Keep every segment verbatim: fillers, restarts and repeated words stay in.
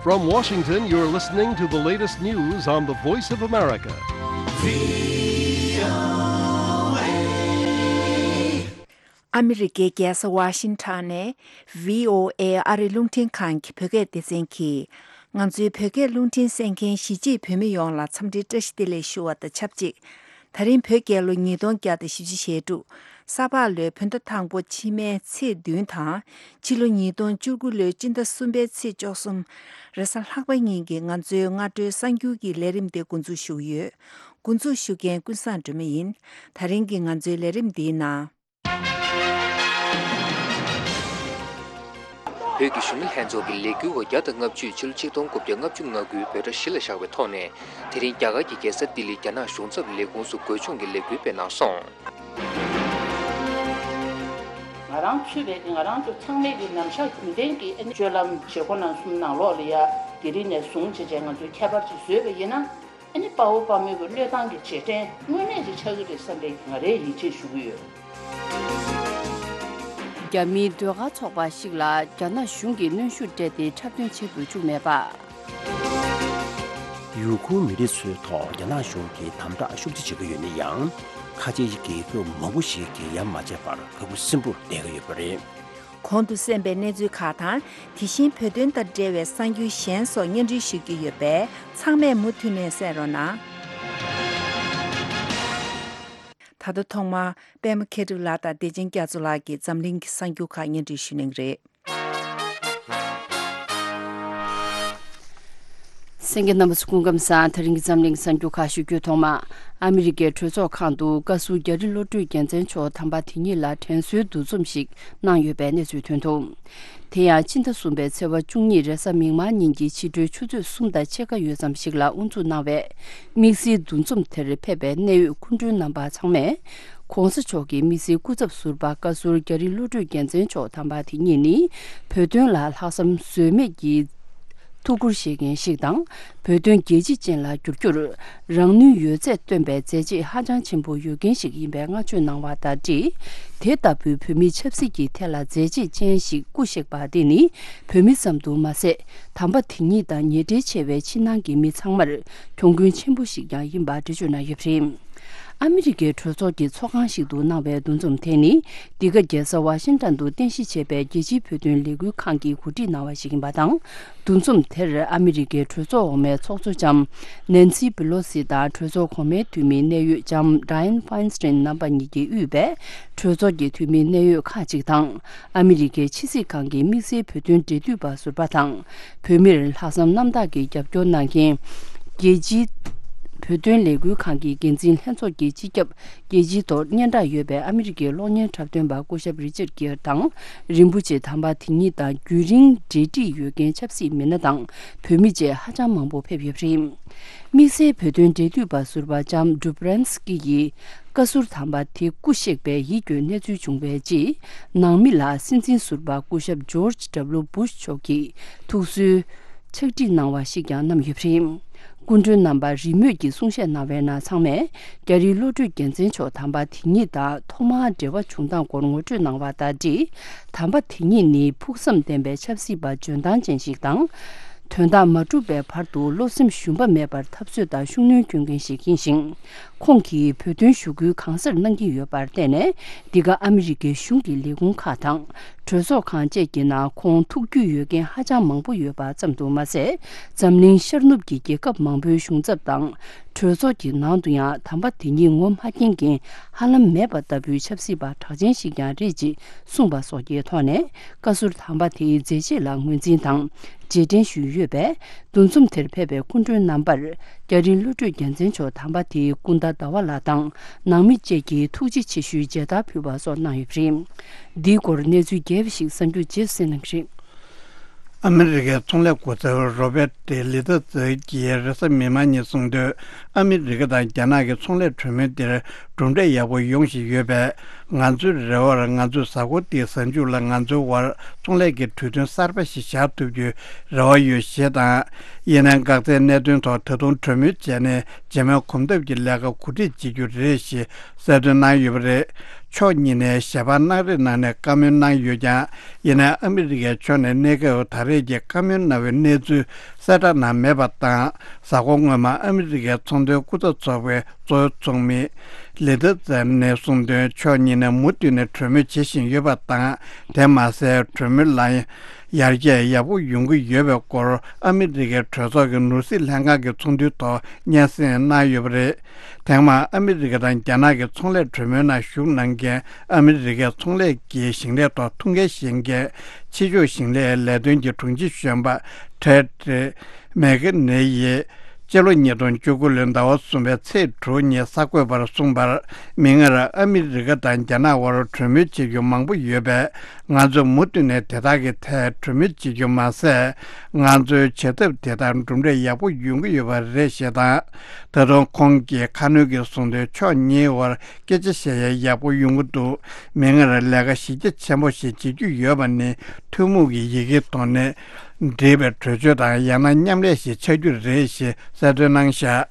From Washington, you're listening to the latest news on the Voice of America. ཨ་མི་རི་ཀའི་རྒྱལ་ས་ཝ་ཤིང་ཊོན་ནས་བྷི་ཨོ་ཨེ་ཨ་རིའི་རླུང་འཕྲིན་ཁང་གི་བོད་སྐད་སྡེ་ཚན་གྱིས། ང་ཚོའི་བོད་སྐད་རླུང་འཕྲིན་གསན་མཁན་གཞིས་བྱེས་བོད་མི་ཡོངས་ལ་འཚམས་འདྲིའི་བཀྲ་ཤིས་བདེ་ལེགས་ཞུ་བ་དང་ཆབས་ཅིག། ད་རིང་བོད་རྒྱལ་ལོ་ཉིས་སྟོང་བརྒྱ་དང་བཞི་བཅུ་ཞེ་དྲུག། ས་ཕག་ལོའི་བོད་ཟླ་དང་པོ་ཕྱི་མའི་ཚེས་བདུན་དང་། ཕྱི་ལོ་ཉིས་སྟོང་བཅུ་དགུ་ལོའི་སྤྱི་ཟླ་གསུམ་པའི་ཚེས་བཅུ་གསུམ། རེས་གཟའ་ལྷག་པ་ཉིན་གྱི་ང་ཚོའི་སྔ་དྲོའི་གསར་འགྱུར་གྱི་ལས་རིམ་དེ་འགོ་འཛུགས་ཞུ་གི་ཡོད། འགོ་འཛུགས་ཞུ་མཁན་ཀུན་བཟང་སྒྲོལ་མ་ཡིན། ད་རིང་གི་ང་ཚོའི་ལས་རིམ་འདིའི་ནང་། བོད་ཀྱི་གཞོན་ནུ་ལྷན་ཚོགས་ཀྱི་ལས་འགུལ་བ་བརྒྱ་དང་ལྔ་བཅུས་ཕྱི་ལོ་ཆིག་སྟོང་དགུ་བརྒྱ་ལྔ་བཅུ་ང་དགུའི་འབོད་སྒྲ་གཞི་ལ་བཞག་པའི་ཐོག་ནས། དེ་རིང་རྒྱ་གར་གྱི་རྒྱལ་ས་ལྡི་ལིར་རྒྱ་ནག་གཞུང་ཚབ་ལས་ཁུངས་སུ་འགོ་སྦྱོང་གི་ལས་འགུལ་སྤེལ་གནང་སོང་། ང་རང་ཚུད་པའི་གི་ང་རང་ཚོ་ཚང་མའི་གི་ནམ་ཞག་རྒྱུན་ལྡན་གྱི་ཨ་ནི་སྤྱོད་ལམ་བྱེད་སྒོ་ནང་གསུམ་ནང་ལོགས་ལ་ཡ་དེ་རིང་ནས་བཟུང་བྱས་བྱས་ང་ཚོས་ཁྱད་པར་ཅིག་བཟོས་པ་ཡིན་ན། ཨ་ནི་དཔའ་བོ་དཔའ་མོའི་གི་བློས་བཏང་གི་རྗེས་དྲན་དངོས་གནས་ཅིག་ཆགས་ཀྱི་རེད་བསམ་པའི་ང་རའི་ཡིད་ཆེས་ཞུ་གི་ཡོད། རྒྱ་མིའི་ཟློས་གར་ཚོགས་པ་ཞིག་ལ་རྒྱ་ནག་གཞུང་གིས་གནོན་ཤུགས་སྤྲད་དེ་འཁྲབ་སྟོན་བྱེད་དགོས་བཅུག་མེད་པ། ཡུ་གུར་མི་རིགས་ཚོའི་ཐོག་རྒྱ་ནག་གཞུང་གིས་དམ་དྲག་ཤུགས་ཆེ་བྱེད་ཀྱི་ཡོད་ན་ཡང་། ཁ་ཆེའི་རྒྱལ་ཁབ་མང་པོ་ཞིག་གིས་ཡ་མ་བྱས་པར་དགའ་པོ་སིམ་པོར་བསྡད་ཀྱི་ཡོད་པ་རེད། གོང་དུ་གསན་པའི་གནས་ཚུལ་ཁག་དང་། དེ་བཞིན་བོད་དོན་དང་འབྲེལ་བའི་གསར་འགྱུར་གཞན་སོགས་སྙན་སྒྲོན་ཞུ་རྒྱུ་ཡོད་པས། ཚང་མས་མུ་མཐུད་ནས་གསན་རོགས་གནང་། ད་ལྟ་ཐོག་མར་པད་མ་མཁས་གྲུབ་ལགས་དང་བདེ་ཆེན་རྒྱ་མཚོ་ལགས་ཀྱིས་འཛམ་གླིང་གི་གསར་འགྱུར་ཁག་སྙན་སྒྲོན་ཞུ་གནང་གི་རེད། གསན་མཁན་རྣམ་པ་ཚོ་སྐུ་ཁམས་བཟང་། ད་རིང་གི་འཛམ་གླིང་གསར་འགྱུར་ཁག་ཞུ་རྒྱུའི་ཐོག་མ། ཨ་མི་རི་ཀའི་གྲོས་ཚོགས་ཁང་དུ་བཀའ་ཟུར་རྒྱ་རི་བློ་གྲོས་རྒྱལ་མཚན་མཆོག་དམ་པ་དེ་ཉིད་ལ་དྲན་གསོའི་འདུ་འཛོམས་ཤིག་གནང་ཡོད་པའི་གནས་ཚུལ་ཐོན་འདུག། དེ་ཡང་ཕྱི་ཟླ་གསུམ་པའི་ཚེས་པ་བཅུ་གཉིས་རེས་གཟའ་མིག་དམར་ཉིན་གྱི་ཕྱི་དྲོའི་ཆུ་ཚོད་གསུམ་དང་ཕྱེད་ཀ་ཡོལ་ཙམ་ཞིག་ལ་དབུ་འཛུགས་གནང་བའི་དམིགས་བསལ་འདུ་འཛོམས་དེར་ཕེབས་པའི་གནད་ཡོད་སྐུ་མགྲོན་རྣམ་པ་ཚང་མས། ྋགོང་ས་མཆོག་གི་དམིགས་བསལ་སྐུ་ཚབ་ཟུར་པ་བཀའ་ཟུར་རྒྱ་རི་བློ་གྲོས་རྒྱལ་མཚན་མཆོག་དམ་པ་དེ་ཉིད་ནི། བོད་དོན་ལ་ལྷག་བསམ་ཟོལ་མེད་ཀྱིས་ཐུགས་ཁུར་བཞེས་མཁན་ཞིག་དང་། བོད་དོན་རྒྱལ་སྤྱི་ཅན་ལ་བསྒྱུར་རྒྱུར་རང་ནུས་ཡོད་ཚད་བཏོན་པའི་མཛད་རྗེས་ཧ་ཅང་ཆེན་པོ་ཡོད་མཁན་ཞིག་ཡིན་པའི་བསྔགས་བརྗོད་གནང་བ་དང་འབྲེལ། དེ་ལྟ་བུའི་བོད་མིའི་ཆབ་སྲིད་ཀྱི་ཐད་ལ་མཛད་རྗེས་ཅན་ཞིག་སྐུ་གཤེགས་པ་འདི་ནི། བོད་མི་ཙམ་དུ་མ་ཟད། དམ་པ་དེ་ཉིད་དང་ཉེ་འབྲེལ་ཆེ་བའི་ཕྱི་ནང་གི་མི་ཚང་མར་གྱོང་གུན་ཆེན་པོ་ཞིག་ཀྱང་ཡིན་པ་འགྲེལ་བརྗོད་གནང་ཡོད་པ་རེད། ཨ་མི་རི་ཀའི་གྲོས་ཚོགས་ཀྱི་ཚོགས་ཁང་ཞིག་ཏུ་གནང་བའི་འདུ་འཛོམས་དེ་ནི། འདི་ག་རྒྱལ་ས་ཝ་ཤིང་ཊོན་དུ་རྟེན་གཞི་བྱས་པའི་རྒྱལ་སྤྱིའི་བོད་དོན་ལས་འགུལ་ཁང་གིས་གོ་སྒྲིག་གནང་བ་ཞིག་ཡིན་པ་དང་། འདུ་འཛོམས་དེར་ཨ་མི་རི་ཀའི་གྲོས་ཚོགས་འོག་མའི་ཚོགས་གཙོ་ལྕམ་ནན་སི་པི་ལོ་སི་དང་གྲོས་ཚོགས་གོང་མའི་འཐུས་མི་གནད་ཡོད་ལྕམ་ཌ་ཡན་ཕ་ཡིན་སི་ཊིན་རྣམ་པ་གཉིས་ཀྱིས་དབུས་པའི་གྲོས་ཚོགས་ཀྱི་འཐུས་མི་གནད་ཡོད་ཁག་ཅིག་དང་། ཨ་མི་རི་ཀའི་ཕྱི་སྲིད་ཁང་གི་དམིགས་བསལ་བོད་དོན་འབྲེལ་མཐུད་པ་ཟུར་པ་དང་། བོད་མིར་ལྷག་བསམ་རྣམ་དག་གིས་རྒྱབ་སྐྱོར་གནང་མཁན། རྒྱལ་སྤྱིའི་བོད་དོན་ལས་འགུལ་ཁང་གི་འགན་འཛིན་ལྷན་ཚོགས་ཀྱི་སྤྱི་ཁྱབ། རྒྱལ་སྤྱིའི་ཐོག་སྙན་གྲགས་ཡོད་པའི་ཨ་མི་རི་ཀའི་གློག་བརྙན་འཁྲབ་སྟོན་པ་སྐུ་ཞབས་རི་ཅར་གྷེར་དང་། རིན་པོ་ཆེ་དམ་པ་དེ་ཉིད་དང་རྒྱུན་རིང་འབྲེལ་འདྲིས་ཡོད་མཁན་ཆབ་སྲིད་མི་སྣ་དང་བོད་མི་བཅས་ཧ་ཅང་མང་པོ་ཕེབས་ཡོད་པ་རེད། དམིགས་བསལ་བོད་དོན་འབྲེལ་མཐུད་པ་ཟུར་པ་ལྕམ་ཌུབ་རན་སི་ཀི་ཡིས། བཀའ་ཟུར་དམ་པ་དེ་སྐུ་གཤེགས་པའི་ཡིད་སྐྱོའི་གནས་ཚུལ་བྱུང་བའི་རྗེས། ནང་མི་ལ་སྲིད་འཛིན་ཟུར་པ་སྐུ་ཞབས་ཇོརྗ་ཌབ་ལུ་བུ་ཤ་མཆོག་གིས་ཐུགས་གསོའི་ཕྱག་བྲིས་གནང་བ་ཞིག་ཀྱང་བསྣམས་ཡོད་པ་རེད། སྐུ་མགྲོན་རྣམ་པ་རེས་མོས་ཀྱིས་གསུང་བཤད་གནང་བའི་ནང་ཚང་མས། རྒྱ་རི་བློ་གྲོས་རྒྱལ་མཚན་མཆོག་དམ་པ་དེ་ཉིད་དང་ཐོག་མར་འབྲེལ་བ་བྱུང་སྟངས་སྐོར་ངོ་སྤྲོད་གནང་བ་དང་འབྲེལ། དམ་པ་དེ་ཉིད་ནི་ཕུགས་བསམ་ལྡན་པའི་ཆབ་སྲིད་པ་འཇོན་ཐང་ཅན་ཞིག་དང་། དོན་དག་མ་འགྲུབ་པའི་བར་དུ་བློ་སེམས་ཞུམ་པ་མེད་པར་འཐབ་རྩོད་དང་ཤུགས་སྣོན་སྐྱོན་མཁན་ཞིག་ཡིན་ཞིང་། ཁོང་གིས་བོད་དོན་ཞུ་སྐུལ་གང་སར་གནང་གི་ཡོད་པར་བརྟེན་ནས། འདི་ག་ཨ་མི་རི་ཀའི་གཞུང་གི་ལས་ཁུངས་ཁག་དང་། གྲོས་ཚོགས་ཁང་བཅས་ཀྱི་ནང་ཁོང་ཐུགས་རྒྱུས་ཡོད་མཁན་ཧ་ཅང་མང་པོ་ཡོད་པ་ཙམ་དུ་མ་ཟད། འཛམ་གླིང་ཤར་ནུབ་ཀྱི་རྒྱལ་ཁབ་མང་པོའི་གཞུང་ཚབ་དང་། གྲོས་ཚོགས་ཀྱི་ནང་དུ་ཡང་དམ་པ་དེ་ཉིད་ངོ་མ་མཁྱེན་མཁན་ཧ་ལམ་མེད་པ་ལྟ་བུའི་ཆབ་སྲིད་པ་གྲགས་ཅན་ཞིག་ཀྱང་རེད་ཅེས་གསུངས་པ་སོགས་ཀྱི་ཐོག་ནས། བཀའ་ཟུར་དམ་པ་དེའི་མཛད་རྗེས་ལ་ངོས་འཛིན་དང་། རྗེས་དྲན་ཞུས་ཡོད་པས། འདུ་འཛོམས་དེར་ཕེབས་པའི་སྐུ་མགྲོན་རྣམ་པར། རྒྱ་རི་བློ་གྲོས་རྒྱལ་མཚན་མཆོག་དམ་པ་དེའི་སྐུ་ཟླ་ཟླ་བ་ལགས་དང་། ནང་མི་བཅས་ཀྱིས་ཐུགས་རྗེ་ཆེ་ཞུའི་མཇལ་དར་ཕུལ་བ་སོགས་གནང་ཡོད་པ་རེད། འདིའི་སྐོར་གནས་ཚུལ་རྒྱས་པ་ཞིག་གསར་འགྱུར་རྗེས་སུ་གསན་གནང་གི་རེད། ཨ་མི་རི་ཀའི་ཚོང་ལས་སྐུ་ཚབ་རོ་བེར་ཏི་ལི་ཐ་ཛི་ཡིས་རེས་གཟའ་མིག་དམར་ཉིན་གསུངས་དོན། ཨ་མི་རི་ཀ་དང་རྒྱ་ནག་གི་ཚོང་ལས་གྲོས་མོལ་འདིར་གྲུབ་འབྲས་ཡག་པོ་ཡོང་བཞིན་ཡོད་པས། ང་ཚོའི་རེ་བར་ང་ཚོའི་གཟའ་འཁོར་འདིའི་གཟའ་མཇུག་ལ་ང་ཚོའི་དབར་ཚོང་ལས་ཀྱི་གྲོས་མཐུན་གསར་པ་ཞིག་བཞག་ཐུབ་རྒྱུའི་རེ་བ་ཡོད་ཞེས་དང་། ཡིན་ནའང་འགག་རྩའི་གནད་དོན་ཐོག་ད་དུང་གྲོས་མོལ་བྱས་ནས་རྗེས་མའི་གོམ་སྟབས་ཀྱི་ལས་ཀ་གོ་སྒྲིག་བྱེད་རྒྱུ་རེད་ཞེས་གསལ་སྟོན་གནང་ཡོད་པ་རེད། ཕྱོགས་གཉིས་ནས་ཞལ་པར་གནང་རེས་གནང་ནས་བཀའ་མོལ་གནང་ཡོད་ཀྱང་། ཡིན་ནའི་ཨ་མི་རི་ཀའི་ཕྱོགས་ནས་གནས་སྐབས་ད་རེས་ཀྱི་བཀའ་མོལ་གནང་བའི་གནས་ཚུལ་གསལ་བསྒྲགས་གནང་མེད་པ་དང་། གཟའ་འཁོར་སྔོན་མ་ཨ་མི་རི་ཀའི་ཚོང་དོན་སྐུ་ཚབ་ཚོགས་པའི་གཙོ་བོ་ཚོགས་མི་ལི་ཐི་ཙན་ནས་གསུངས་དོན། ཕྱོགས་གཉིས་ནས་མུ་མཐུད་ནས་གྲོས་མོལ་བྱེད་བཞིན་ཡོད་པ་དང་། དེ་མ་ཟད་གྲོས་མོལ་ལ་ཡར་རྒྱས་ཡག་པོ་ཡོང་གི་ཡོད་པའི་སྐོར་ཨ་མི་རི་ཀའི་གྲོས་ཚོགས་ཀྱི་ནོར་སྲིད་ལྷན་ཁང་གི་ཚོགས་འདུའི་ཐོག་སྙན་སེང་གནང་ཡོད་པ་རེད། ཐེངས་མ་ཨ་མི་རི་ཀ་དང་རྒྱ་ནག་གི་ཚོང་ལས་གྲོས་མོལ་ནང་ཞུགས་གནང་མཁན་ཨ་མི་རི་ཀའི་ཚོང་ལས་ཀྱི་ཞིང་ལས་ཐོག་ཐུགས་འགན་བཞེས་མཁན་ཕྱི་ཕྱོགས་ཞིང་ལས་ལས་དོན་གྱི་དྲུང་ཆེ་གཞོན་པ་ཏྲེད་མེག་ནེ་ཡིས་སྤྱི་ལོ་ཉིས་སྟོང་བཅུ་དགུ་ལོའི་ཟླ་བ་གསུམ་པའི་ཚེས་དྲུག་ཉིན་གསར་འགོད་པར་གསུངས་པར། མིག་སྔར་ཨ་མི་རི་ཀ་དང་རྒྱ་ནག་དབར་གྲོས་མོལ་བྱེད་རྒྱུ་མང་པོ་ཡོད་པས། ང་ཚོས་མུ་མཐུད་ནས་དེ་དག་གི་ཐད་གྲོས་མོལ་བྱེད་རྒྱུ་མ་ཟད། ང་ཚོའི་བྱེད་ཐབས་དེ་དག་གྲུབ་འབྲས་ཡག་པོ་ཡོང་གི་ཡོད་པ་རེད་ཞེས་དང་། ད་དུང་ཁོང་གིས་ཁ་སྣོན་གྱིས་གསུངས་དོན། ཕྱོགས་གཉིས་དབར་སྐད་ཆ་བཤད་ཡ་ཡག་པོ་ཡོང་གི་འདུག་མིག་སྔར་ལས་ཀ་གཞི་རྒྱ་ཆེན་པོ་ཞིག་བྱེད་རྒྱུ་ཡོད་པ་ནི་ཐུན་མོང་གི་ཡི་གེའི་ཐོག་ནས་འབྲེལ་བའི་གྲོས་ཆོད་དང་ཡང་ན་མཉམ་ལས་ཤིག་ཆགས་རྒྱུ་རེད་ཞེས་གསལ་སྟོན་གནང་བཞག་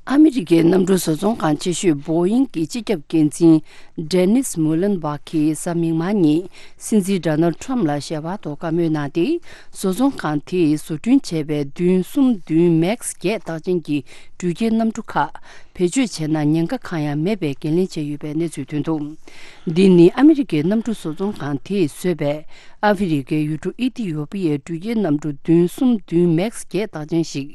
ཨ་མི་རི་ཀའི་གནམ་གྲུ་བཟོ་ཚོང་ཁང་ཆེ་ཤོས་བོ་ཡིང་གི་སྤྱི་ཁྱབ་འགན་འཛིན་ཌེ་ནིས་མུ་ལན་བྷག་གིས་གཟའ་མིག་དམར་ཉིན་སྲིད་འཛིན་ཌོ་ནལ་ཁྲམ་ལ་ཞལ་པར་ཐོག་བཀའ་མོལ་གནང་སྟེ། བཟོ་ཚོང་ཁང་དེས་བཟོ་སྐྲུན་བྱས་པའི་བདུན་གསུམ་བདུན་མེག་སི་བརྒྱད་རྟགས་ཅན་གྱི་འགྲུལ་སྐྱེལ་གནམ་གྲུ་ཁག་བེད་སྤྱོད་བྱས་ན་ཉེན་ཁ་གང་ཡང་མེད་པའི་འགན་ལེན་བྱས་ཡོད་པའི་གནས་ཚུལ་ཐོན་འདུག་འདི་ནི་ཨ་མི་རི་ཀའི་གནམ་གྲུ་བཟོ་ཚོང་ཁང་དེས་བཟོས་པའི་ཨ་ཧྥེ་རི་ཁའི་ཡུལ་གྲུ་ཨི་ཐི་ཡོ་པི་ཡའི་འགྲུལ་སྐྱེལ་གནམ་གྲུ་བདུན་གསུམ་བདུན་མེག་སི་བརྒྱད་རྟགས་ཅན་ཞིག་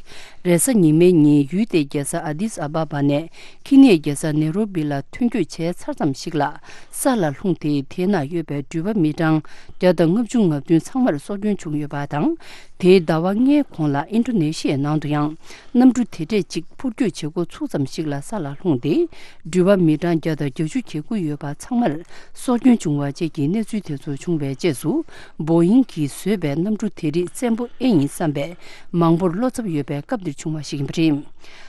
རེས་གཟའ་ཉི་མའི་ཉིན་ཡུལ་དེའི་རྒྱལ་ས་ཨ་དིས་ཨ་བ་བ་ནས་ཁེ་ནི་ཡའི་རྒྱལ་ས་ནེ་རོ་བི་ལ་ཐོན་སྐྱོད་བྱས་ཚར་ཙམ་ཞིག་ལ་ས་ལ་ལྷུང་སྟེ། དེའི་ནང་ཡོད་པའི་འགྲུལ་པ་མི་གྲངས་བརྒྱ་དང་ལྔ་བཅུ་ང་བདུན་ཚང་མར་སྲོག་སྐྱོན་བྱུང་ཡོད་པ་དང་། དེའི་ཟླ་བ་ལྔའི་གོང་ལ་ཨིན་ཌོ་ནེ་ཤི་ཡའི་ནང་དུ་ཡང་གནམ་གྲུ་དེ་འདྲས་གཅིག་འཕུར་སྐྱོད་བྱེད་འགོ་ཚུགས་ཙམ་ཞིག་ལ་ས་ལ་ལྷུང་སྟེ། འགྲུལ་པ་མི་གྲངས་བརྒྱ་དང་བརྒྱད་ཅུ་གྱ་དགུ་ཡོད་པ་ཚང་མར་སྲོག་སྐྱོན་བྱུང་བ་བཅས་ཀྱི་གནས་ཚུལ་དེ་ཚོ་བྱུང་བའི་རྗེས་སུ། བོ་ཡིང་གིས་བཟོས་པའི་གནམ་གྲུ་དེ་རིགས་བཙན་པོ་ཨེ་ཡིན་བསམ་པའི་མང་པོར་བློ་འཚབ་ཡོད་པའི་སྐབས་འདིར་བྱུང་བ་ཞིག་ཡིན་པ་རེད།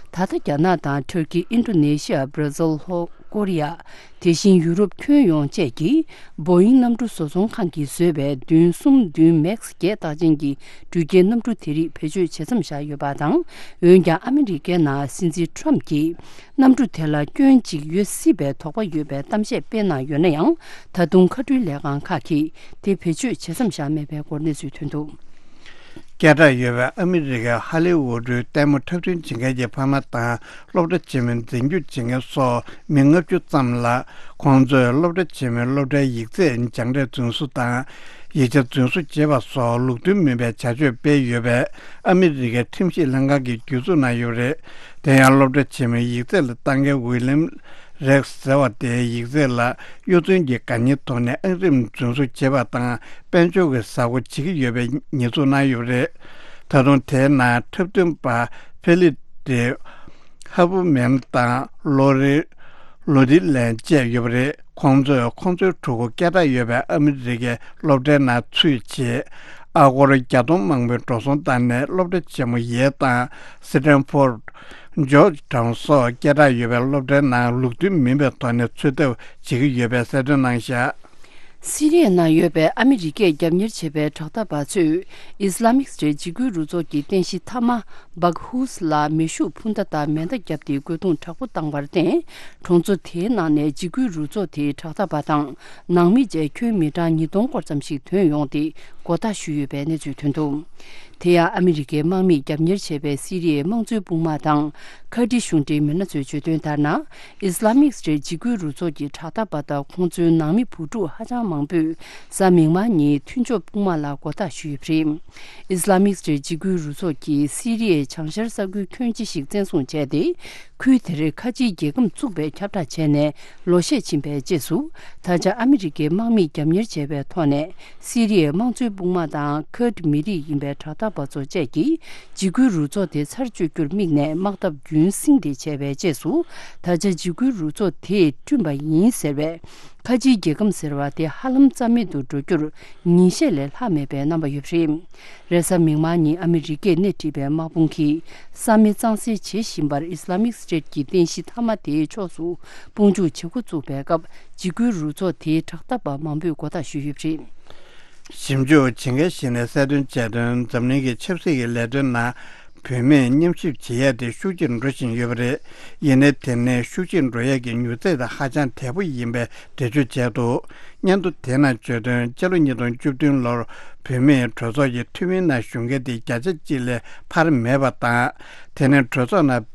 ད་ལྟ་རྒྱ་ནག་དང་ཊར་ཀི། ཨིན་ཌོ་ནེ་ཤི་ཡ། བྷར་ཛིལ། ལྷོ་ཀོ་རི་ཡ། དེ་བཞིན་ཡུ་རོབ་ཁྱོན་ཡོངས་བཅས་ཀྱིས་བོ་ཡིང་གནམ་གྲུ་བཟོ་ཚོང་ཁང་གིས་བཟོས་པའི་བདུན་གསུམ་བདུན་མེག་སི་བརྒྱད་རྟགས་ཅན་གྱི་འགྲུལ་སྐྱེལ་གནམ་གྲུ་དེ་རིགས་བེད་སྤྱོད་བྱེད་མཚམས་བཞག་ཡོད་པ་དང་། འོན་ཀྱང་ཨ་མི་རི་ཀའི་ནང་སྲིད་འཛིན་ཁྲོམ་གྱིས་གནམ་གྲུ་དེ་ལ་སྐྱོན་གཅིག་ཡོད་སྲིད་པའི་དོགས་པ་ཡོད་པའི་གཏམ་བཤད་སྤེལ་གནང་ཡོད་ན་ཡང་། ད་དུང་མཁའ་འགྲུལ་ལས་ཁང་ཁག་གིས་དེ་བེད་སྤྱོད་བྱེད་མཚམས་བཞག་མེད་པའི་སྐོར་གནས་ཚུལ་ཐོན་འདུག་སྐད་གྲགས་ཡོད་པའི་ཨ་མི་རི་ཀའི་ཧ་ལི་ཝུ་ཌི་ལྟད་མོ་འཁྲབ་སྟོན་བྱེད་མཁན་གྱི་ཕ་མ་དང་། སློབ་གྲྭ་ཆེན་མོའི་འཛིན་སྐྱོང་བྱེད་མཁན་སོགས་མི་ལྔ་བཅུ་ཙམ་ལ། ཁོང་ཚོས་སློབ་གྲྭ་ཆེན་མོའི་སློབ་གྲྭའི་ཡིག་ཚད་སྦྱངས་འབྲས་རྫུན་བཟོ་དང་། ཡིག་ཆ་རྫུན་བཟོ་བྱེད་པ་སོགས་ལུགས་མཐུན་མིན་པའི་བྱ་སྤྱོད་སྤེལ་ཡོད་པས། ཨ་མི་རི་ཀའི་ཁྲིམས་ཞིབ་ལྷན་ཁང་གིས་གྱོད་འཛུགས་གནང་ཡོད་པ་རེད། དེ་ཡང་སློབ་གྲྭ་ཆེན་མོའི་ཡིག་ཚད་ལ་ལྟ་མཁན་ཝི་ལིམ་རེག་ཟེར་བ་དེའི་ཡིག་ཚད་ལ་གཡོ་རྫུན་གྱི་དགག་ཉེས་ཐོག་ནས་ཨང་རིམ་རྫུན་བཟོ་བྱེད་པ་དང་། དཔལ་འབྱོར་གྱི་གཟའ་འཁོར་བྱེད་ཀྱི་ཡོད་པའི་ཉེས་འཛུགས་གནང་ཡོད་པ་རེད། ད་དུང་དེའི་ནང་འཁྲབ་སྟོན་པ་ཕེ་ལི་ཏི་ཧ་བུ་མེན་དང་ལོ་རི་ལོ་ཏི་ལན་བཅས་ཡོད་པ་རེད། ཁོང་ཚོས་ཁོང་ཚོའི་ཕྲུ་གུ་སྐད་གྲགས་ཡོད་པའི་ཨ་མི་རི་ཀའི་སློབ་གྲྭའི་ནང་ཚུད་རྗེས། ཨ་སྒོར་བརྒྱ་སྟོང་མང་པོའི་འགྲོ་སོང་བཏང་ནས། སློབ་གྲྭ་ཆེན་མོ་ཡེལ་དང་སི་ཏན་ཕོར་ཌི། ཇོརྗ་ཊའུན་སོགས་སྐད་གྲགས་ཡོད་པའི་སློབ་གྲྭའི་ནང་ལུགས་མཐུན་མིན་པའི་ཐོག་ནས་འཚོལ་ཐབས་བྱེད་ཀྱི་ཡོད་པའི་གསལ་སྟོན་གནང་བཞག་སི་རི་ཡའི་ནང་ཡོད་པའི་ཨ་མི་རི་ཀས་རྒྱབ་གཉེར་བྱེད་པའི་དྲག་འཐབ་པ་ཚོས་ཨིས་ལ་མིག་སི་ཊེཊ་འཇིགས་སྐུལ་རུ་ཚོགས་ཀྱི་རྟེན་གཞི་མཐའ་མ་བག་ཧུས་ལ་མེ་ཤུགས་འཕུར་མདའ་དང་མེ་མདའ་བརྒྱབ་སྟེ་རྒོལ་རྡུང་དྲག་པོ་བཏང་བར་བརྟེན། གྲོང་ཚོ་དེའི་ནང་ནས་འཇིགས་སྐུལ་རུ་ཚོགས་དེའི་དྲག་འཐབ་པ་དང་ནང་མི་བཅས་ཁྱོན་མི་གྲངས་ཉིས་སྟོང་སྐོར་ཙམ་ཞིག་ཐོན་ཡོང་སྟེ། མགོ་བཏགས་ཞུས་ཡོད་པའི་གནས་ཚུལ་ཐོན་འདུག་དེ་ཡང་ཨ་མི་རི་ཀའི་དམག་མིས་རྒྱབ་གཉེར་བྱས་པའི་སི་རི་ཡའི་དམངས་གཙོའི་དཔུང་དམག་དང་ཁ་ཏྲི་གཞུང་འབྲེལ་མི་སྣ་ཚོས་བརྗོད་དོན་ལྟར་ན། ཨིས་ལ་མིག་སི་ཊེཊ་འཇིགས་སྐུལ་རུ་ཚོགས་ཀྱི་དྲག་འཐབ་པ་དང་ཁོང་ཚོའི་ནང་མི་བུ་ཕྲུག་ཧ་ཅང་མང་པོས་གཟའ་མིག་དམར་ཉིན་མཐུན་ཕྱོགས་དཔུང་དམག་ལ་མགོ་བཏགས་ཞུས་ཡོད་པ་རེད། ཨིས་ལ་མིག་སི་ཊེཊ་འཇིགས་སྐུལ་རུ་ཚོགས་ཀྱིས་སི་རི་ཡའི་བྱང་ཤར་ས་ཁུལ་ཁྱོན་ཆེ་ཞིག་བཙན་བཟུང་བྱས་ཏེ། ཁུལ་དེར་ཁ་ཆེའི་རྒྱལ་ཁམས་བཙུགས་པའི་ཁྱབ་བསྒྲགས་བྱས་ནས་ལོ་ཤས་ཕྱིན་པའི་རྗེས་སུ། ད་ཆ་ཨ་མི་རི་ཀའི་དམག་མིས་རྒྱབ་གཉེར་བྱས་པའི་ཐོག་ནས། སི་རི་ཡའི་དམངས་གཙོའི་དཔུང་དམག་དང་ཁུར་ཌི་མི་རིགས་ཡིན་པའི་དྲག་འཐབ་པ་ཚོ་བཅས་ཀྱིས་འཇིགས་སྐུལ་རུ་ཚོགས་དེ་ཚར་གཅོད་རྒྱུར་དམིགས་ནས་དམག་འཐབ་རྒྱུན་བསྲིངས་ཏེ་བྱས་པའི་རྗེས་སུ། ད་ཆ་འཇིགས་སྐུལ་རུ་ཚོགས་དེས་བསྐྲུན་པ་ཡིན་ཟེར་བའི་ཁ་ཆེའི་རྒྱལ་ཁམས་ཟེར་བ་དེ་ཧ་ལམ་རྩ་མེད་དུ་འགྲོ་རྒྱུར་ཉིན་ཤས་ལས་ལྷག་མེད་པའི་རྣམ་པ་ཡོད་པ་རེད། རེས་གཟའ་མིག་དམར་ཉིན་ཨ་མི་རི་ཀས་སྣེ་ཁྲིད་པའི་དམག་དཔུང་གིས་ས་མེད་གཙང་སེལ་བྱེད་བཞིན་པར། ཨིས་ལ་མིག་སི་ཊེཊ་ཀྱི་རྟེན་གཞི་མཐའ་མ་དེའི་ཕྱོགས་སུ་དཔུང་འཇུག་བྱེད་འགོ་བཙུགས་པའི་སྐབས། འཇིགས་སྐུལ་རུ་ཚོགས་དེའི་དྲག་འཐབ་པ་མང་པོས་མགོ་བཏགས་ཞུས་ཡོད་པ་རེད། ཞིབ་འཇུག་བྱེད་མཁན་ཞིག་ནས་གསལ་སྟོན་བྱས་དོན། འཛམ་གླིང་གི་ཆབ་སྲིད་ཀྱི་ལས་དོན་ནང་། བུད་མེད་མཉམ་ཞིབ་བྱེད་ཡས་དེ་ཤུགས་ཆེར་འགྲོ་བཞིན་ཡོད་པ་རེད། ཡིན་ནའི་དེ་ནས་ཤུགས་ཆེར་འགྲོ་ཡས་ཀྱི་མྱུར་ཚད་དེ་ཧ་ཅང་དལ་པོ་ཡིན་པའི་འགྲེལ་བརྗོད་བྱས་འདུག། སྙན་ཐོ་དེ་ནང་བརྗོད་དོན། སྤྱི་ལོ་ཉིས་སྟོང་བཅུ་བདུན་ལོར་བུད་མེད་གྲོས་ཚོགས་ཀྱི་འཐུས་མིའི་ནང་ཞུགས་མཁན་དེ་བརྒྱ་ཆ་གཅིག་ལས་འཕར་མེད་པ་དང་། དེ་ནས་གྲོས་ཚོགས་ནང་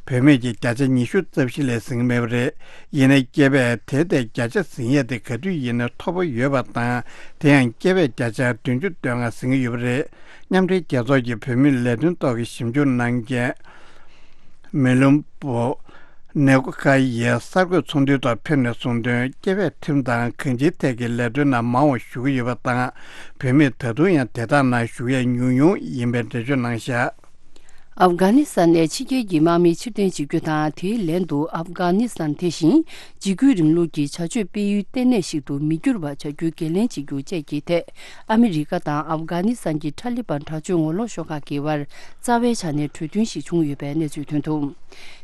བུད་མེད་ཀྱི་བརྒྱ་ཆ་ཉི་ཤུ་རྩ་བཞི་ལས་ཟིན་མེད་པ་རེད། ཡིན་ནའི་སྐྱེས་པས་དེ་ལྟའི་བརྒྱ་ཆ་ཟིན་ཡས་དེ་ག་དུས་ཡིན་ནའི་མཐོ་པོ་ཡོད་པ་དང་། དེ་ཡང་སྐྱེས་པས་བརྒྱ་ཆ་བདུན་ཅུ་དོན་ལྔ་ཟིན་གྱི་ཡོད་པ་རེད། མཉམ་འབྲེལ་རྒྱལ་ཚོགས་ཀྱི་བུད་མེད་ལས་དོན་ཐོག་གི་ཞིབ་འཇུག་གནང་མཁན་མེ་ལུམ་པོ་ནེ་ཀོ་ཁ་ཡིས་གསར་འགོད་ཚོགས་འདུའི་ཐོག་ཕེབས་ནས་གསུངས་དོན། སྐྱེས་པས་ཁྲིམས་དང་གང་ཅིའི་ཐད་ཀྱི་ལས་དོན་ནང་མང་བ་ཞུགས་ཀྱི་ཡོད་པ་དང་། བུད་མེད་ད་དུང་ཡང་དེ་དག་ནང་ཞུགས་ཡས་ཉུང་ཉུང་ཡིན་པའི་འགྲེལ་བརྗོད་གནང་བཞག། ཨབ་གྷ་ནི་སི་ཐན་ནས་ཕྱི་རྒྱལ་གྱི་དམག་མི་ཕྱིར་འཐེན་བྱེད་རྒྱུ་དང་། དེའི་ལན་དུ་ཨབ་གྷ་ནི་སི་ཐན་དེ་བཞིན་འཇིགས་སྐུལ་རིང་ལུགས་ཀྱི་བྱ་སྤྱོད་སྤེལ་ཡུལ་ལྟེ་གནས་ཤིག་ཏུ་མི་འགྱུར་བ་བྱ་རྒྱུའི་འགན་ལེན་བྱེད་རྒྱུ་བཅས་ཀྱི་ཐད། ཨ་མི་རི་ཀ་དང་ཨབ་གྷ་ནི་སི་ཐན་གྱི་ཐ་ལི་བན་དྲག་སྤྱོད་ངོ་ལོག་ཤོག་ཁག་གི་བར་རྩ་བའི་ཆ་ནས་གྲོས་མཐུན་ཞིག་བྱུང་ཡོད་པའི་གནས་ཚུལ་ཐོན་འདུག།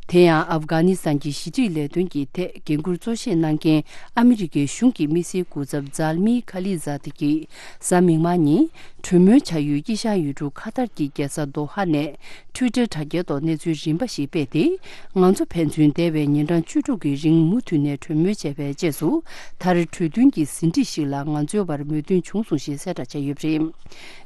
དེ་ཡང་ཨབ་གྷ་ནི་སི་ཐན་གྱི་ཞི་འགྲིག་ལས་དོན་གྱི་ཐད་འགན་འཁུར་གཙོ་བཞེས་གནང་མཁན་ཨ་མི་རི་ཀའི་གཞུང་གི་དམིགས་བསལ་སྐུ་ཚབ་ཛལ་མི་ཁ་ལི་ཛཱ་ཏི་གིས་གཟའ་མིག་དམར་ཉིན་གྲོས་མོལ་བྱ་ཡུལ་དཀྱིལ་ཤར་ཡུལ་གྲུ་ཁ་ཐར་གྱི་རྒྱལ་ས་དོ་ཧ་ནས། ཊུའི་ཊར་དྲ་རྒྱའི་ཐོག་གནས་ཚུལ་རིམ་པ་ཞིག་སྤེལ་ཏེ། ང་ཚོ་ཕན་ཚུན་འདས་པའི་ཉིན་གྲངས་བཅུ་དྲུག་གི་རིང་མུ་མཐུད་ནས་གྲོས་མོལ་བྱས་པའི་རྗེས་སུ། མཐར་གྲོས་མཐུན་གྱི་ཟིན་བྲིས་ཤིག་ལ་ང་ཚོའི་བར་མོས་མཐུན་བྱུང་སོང་ཞེས་གསལ་བསྒྲགས་བྱས་ཡོད་པ་རེད།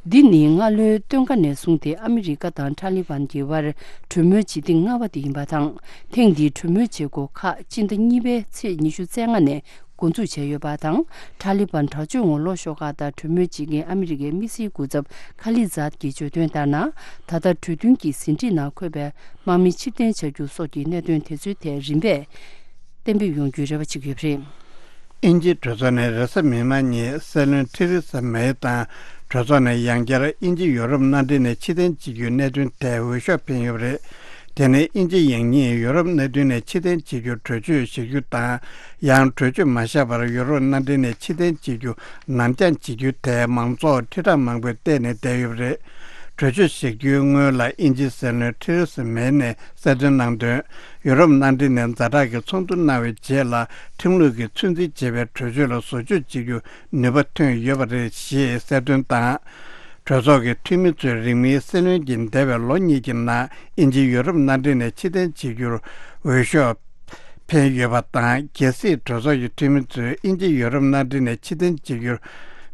འདི་ནི་སྔ་ལོའི་སྟོན་ཁ་ནས་བཟུང་སྟེ་ཨ་མི་རི་ཀ་དང་ཐ་ལི་བན་གྱི་བར་གྲོས་མོལ་བྱེད་ཐེངས་ལྔ་པ་དེ་ཡིན་པ་དང་། ཐེངས་འདིའི་གྲོས་མོལ་བྱེད་སྒོ་ཁག་སྤྱི་ཟླ་གཉིས་པའི་ཚེས་ཉི་ཤུ་རྩ་ལྔ་ནས། འགོ་འཛུགས་བྱས་ཡོད་པ་དང་། ཐ་ལི་བན་དྲག་སྤྱོད་ངོ་ལོག་ཤོག་ཁག་དང་གྲོས་མོལ་བྱེད་མཁན་ཨ་མི་རི་ཀའི་དམིགས་བསལ་སྐུ་ཚབ་ཁ་ལི་ཛཱད་ཀྱིས་བརྗོད་དོན་ལྟར་ན། ད་ལྟ་གྲོས་མཐུན་གྱི་ཟིན་བྲིས་ནང་འཁོད་པའི་དམག་མི་ཕྱིར་འཐེན་བྱ་རྒྱུ་སོགས་ཀྱི་གནད་དོན་དེ་ཚོའི་ཐད་རིམ་པས་གཏན་འབེབས་ཡོང་རྒྱུའི་རེ་བ་བྱེད་ཀྱི་ཡོད་པ་རེད། དབྱིན་ཇིའི་གྲོས་ཚོགས་ནས་རེས་གཟའ་མིག་དམར་ཉིན་སྲིད་བློན་ཐེ་རེ་ས་མེ་དང་གྲོས་ཚོགས་ནས་ཡང་བསྐྱར་དབྱིན་ཇི་ཡོ་རོབ་མནའ་འབྲེལ་ནས་ཕྱིར་འཐེན་བྱེད་རྒྱུའི་གནད་དོན་ཐད་འོས་ཤོག་འཕེན་ཡོད་པ་རེད། དེ་ནི་དབྱིན་ཇི་ཡིན་ཉིད་ཡོ་རོབ་མནའ་མཐུན་ནས་ཕྱིར་འཐེན་བྱེད་རྒྱུར་གྲོས་ཆོད་བཞག་རྒྱུ་དང་། ཡང་གྲོས་ཆོད་མ་བཞག་པར་ཡོ་རོབ་མནའ་འབྲེལ་ནས་ཕྱིར་འཐེན་བྱེད་རྒྱུ་ནར་འགྱངས་བྱེད་རྒྱུའི་ཐད་མང་ཚོགས་ཁྲི་ཕྲག་མང་པོས་བལྟས་ནས་བསྡད་ཡོད་པ་རེད། གྲོས་ཆོད་བཞག་རྒྱུའི་སྔོན་ལ་དབྱིན་ཇིའི་སྲིད་བློན་ཐེ་རེ་ས་མེ་ནས་གསལ་སྟོན་གནང་དོན། ཡོ་རོབ་མནའ་འབྲེལ་ནས་ཛ་དྲག་གི་ཚོགས་འདུ་གནང་བའི་རྗེས་ལ་ཁྲིམས་ལུགས་ཀྱིས་ཚོད་འཛིན་བྱེད་པའི་གྲོས་ཆོད་ལ་བཟོ་བཅོས་བྱེད་རྒྱུ་ནུས་པ་ཐོན་ཡོད་པ་རེད་ཞེས་གསལ་སྟོན་དང་། གྲོས་ཚོགས་ཀྱི་འཐུས་མི་ཚོས་རིང་མིན་སྲིད་བློན་གྱིས་འདས་པའི་ལོ་གཉིས་ཀྱི་ནང་དབྱིན་ཇི་ཡོ་རོབ་མནའ་འབྲེལ་ནས་ཕྱིར་འཐེན་བྱེད་རྒྱུར་འོས་ཤོག་འཕེན་ཡོད་པ་དང་། གལ་སྲིད་གྲོས་ཚོགས་ཀྱི་འཐུས་མི་ཚོས་དབྱིན་ཇི་ཡོ་རོབ་མནའ་འབྲེལ་ནས་ཕྱིར་འཐེན་བྱེད་རྒྱུར་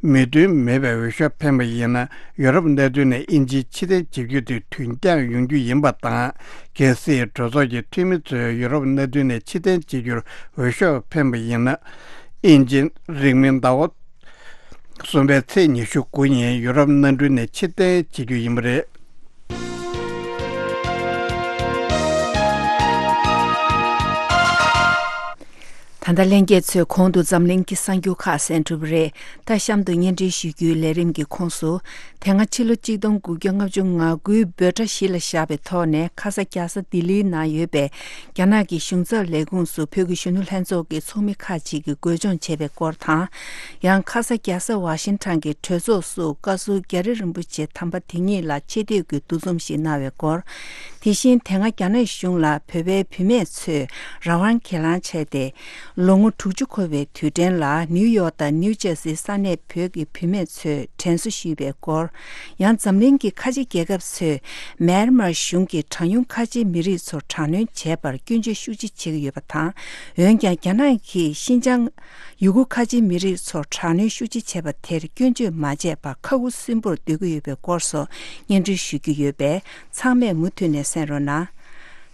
མོས་མཐུན་མེད་པའི་འོས་ཤོག་འཕེན་པ་ཡིན་ན། ཡོ་རོབ་མནའ་མཐུན་ནས་དབྱིན་ཇི་ཕྱིར་འཐེན་བྱེད་རྒྱུ་དེ་དུས་འགྱངས་ཡོང་རྒྱུ་ཡིན་པ་དང་། གལ་སྲིད་གྲོས་ཚོགས་ཀྱི་འཐུས་མི་ཚོས་ཡོ་རོབ་མནའ་མཐུན་ནས་ཕྱིར་འཐེན་བྱེད་རྒྱུར་འོས་ཤོག་འཕེན་པ་ཡིན་ན། དབྱིན་ཇི་རིང་མིན་ཟླ་བ་གསུམ་པའི་ཚེས་ཉི་ཤུ་དགུ་ཉིན་ཡུ་རོབ་མནའ་འབྲེལ་ནས་ཕྱིར་འཐེན་བྱེད་རྒྱུ་ཡིན་པ་རེད། ད་ལྟ་ལྷན་རྒྱས་ཚོས་གོང་དུ་འཛམ་གླིང་གི་གསར་འགྱུར་ཁག་གསན་གྲུབ་པ་རེད། ད་གཤམ་དུ་སྙན་སྒྲོན་ཞུ་རྒྱུའི་ལས་རིམ་གྱི་ཁོངས་སུ། དེ་སྔ་ཕྱི་ལོ་གཅིག་སྟོང་དགུ་བརྒྱ་ལྔ་བཅུ་ང་དགུའི་འབོད་སྒྲ་གཞི་ལ་བཞག་པའི་ཐོག་ནས་ཁ་ས་རྒྱལ་ས་ལྡི་ལིའི་ནང་ཡོད་པའི་རྒྱ་ནག་གི་གཞུང་ཚབ་ལས་ཁུངས་སུ་བོད་ཀྱི་གཞོན་ནུ་ལྷན་ཚོགས་ཀྱི་ཚོགས་མི་ཁག་ཅིག་གིས་འགོས་སྦྱོང་བྱས་པའི་སྐོར་དང་། ཡང་ཁ་ས་རྒྱལ་ས་ཝ་ཤིང་ཊོན་གྱི་གྲོས་ཚོགས་སུ་བཀའ་ཟུར་རྒྱ་རི་རིན་པོ་ཆེ་དམ་པ་དེ་ཉིད་ལ་ཆེ་བསྟོད་ཀྱི་འདུ་འཛོམས་ཤིག་གནང་བའི་སྐོར། དེ་བཞིན་དེ་སྔ་རྒྱ་ནག་གཞུང་ལ་བོད་པའི་བུད་མེད་ཚོས་རང་དབང་སྒེར་ལངས་བྱས་ཏེ། ལོ་ངོ་དྲུག་ཅུ་འཁོར་བའི་དུས་དྲན་ལ་ནིའུ་ཡོག་དང་ནིའུ་ཇར་སིའི་ས་གནས་བོད་ཀྱི་བུད་མེད་ཚོས་དྲན་གསོ་ཞུས་པའི་སྐོར། ཡང་འཛམ་གླིང་གི་ཁ་ཆེ་རྒྱལ་ཁབ་ཚོས་མེན་མར་གཞུང་གིས་གྲངས་ཉུང་ཁ་ཆེའི་མི་རིགས་ཚོར་དྲག་གནོན་བྱས་པར་སྐྱོན་བརྗོད་ཤུགས་ཆེ་བྱེད་ཀྱི་ཡོད་པ་དང་། འོན་ཀྱང་རྒྱ་ནག་གིས་ཤིན་ཅང་ཡུ་གུར་ཁ་ཆེའི་མི་རིགས་ཚོར་དྲག་གནོན་ཤུགས་ཆེ་བྱས་པ་དེར་སྐྱོན་བརྗོད་མ་བྱས་པར་ཁ་ཁུ་སིམ་པོར་སྡོད་ཀྱི་ཡོད་པའི་སྐོར་སོགས་སྙན་སྒྲོན་ཞུ་རྒྱུ་ཡོད་པས་ཚང་མས་མུ་མཐུད་ནས་གསན་རོགས་གནང་།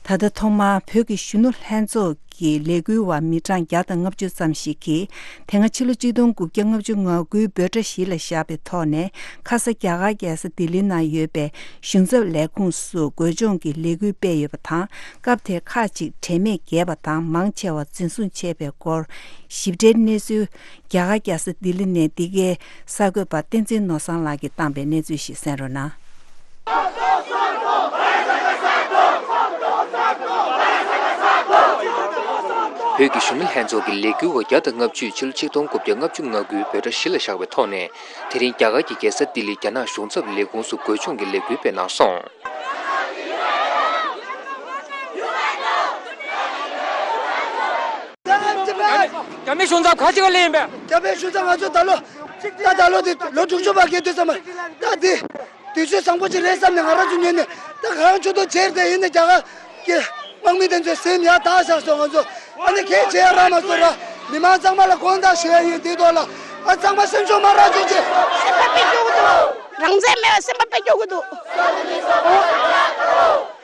ད་ལྟ་ཐོག་མར་བོད་ཀྱི་གཞོན་ནུ་ལྷན་ཚོགས་ཀྱི་ལས་འགུལ་བ་མི་གྲངས་བརྒྱ་དང་ལྔ་བཅུ་ཙམ་ཞིག་གིས་དེ་སྔ་ཕྱི་ལོ་གཅིག་སྟོང་དགུ་བརྒྱ་ལྔ་བཅུ་ང་དགུའི་འབོད་སྒྲ་གཞི་ལ་བཞག་པའི་ཐོག་ནས་ཁ་ས་རྒྱ་གར་རྒྱལ་ས་ལྡི་ལི་ནང་ཡོད་པའི་གཞུང་ཚབ་ལས་ཁུངས་སུ་འགོས་སྦྱོང་གི་ལས་འགུལ་སྤེལ་ཡོད་པ་དང་། སྐབས་དེར་ཁག་ཅིག་དྲན་མེད་བརྒྱབ་པ་དང་མང་ཆེ་བ་འཛིན་བཟུང་བྱས་པའི་སྐོར་ཞིབ་ཕྲའི་གནས་ཚུལ། རྒྱ་གར་རྒྱལ་ས་ལྡི་ལི་ནས་འདི་གའི་གསར་འགོད་པ་བསྟན་འཛིན་ནོར་བཟང་ལགས་ཀྱིས་བཏང་པའི་གནས་ཚུལ་ཞིག་གསན་རོགས་གནང་། བོད་ཀྱི་གཞོན་ནུ་ལྷན་ཚོགས་ཀྱི་ལས་འགུལ་བ་བརྒྱ་དང་ལྔ་བཅུས་ཕྱི་ལོ་ཆིག་སྟོང་དགུ་བརྒྱ་ལྔ་བཅུ་ང་དགུའི་འབོད་སྒྲ་གཞི་ལ་བཞག་པའི་ཐོག་ནས། དེ་རིང་རྒྱ་གར་གྱི་རྒྱལ་ས་ལྡི་ལི་རྒྱ་ནག་གཞུང་ཚབ་ལས་ཁུངས་སུ་འགོས་སྦྱོང་གི་ལས་འགུལ་སྤེལ་གནང་སོང་། རྒྱ་མི་གཞུང་ཚབ་ཁ་ཅིག་ག་ལེ་ཡིན་པས། རྒྱ་མི་གཞུང་ཚབ་ང་ཚོ་ད་ལོ། ད་ད་ལོ་དེ་ལོ་དྲུག་ཅུ་བར་བརྒལ་དུས་ཙམ་པ། ད་དེ། དུས་ཚོད་བཟང་པོ་ཅིག་རེད་བསམ་ནས་ང་རང་ཚོ་ཉོས་ནས། ད་གང་ཆུ་ཐོག་བྱེར་ཏེ་ཡིན་ནས་རྒྱ་གར་གྱི་དམག་མི་དེ་ཚོའི་སེམས་ཡར་དག་བཞག་སོང་། ང་ཚོ་ཨ་ནི་གས་བྱེད་ཡ་རག་མ་སོང་ར། མི་མང་ཚང་མ་ལ་དགོངས་དག་ཞུ་ཡ་ཡིན། དེའི་ཐོག་ལ་ཨ་ཚང་མ་སེམས་ཤུགས་མ་རག་བྱུང་ཆེ། སེམས་པ་དཔེ་སྐྱོ་གི་འདུག་རང་བཙན་མེད་པ་སེམས་པ་དཔེ་སྐྱོ་གི་འདུག་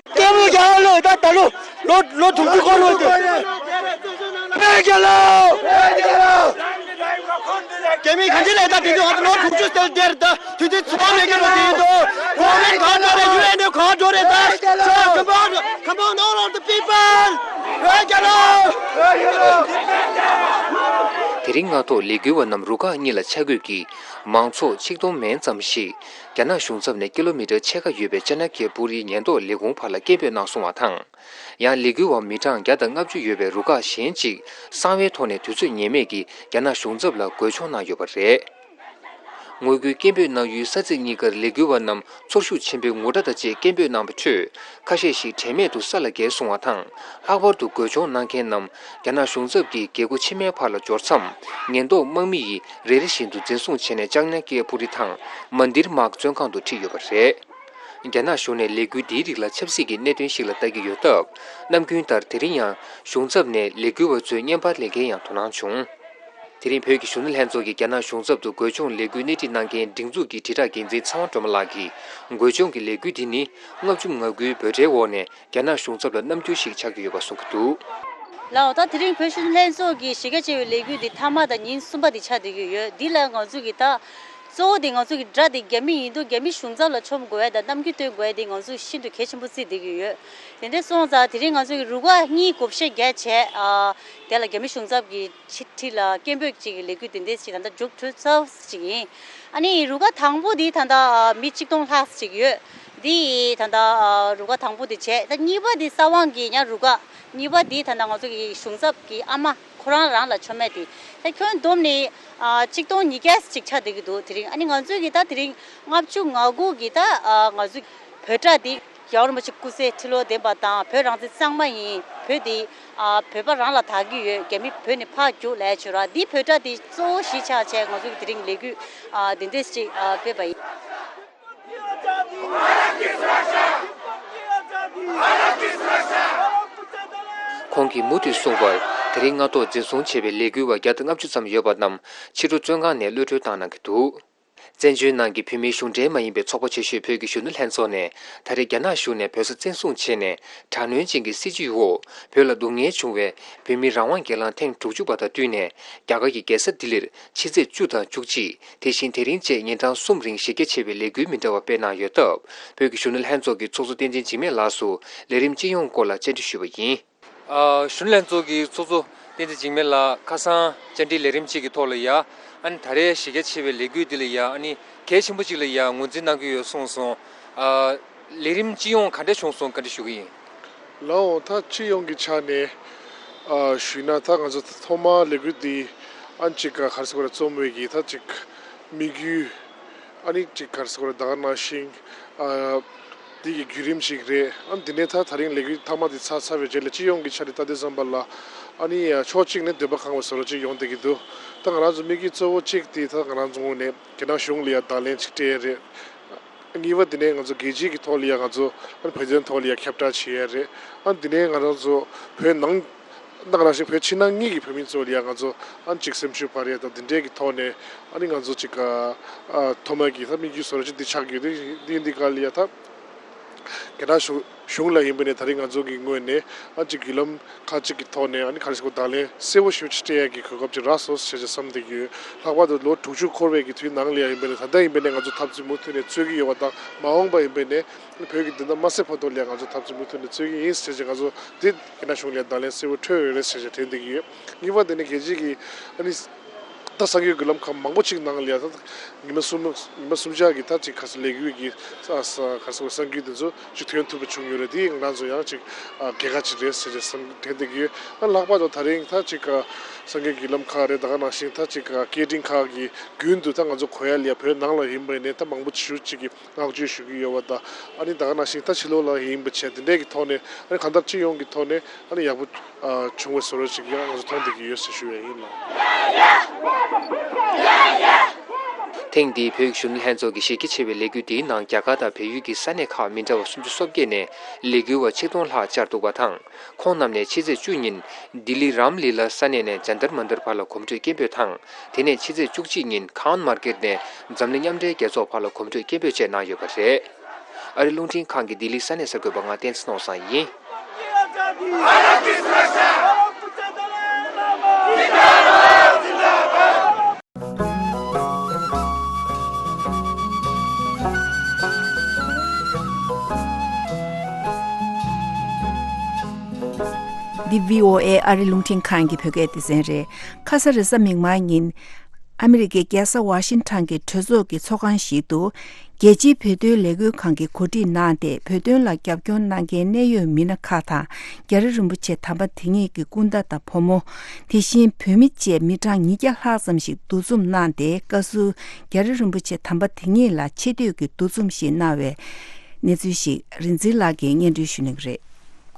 སྐྱབས་མགོན་རྒྱ་གར་ལོ། ད་ད་ལོ་ལོ་ལོ་དྲུག་ཅུ་འཁོར་ལོ་དེ། བོད་རྒྱལ་ལོ། རྒྱ་མི་གང་ཅི་ལས་ད་དེ་དུས་ང་ཚོ་ལོ་དྲུག་ཅུ་སྟེར་སྟེར་ད་དུས་ཚོད་ཚོ་མེད་ཀྱི་ལོ་དེ་ཡིན་དོ། གོ་མེད་གང་འགྲོ་རེད། ཡུ་ཨེན་ནི་གང་འགྲོ་རེད་ད། Come on, come on, all of the people. བོད་རྒྱལ་ལོ། དེ་རིང་སྔ་ཐོག་ལས་འགུལ་བ་རྣམས་རུ་ཁག་གཉིས་ལ་ཆ་བགོས་ཀྱིས་མང་ཚོགས་ཆིག་སྟོང་མན་ཙམ་ཞིག་རྒྱ་ནག་གཞུང་ཚབ་ནས་ཀི་ལོ་མི་ཊར་ཕྱེད་ཀ་ཡོད་པའི་ཅ་ན་ཀེ་པུ་རིའི་ཉེན་རྟོག་ལས་ཁུངས་བར་ལ་སྐད་འབོད་གནང་སོང་བ་དང་། ཡང་ལས་འགུལ་བ་མི་གྲངས་བརྒྱ་དང་ལྔ་བཅུ་ཡོད་པའི་རུ་ཁག་གཞན་གཅིག་གསང་བའི་ཐོག་ནས་དུས་ཚོད་ངེས་མེད་ཀྱིས་རྒྱ་ནག་གཞུང་ཚབ་ལ་རྒོལ་སྐྱོང་གནང་ཡོད་པ་རེད། ངོ་རྒོལ་སྐད་འབོད་གནང་ཡུལ་ས་ཚིགས་གཉིས་ཀར་ལས་འགུལ་བ་རྣམས་ཚོར་ཤུགས་ཆེན་པོའི་ངུ་སྒྲ་དང་བཅས་སྐད་འབོད་གནང་བའི་ཁྲོད། ཁ་ཤས་ཤིག་དྲན་མེད་དུ་ས་ལ་འགྱེལ་སོང་བ་དང་། ལྷག་པར་དུ་རྒོལ་སྐྱོང་གནང་མཁན་རྣམས་རྒྱ་ནག་གཞུང་ཚབ་ཀྱིས་རྒྱལ་སྒོ་ཕྱི་མའི་བར་ལ་འབྱོར་མཚམས། ཉེན་རྟོག་དམག་མི་ཡིས་རེ་རེ་བཞིན་དུ་འཛིན་བཟུང་བྱས་ནས་ཅང་ཉ་ཀེ་པུ་རི་དང་མན་དིར་མཱག་བཙོན་ཁང་དུ་ཁྲིད་ཡོད་པ་རེད། རྒྱ་ནག་གཞུང་ནས་ལས་འགུལ་འདིའི་རིགས་ལ་ཆབ་སྲིད་ཀྱི་གནད་དོན་ཞིག་ལ་ལྟ་གི་ཡོད་སྟབས། ནམ་རྒྱུན་ལྟར་དེ་རིང་ཡང་གཞུང་ཚབ་ནས་ལས་འགུལ་བ་ཚོའི་བརྙན་པར་ལེན་མཁན་ཡང་དོ་སྣང་བྱུང་། དེ་རིང་བོད་ཀྱི་གཞོན་ནུ་ལྷན་ཚོགས་ཀྱིས་རྒྱ་ནག་གཞུང་ཚབ་ཏུ་རྒོལ་སྐྱོང་ལས་འགུལ་སྣེ་ཁྲིད་གནང་མཁན་སྒྲིག་འཛུགས་ཀྱི་དྲིལ་བསྒྲགས་འགན་འཛིན་ཚེ་དབང་སྒྲོལ་མ་ལགས་ཀྱིས། རྒོལ་སྐྱོང་གི་ལས་འགུལ་འདི་ནི་ལྔ་བཅུ་ང་དགུའི་འབོད་སྒྲའི་འོག་ནས་རྒྱ་ནག་གཞུང་ཚབ་ལ་རྣམ་འགྱུར་ཞིག་ཆགས་ཀྱི་ཡོད་པ་གསུང་གི་འདུག་ལགས་འོ། ད་དེ་རིང་བོད་གཞོན་ནུ་ལྷན་ཚོགས་ཀྱི་གཞི་རྒྱ་ཆེ་བའི་ལས་འགུལ་འདི་མཐའ་མ་དང་ཉིན་གསུམ་པ་འདི་ཆགས་བསྡད་ཀྱི་ཡོད། འདི་ལ་ང་ཚོ་གི་ད་གཙོ་བོ་འདི་ང་ཚོ་གི་དགྲ་འདི་རྒྱ་མི་ཡིན་དུས་རྒྱ་མི་གཞུང་ཚབ་ལ་མཆོང་དགོས་ཡ་དང་རྣམ་འགྱུར་སྟོན་དགོས་ཡ་འདི་ང་ཚོ་ཤིན་ཏུ་གལ་ཆེན་པོ་བརྩིས་བསྡད་ཀྱི་ཡོད། དེ་འདྲ་སོང་ཙང་དེ་རིང་ང་ཚོ་གི་རུ་ཁག་གཉིས་བགོ་བཤའ་བརྒྱབ་བྱས། ཨ་དེ་ལ་རྒྱ་མི་གཞུང་ཚབ་ཀྱི་ཕྱི་ཁྲིད་ལ་སྐད་འབོད་ཅིག་གི་ལས་འགུལ་དེ་འདྲ་ཞིག་ད་ལྟ་མཇུག་གྲུབ་ཚར་ཅིག་ཡིན། ཨ་ནི་རུ་ཁག་དང་པོ་འདི་ད་ལྟ་ཨ་མི་གཅིག་སྟོང་ལྷག་ཅིག་ཡོད། འདི་ད་ལྟ་ཨ་རུ་ཁག་དང་པོ་འདི་བྱས། ད་གཉིས་པ་འདི་ས་དབང་གི་ཡང་རུ་ཁག་གཉིས་པ་འདི་ད་ལྟ་ང་ཚོ་གི་གཞུང་ཚབ་ཀྱི་ཨ་མ་ཁོ་རང་རང་ལ་མཆོང་མེད་དེ། ད་ཁྱོན་བསྡོམས་ནས་ཨ་གཅིག་སྟོང་ཉིས་བརྒྱ་ཅིག་ཆགས་བསྡད་ཀྱི་འདུག་དེ་རིང་ཨ་ནི་ང་ཚོས་ཀྱི་ད་དེ་རིང་ལྔ་བཅུ་ང་དགུ་གི་ད་ཨ་ང་ཚོ་བོད་དྲ་འདི། རྒྱལ་བ་རིན་པོ་ཆེ་སྐུ་ཚེ་ཁྲི་ལོ་བརྟན་པ་དང་། བོད་རང་བཙན་གཙང་མ་ཡིན། བོད་འདི་ཨ་བོད་པ་རང་ལ་བདག་གི་ཡོད། རྒྱ་མི་བོད་ནས་ཕར་རྒྱུགས་ལབ་བྱས་ར། འདི་བོད་དྲ་འདི་གཙོ་བོ་གཞི་ཆགས་བྱས་ང་ཚོ་གི་དེ་རིང་ལས་འགུལ་ཨ་འདི་འདྲས་ཅིག་ཨ་སྤེལ་བ་ཡིན། ཁོང་གིས་མུ་མཐུད་གསུངས་པར། དེ་རིང་སྔ་ཐོག་འཛིན་བཟུང་བྱས་པའི་ལས་འགུལ་བ་བརྒྱ་དང་ལྔ་བཅུ་ཙམ་ཡོད་པ་རྣམས་ཕྱི་དྲོ་བཙོན་ཁང་ནས་གློད་གྲོལ་བཏང་གནང་གི་འདུག་བཙན་བྱོལ་ནང་གི་བོད་མིའི་གཞུང་འབྲེལ་མ་ཡིན་པའི་ཚོགས་པ་ཆེ་ཤོས་བོད་ཀྱི་གཞོན་ནུ་ལྷན་ཚོགས་ནས་ད་རེས་རྒྱ་ནག་གཞུང་ནས་བོད་ས་བཙན་བཟུང་བྱས་ནས་དྲག་གནོན་ཅན་གྱི་སྲིད་བྱུས་འོག་བོད་ལ་སྡུག་བསྔལ་བྱུང་བའི་བོད་མིའི་རང་དབང་སྒེར་ལངས་ཐེངས་དྲུག་ཅུ་པ་དང་བསྟུན་ནས། རྒྱ་གར་གྱི་རྒྱལ་ས་ལྡི་ལིར་ཕྱི་ཚེས་བཅུ་དང་བཅུ་གཅིག་དེ་བཞིན་དེ་རིང་བཅས་ཉིན་གྲངས་གསུམ་རིང་གཞི་རྒྱ་ཆེ་བའི་ལས་འགུལ་མི་འདྲ་བ་སྤེལ་གནང་ཡོད་སྟབས། བོད་ཀྱི་གཞོན་ནུ་ལྷན་ཚོགས་ཀྱི་ཚོགས་གཙོ་བསྟན་འཛིན་འཇིགས་མེད་ལགས་སུ་ལས་རིམ་སྤྱི་ཡོངས་སྐོར་ལ་བཅར་འདྲི་ཞུས་པ་ཡིན། ཨ་གཞོན་ནུ་ལྷན་ཚོགས་ཀྱི་ཚོགས་གཙོ་བསྟན་འཛིན་འཇིགས་མེད་ལགས། ཁ་སང་བཅར་འདྲིའི་ལས་རིམ་གཅིག་གི་ཐོག་ལ་ཡ། ཨ་ནི་ད་རེས་གཞི་རྒྱ་ཆེ་བའི་ལས་འགུལ་འདི་ལ་ཡ། ཨ་ནི་གལ་ཆེན་པོ་གཅིག་ལ་ཡ་ངོས་འཛིན་གནང་གི་ཡོད་གསུངས་སོང་། ཨ་ལས་རིམ་སྤྱི་ཡོངས་ག་འདྲ་བྱུང་སོང་བཀའ་འདྲི་ཞུ་གི་ཡིན། ལགས་འོང་། ད་སྤྱི་ཡོངས་ཀྱི་ཆ་ནས་ཨ་ཞུས་ན། ད་ང་ཚོ་ཐོག་མར་ལས་འགུལ་འདི་ཨ་ནི་ཅིག་ག་རེ་ཟེར་དགོས་རེད། རྩོམ་བའི་གི་ད་ཅིག་དམིགས་ཡུལ། ཨ་ནི་ཅིག་ག་རེ་ཟེར་དགོས་རེད། ད་ག་ནང་བཞིན་ཨ་འདི་གི་བརྒྱུད་རིམ་ཞིག་རེད། ཨ་ནི་འདི་ནས་ད་ད་རིང་ལས་འགུལ་མཐའ་མ་འདི་ཚར་ཚར་བའི་རྗེས་ལ་སྤྱི་ཡོངས་ཀྱི་ཆ་ནས་ལྟ་དུས་ཙམ་པ་ལ། ཨ་ནི་ཕྱོགས་གཅིག་ནས་འདོད་པ་ཁེངས་པ་བཟོ་འདྲ་ཅིག་ཡོང་བསྡད་ཀྱི་འདུག་ད་ང་རང་ཚོ་དམིགས་ཡུལ་གཙོ་བོ་གཅིག་དེ་ད་ང་རང་ཚོ་ངོས་ནས་རྒྱ་ནག་གཞུང་ལ་ཡ་བརྡ་ལན་ཅིག་སྤྲད་ཡ་རེད། གཉིས་པ་དེ་ནས་ང་ཚོ་རྒྱལ་སྤྱིའི་གི་ཐོག་ལ་ཡ་ང་ཚོ་ཨ་ནི་བོད་དོན་ཐོག་ལ་ཡ་ཁྱབ་བསྒྲགས་བྱེད་ཡ་རེད། ཨ་ནི་དེ་ནས་ང་རང་ཚོ་བོད་ནང་ད་ག་ནང་བཞིན་བོད་ཕྱི་ནང་གཉིས་ཀྱི་བོད་མི་ཚོ་ལ་ཡ་ང་ཚོ་ཨ་ནི་ཅིག་སེམས་ཤུགས་སྤར་ཡ་དང་། དེ་འདྲའི་གི་ཐོག་ནས་ཨ་ནི་ང་ཚོ་ཅིག་ཨ་ཐོག་མ་གི་ད་དམིགས་ཡུལ་བཟོ་འདྲ་ཅིག་འདི་ཆགས་ཀྱི་ཡོད། དེ་འདི་འདི་ག་ལ་ཡ་ད་རྒྱ་ནག་གཞུང་གཞུང་ལ་ཡིན་པ་ནས་ད་རིང་ང་ཚོ་གི་ངོས་ནས་ཨ་ཅིག་བརྒྱུད་ལམ་ཁག་ཅིག་གི་ཐོག་ནས་ཨ་ནི་ག་རེ་ཟེར་དགོས། བརྡ་ལན་གསལ་པོ་ཞེ་པོ་ཅིག་སྤྲད་ཡ་གི་གོ་སྐབས་ཅིག་རག་སོང་ཟེར་བྱས་བསམ་བསྡད་ཀྱི་ཡོད། ལྷག་པར་དུ་ལོ་དྲུག་ཅུ་འཁོར་བའི་གི་དུས་ནང་ལ་ཡ་ཡིན་པ་ནས། ད་ལྟ་ཡིན་པ་ནས་ང་ཚོ་འཐབ་རྩོད་མུ་མཐུད་ནས་རྩོད་ཀྱི་ཡོད་པ་དང་། མ་འོངས་པ་ཡིན་པ་ནས་བོད་ཀྱི་བདེན་མཐའ་མ་གསལ་བར་དུ་ལ་ཡ་ང་ཚོ་འཐབ་རྩོད་མུ་མཐུད་ནས་རྩོད་ཀྱི་ཡིན་ཟེར་བྱས། ང་ཚོ་འདི་རྒྱ་ནག་གཞུང་ལ་ཡ་བརྡ་ལན་གསལ་པོ་འཕྲོད་ཡོད་རེད་ཟེར་བྱས་དྲན་བསྡད་ཀྱི་ཡོད། གཉིས་པ་དེ་ནི་རྒྱལ་སྤྱིའི་གི་ཨ་ནི་ད་གསར་འགྱུར་བརྒྱུད་ལམ་ཁག་མང་པོ་ཅིག་ནང་ལ་ཡ་ད་ཉི་མ་གསུམ་ཉི་མ་གསུམ་ཆ་གི་ད་ཅིག་ག་རེ་ཟེར། ལས་འགུལ་གྱི་ས་ས་ག་རེ་ཟེར། གསར་འགྱུར་དེ་ཚོ་ཅིག་ཐོན་ཐུབ་པ་བྱུང་ཡོད་རེད། དེ་ང་རང་ཚོ་ཡང་ཅིག་ཨ་གལ་ཁ་ཅིག་རེད་ཟེར་བྱས་བསམ་དྲན་བསྡད་ཀྱི་ཡོད། ཨ་ལྷག་པར་དུ་ད་རིང་ད་ཅིག་ག་གསར་འགྱུར་བརྒྱུད་ལམ་ཁག་རེད། ད་ག་ནང་བཞིན་ད་ཅིག་ག་སྐད་འཕྲིན་ཁག་གི་བརྒྱུད་དུ་ད་ང་ཚོ་གོ་ཡ་ལ་ཡ་བོད་ནང་ལ་ཡིན་པ་ནས་ད་མང་པོ་ཞེ་པོ་ཅིག་གིས་བསྔགས་བརྗོད་ཞུ་གི་ཡོད་པ་དང་། ཨ་ནི་ད་ག་ནང་བཞིན་ད་ཕྱི་ལོགས་ལ་ཡིན་པ་བྱས། དེ་འདྲའི་གི་ཐོག་ནས་ཨ་ནི་གང་ལྟར་སྤྱི་ཡོངས་ཀྱི་ཐོག་ནས་ཨ་ནི་ཡག་པོ་ཨ་བྱུང་བའི་བཟོ་འདྲ་ཅིག་ཡང་ང་ཚོ་མཐོང་བསྡད་ཀྱི་ཡོད་ཟེར་ཞུ་ཡ་ཡིན་ལགས། ཐེངས་འདིའི་བོད་ཀྱི་གཞོན་ནུ་ལྷན་ཚོགས་ཀྱི་གཞི་རྒྱ་ཆེ་བའི་ལས་འགུལ་འདིའི་ནང་རྒྱ་གར་དང་བལ་ཡུལ་གྱི་ས་གནས་ཁག་མི་འདྲ་བ་སུམ་ཅུ་སོ་བརྒྱད་ནས་ལས་འགུལ་བ་ཆིག་སྟོང་ལྷག་བཅར་འདུག་པ་དང་། ཁོང་རྣམས་ནས་ཕྱི་ཚེས་བཅུ་ཉིན་ལྡི་ལི་རམ་ལི་ལ་ས་གནས་ནས་ཇན་ཏར་མན་ཏར་བར་ལ་གོམ་བགྲོད་སྐད་འབོད་དང་། དེ་ནས་ཕྱི་ཚེས་བཅུ་གཅིག་ཉིན་ཁཱན་མར་ཀེད་ནས་འཛམ་གླིང་མཉམ་འབྲེལ་རྒྱལ་ཚོགས་བར་ལ་གོམ་བགྲོད་སྐད་འབོད་བཅས་གནང་ཡོད་པ་རེད། ཨ་རིའི་རླུང་འཕྲིན་ཁང་གི་ལྡི་ལི་ས་གནས་གསར་འགོད་པ་ང་བསྟན་འཛིན་ནོར་བཟང་ཡིན། འདི་བྷི་ཨོ་ཨེ་ཨ་རི་རླུང་འཕྲིན་ཁང་གི་བོད་སྐད་སྡེ་ཚན་རེད། ཁ་ས་རེས་གཟའ་མིག་དམར་ཉིན། ཨ་མི་རི་ཀའི་རྒྱལ་ས་ཝ་ཤིང་ཊོན་གྱི་གྲོས་ཚོགས་ཀྱི་ཚོགས་ཁང་ཞིག་ཏུ། རྒྱལ་སྤྱིའི་བོད་དོན་ལས་འགུལ་ཁང་གིས་གོ་སྒྲིག་གནང་སྟེ། བོད་དོན་ལ་རྒྱབ་སྐྱོར་གནང་མཁན་གནད་ཡོད་མི་སྣ་ཁག་དང་། རྒྱ་རི་རིན་པོ་ཆེ་དམ་པ་དེ་ཉིད་ཀྱི་སྐུ་ཟླ་དང་ཕོ་མོ། དེ་བཞིན་བོད་མི་བཅས་མི་གྲངས་ཉིས་བརྒྱ་ལྷག་ཙམ་ཞིག་འདུ་འཛོམས་གནང་སྟེ། བཀའ་ཟུར་རྒྱ་རི་རིན་པོ་ཆེ་དམ་པ་དེ་ཉིད་ལ་ཆེ་བསྟོད་ཀྱི་འདུ་འཛོམས་ཤིག་གནང་བའི་གནས་ཚུལ་ཞིག་རིག་འཛིན་ལགས་ཀྱིས་སྙན་སྒྲོན་ཞུ་གནང་གི་རེད།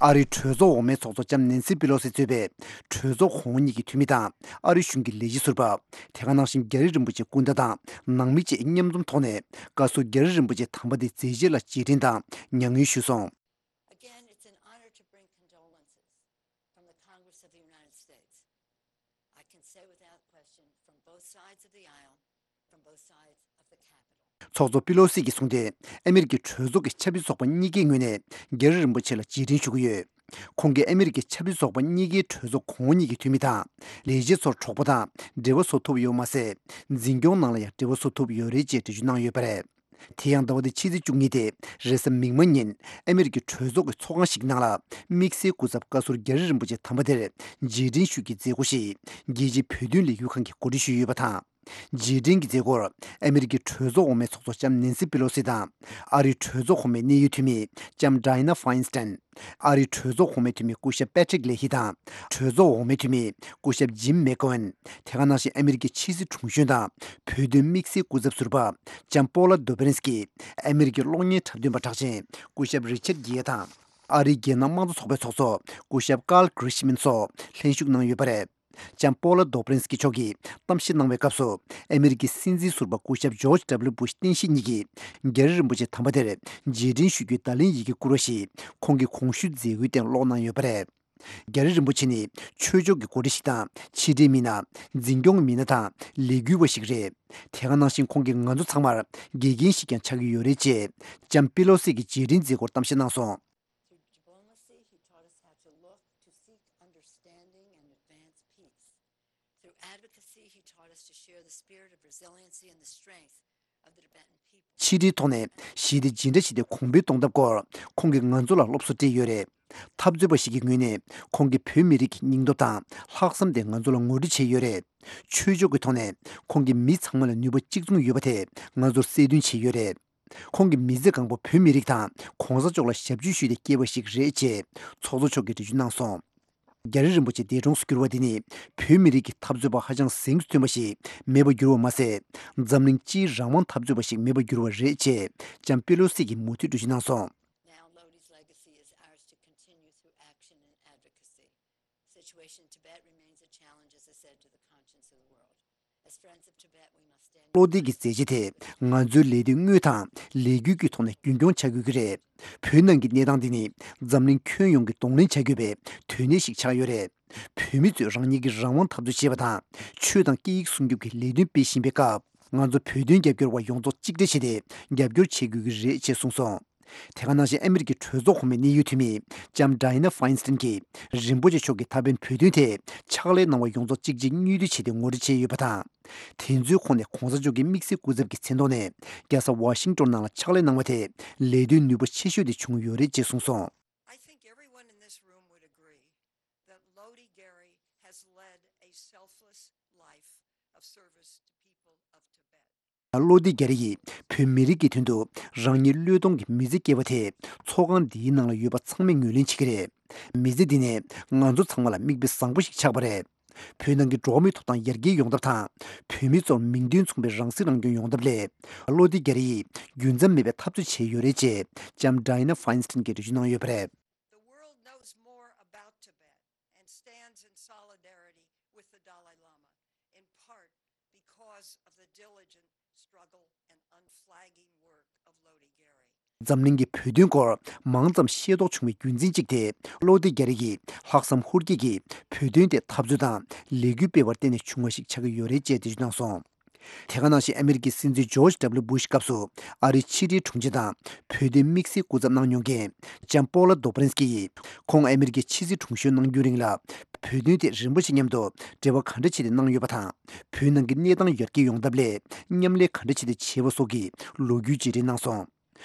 ཨ་རིའི་གྲོས་ཚོགས་འོག་མའི་ཚོགས་གཙོ་ལྕམ་ནེན་སི་པི་ལོ་སི་གཙོས་པའི་གྲོས་ཚོགས་གོང་འོག་གཉིས་ཀྱི་འཐུས་མི་དང་ཨ་རི་གཞུང་གི་ལས་བྱེད་ཟུར་པ། དེ་ག་ནང་བཞིན་རྒྱ་རི་རིན་པོ་ཆེ་སྐུ་ཟླ་དང་ནང་མི་བཅས་མཉམ་འཛོམས་ཐོག་ནས་བཀའ་ཟུར་རྒྱ་རི་རིན་པོ་ཆེ་དམ་པ་དེའི་མཛད་རྗེས་ལ་རྗེས་དྲན་དང་མྱ་ངན་ཞུས་སོང་། Again, it's an honor to bring condolences from the Congress of the United States. I can say without question, from both sides of the aisle, from both sides of the Capitol. ཚོགས་གཙོ་པི་ལོ་སི་གིས་གསུངས་ཏེ། ཨ་མི་རི་ཀའི་གྲོས་ཚོགས་ཀྱི་ཆབ་སྲིད་ཚོགས་པ་གཉིས་ཀའི་ངོས་ནས་རྒྱ་རི་རིན་པོ་ཆེ་ལ་རྗེས་དྲན་ཞུ་གི་ཡོད། ཁོང་གིས་ཨ་མི་རི་ཀའི་ཆབ་སྲིད་ཚོགས་པ་གཉིས་ཀའི་གྲོས་ཚོགས་གོང་འོག་གཉིས་ཀྱི་འཐུས་མི་དང་ལས་བྱེད་ཚོར་གྲོགས་པོ་དང་འབྲེལ་བ་བཟོ་ཐུབ་ཡོད་མ་ཟད། འཛིན་སྐྱོང་ནང་ལ་ཡང་འབྲེལ་བ་བཟོ་ཐུབ་ཡོད་རེད་ཅེས་འགྲེལ་བརྗོད་གནང་ཡོད་པ་རེད། དེ་ཡང་ཟླ་བ་འདིའི་ཕྱི་ཚེས་བཅུ་གཉིས་ཏེ་རེས་གཟའ་མིག་དམར་ཉིན་ཨ་མི་རི་ཀའི་གྲོས་ཚོགས་ཀྱི་ཚོགས་ཁང་ཞིག་ནང་ལ་དམིགས་བསལ་སྐུ་ཚབ་བཀའ་ཟུར་རྒྱ་རི་རིན་པོ་ཆེ་དམ་པ་དེར་རྗེས་དྲན་ཞུ་རྒྱུའི་མཛད་སྒོ་ཞིག་རྒྱལ་སྤྱིའི་བོད་དོན་ལས་འགུལ་ཁང་གིས་གོ་སྒྲིག་ཞུས་ཡོད་པ་དང་། རྗེས་དྲན་གྱི་མཛད་སྒོར་ཨ་མི་རི་ཀའི་གྲོས་ཚོགས་འོག་མའི་ཚོགས་གཙོ་ལྕམ་ནེན་སི་པི་ལོ་སི་དང་། ཨ་རིའི་གྲོས་ཚོགས་གོང་མའི་གནད་ཡོད་འཐུས་མི་ལྕམ་ཌའི་ན་ཧྥ་ཡིན་སི་ཏན། ཨ་རིའི་གྲོས་ཚོགས་གོང་མའི་འཐུས་མི་སྐུ་ཞབས་པེ་ཏྲིག་ལེ་ཧི་དང་། གྲོས་ཚོགས་འོག་མའི་འཐུས་མི་སྐུ་ཞབས་ཇིམ་མེག་གོ་ཝན། དེ་ག་ནང་བཞིན་ཨ་མི་རི་ཀའི་ཕྱི་སྲིད་དྲུང་གཞོན་དང་བོད་དོན་དམིགས་བསལ་སྐུ་ཚབ་ཟུར་པ་ལྕམ་པོ་ལ་དོ་བྷི་རིན་སི་ཀི། ཨ་མི་རི་ཀའི་གློག་བརྙན་འཁྲབ་སྟོན་པ་གྲགས་ཅན་སྐུ་ཞབས་རི་ཆར་གྷི་ཡ་དང་། ཨ་རིའི་རྒྱལ་ནང་དམངས་གཙོ་ཚོགས་པའི་ཚོགས་གཙོ་སྐུ་ཞབས་ཀཱལ་གྷི་རི་ཤི་མན་སོགས་ལྷན་ཞུགས་གནང་ཡོད་པ་རེད། ལྕམ་པོ་ལ་དོ་བྷི་རིན་སི་ཀི་མཆོག་གིས་གཏམ་བཤད་གནང་བའི་སྐབས་སུ། ཨ་མི་རི་ཀའི་སྲིད་འཛིན་ཟུར་པ་སྐུ་ཞབས་ཇོརྗ་ཌབ་ལིའུ་བུ་ཤི་བསྟན་བཤིག་གཉིས་ཀྱིས་རྒྱ་རི་རིན་པོ་ཆེ་དམ་པ་དེར་རྗེས་དྲན་ཞུ་རྒྱུའི་བརྡ་ལན་ཡི་གེ་བསྐུར་བ་ཞིག་ཁོང་གི་གོང་ཞུས་མཛད་སྒོའི་སྟེང་ཀློག་གནང་ཡོད་པ་རེད། རྒྱ་རི་རིན་པོ་ཆེ་ནི་ཆོས་ཕྱོགས་ཀྱི་འགོ་ཁྲིད་ཞིག་དང་། ཕྱི་འབྲེལ་མི་སྣ། འཛིན་སྐྱོང་གི་མི་སྣ་དང་ལས་འགུལ་བ་ཞིག་རེད། དེ་ག་ནང་བཞིན་ཁོང་གིས་ང་ཚོ་ཚང་མར་དགེ་རྒན་ཞིག་ཀྱང་ཆགས་ཀྱི་ཡོད་རེད་ཅེས་ལྕམ་པི་ལོ་སི་གིས་རྗེས་དྲན་མཛད་སྒོར་གཏམ་བཤད་གནང་སོང་། Through diplomacy, he taught us how to look, to seek understanding and advance peace. Through advocacy, he taught us to share the spirit of resiliency and the strength of the Tibetan people. ཕྱི་འབྲེལ་ཐོག་ནས་ཞི་བདེ་འཇིགས་སྐྲག་ཞི་བདེ་གོང་འཕེལ་གཏོང་ཐབས་སྐོར་ཁོང་གིས་ང་ཚོ་ལ་སློབ་གསོ་སྤྲད་ཡོད་རེད། འཐབ་རྩོད་པ་ཞིག་གི་ངོས་ནས་ཁོང་གིས་བོད་མི་རིགས་ཀྱི་སྙིང་སྟོབས་དང་ལྷག་བསམ་དེ་ང་ཚོ་ལ་ངོ་སྤྲོད་བྱས་ཡོད་རེད། ཆོས་ཕྱོགས་ཀྱི་ཐོག་ནས་ཁོང་གིས་མི་ཚང་མ་ལ་ནུས་པ་གཅིག་མཚུངས་ཡོད་པ་དེ་ང་ཚོར་གསལ་སྟོན་བྱས་ཡོད་རེད། ཁོང་གིས་མི་ཚེ་གང་པོ་བོད་མི་རིགས་དང་གོང་ས་མཆོག་ལ་ཞབས་ཕྱི་ཞུས་ཏེ་སྐྱེས་པ་ཞིག་རེད་ཅེས་ཚོགས་གཙོ་མཆོག་གིས་འགྲེལ་བརྗོད་གནང་སོང་། རྒྱ་རི་རིན་པོ་ཆེ་འདས་གྲོངས་སུ་གྱུར་བ་འདི་ནི་བོད་མི་རིགས་ཀྱི་འཐབ་རྩོད་པ་ཧ་ཅང་གཟེངས་སུ་ཐོན་པ་ཞིག་མེད་པར་གྱུར་བ་མ་ཟད། འཛམ་གླིང་སྤྱིའི་རང་དབང་འཐབ་རྩོད་པ་ཞིག་མེད་པར་གྱུར་བ་རེད་ཅེས་ལྕམ་པེ་ལོ་སི་གིས་མུ་མཐུད་འགྲེལ་བརྗོད་གནང་སོང་། Now Lodi's legacy is ours to continue through action and advocacy. Situation in Tibet remains a challenge, as I said, to the conscience of the world. As friends of Tibet, we must stand བློ་གཏད་ཀྱི་མཛད་རྗེས་དེ་ང་ཚོའི་ལས་དོན་དངོས་དང་ལས་འགུལ་གྱི་ཐོག་ནས་རྒྱུན་འཁྱོངས་བྱ་དགོས་ཀྱི་རེད། བོད་ནང་གི་གནས་སྟངས་འདི་ནི་འཛམ་གླིང་ཁྱོན་ཡོངས་ཀྱིས་གདོང་ལེན་བྱ་དགོས་པའི་དོན་གནད་ཞིག་ཆགས་ཡོད་རེད། བོད་མི་ཚོས་རང་ཉིད་ཀྱི་རང་དབང་འཐབ་རྩོད་བྱེད་པ་དང་ཆོས་དང་སྐད་ཡིག་སྲུང་སྐྱོབ་ཀྱི་ལས་དོན་སྤེལ་བཞིན་པའི་སྐབས། ང་ཚོ་བོད་དོན་རྒྱབ་སྐྱོར་བ་ཡོངས་རྫོགས་གཅིག་སྒྲིལ་བྱས་ཏེ་རྒྱབ་སྐྱོར་བྱེད་དགོས་ཀྱི་རེད་ཅེས་གསུངས་སོང་། དེ་ག་ནང་བཞིན་ཨ་མི་རི་ཀའི་གྲོས་ཚོགས་གོང་མའི་གནད་ཡོད་འཐུས་མི་ལྕམ་ཌའི་ན་ཧྥ་ཡིན་སི་ཏན་གྱིས་རིན་པོ་ཆེ་མཆོག་གིས་ད་ཕན་བོད་དོན་ཐད་ཕྱག་ལས་གནང་བ་ཡོངས་རྫོགས་གཅིག་རྗེས་གཉིས་མཐུད་བྱས་ཏེ་ངོ་སྤྲོད་བྱས་ཡོད་པ་དང་། དེ་ཚོའི་ཁོངས་ནས་གོང་ས་མཆོག་གི་དམིགས་བསལ་སྐུ་ཚབ་ཀྱི་མཚན་ཐོག་ནས་རྒྱལ་ས་ཝ་ཤིང་ཏོན་ནང་ལ་ཕྱག་ལས་གནང་བ་དེ་ལས་དོན་ནུས་པ་ཆེ་ཤོས་དེ་བྱུང་ཡོད་རེད་ཅེས་གསུངས་སོང་། I think everyone in this room would agree that Lodi Gary has led a selfless life of service to people of Tibet. བློ་བདེ་རྒྱ་རི་ཡིས་བོད་མི་རིགས་ཀྱི་དོན་དུ་རང་ཉིད་བློས་གཏོང་གི་མི་ཚེ་སྐྱེལ་བ་དེ་ཚོགས་ཁང་འདིའི་ནང་ལ་ཡོད་པ་ཚང་མས་ངོས་ལེན་བྱེད་ཀྱི་རེད། མི་ཚེ་འདི་ནི་ང་ཚོ་ཚང་མ་ལ་མིག་དཔེ་བཟང་པོ་ཞིག་ཆགས་པ་རེད། བོད་ནང་གི་འགྲོ་བ་མིའི་ཐོབ་ཐང་ཡར་རྒྱས་ཡོང་ཐབས་དང་། བོད་མི་ཚོར་མིང་དོན་མཚུངས་པའི་རང་སྲིད་རང་སྐྱོང་ཡོང་ཐབས་སླད། བློ་བདེ་རྒྱ་རི་ཡིས་རྒྱུན་ཆད་མེད་པའི་འཐབ་རྩོད་བྱས་ཡོད་རེད་ཅེས་ལྕམ་ཌའི་ན་ཧྥ་ཡིན་སི་ཏན་གྱིས་འགྲེལ་བརྗོད་གནང་ཡོད་པ་རེད། The world knows more about Tibet and stands in solidarity with the Dalai Lama, in part because of the diligent struggle འཛམ་གླིང་གི་བོད་དོན་སྐོར་མང་ཙམ་ཤེས་རྟོགས་བྱུང་བའི་རྒྱུ་མཚན་གཅིག་དེ། བློ་བདེ་རྒྱ་རི་ཡིས་ལྷག་བསམ་ཧུར་སྐྱེད་ཀྱིས་བོད་དོན་ཐད་འཐབ་རྩོད་དང་ལས་འགུལ་སྤེལ་བར་བརྟེན་ནས་བྱུང་བ་ཞིག་ཆགས་ཀྱི་ཡོད་རེད་ཅེས་འགྲེལ་བརྗོད་གནང་སོང་། དེ་ག་ནང་བཞིན་ཨ་མི་རི་ཀའི་སྲིད་འཛིན་ཇོརྗ་ཌབ་ལུ་སྦུ་ཤ་སྐབས་སུ་ཨ་རིའི་ཕྱི་འབྲེལ་དྲུང་ཆེ་དང་བོད་དོན་དམིགས་བསལ་སྐུ་ཚབ་གནང་མྱོང་མཁན་ལྕམ་པོ་ལ་རྡོ་སྦ་རན་སྐྱི་ཡིས། ཁོང་ཨ་མི་རི་ཀའི་ཕྱི་སྲིད་དྲུང་གཞོན་གནང་རྒྱུའི་རིང་ལ། བོད་དོན་ཐད་རིན་པོ་ཆེ་མཉམ་དུ་འབྲེལ་བ་ག་འདྲ་བྱས་ཏེ་གནང་ཡོད་པ་དང་། བོད་ནང་གི་གནས་སྟངས་ཡར་རྒྱས་ཡོང་ཐབས་སླད་མཉམ་ལས་ག་འདྲ་བྱས་ཏེ་བྱས་པ་སོགས་ཀྱི་ལོ་རྒྱུས་བརྗེ་རེས་གནང་སོང་།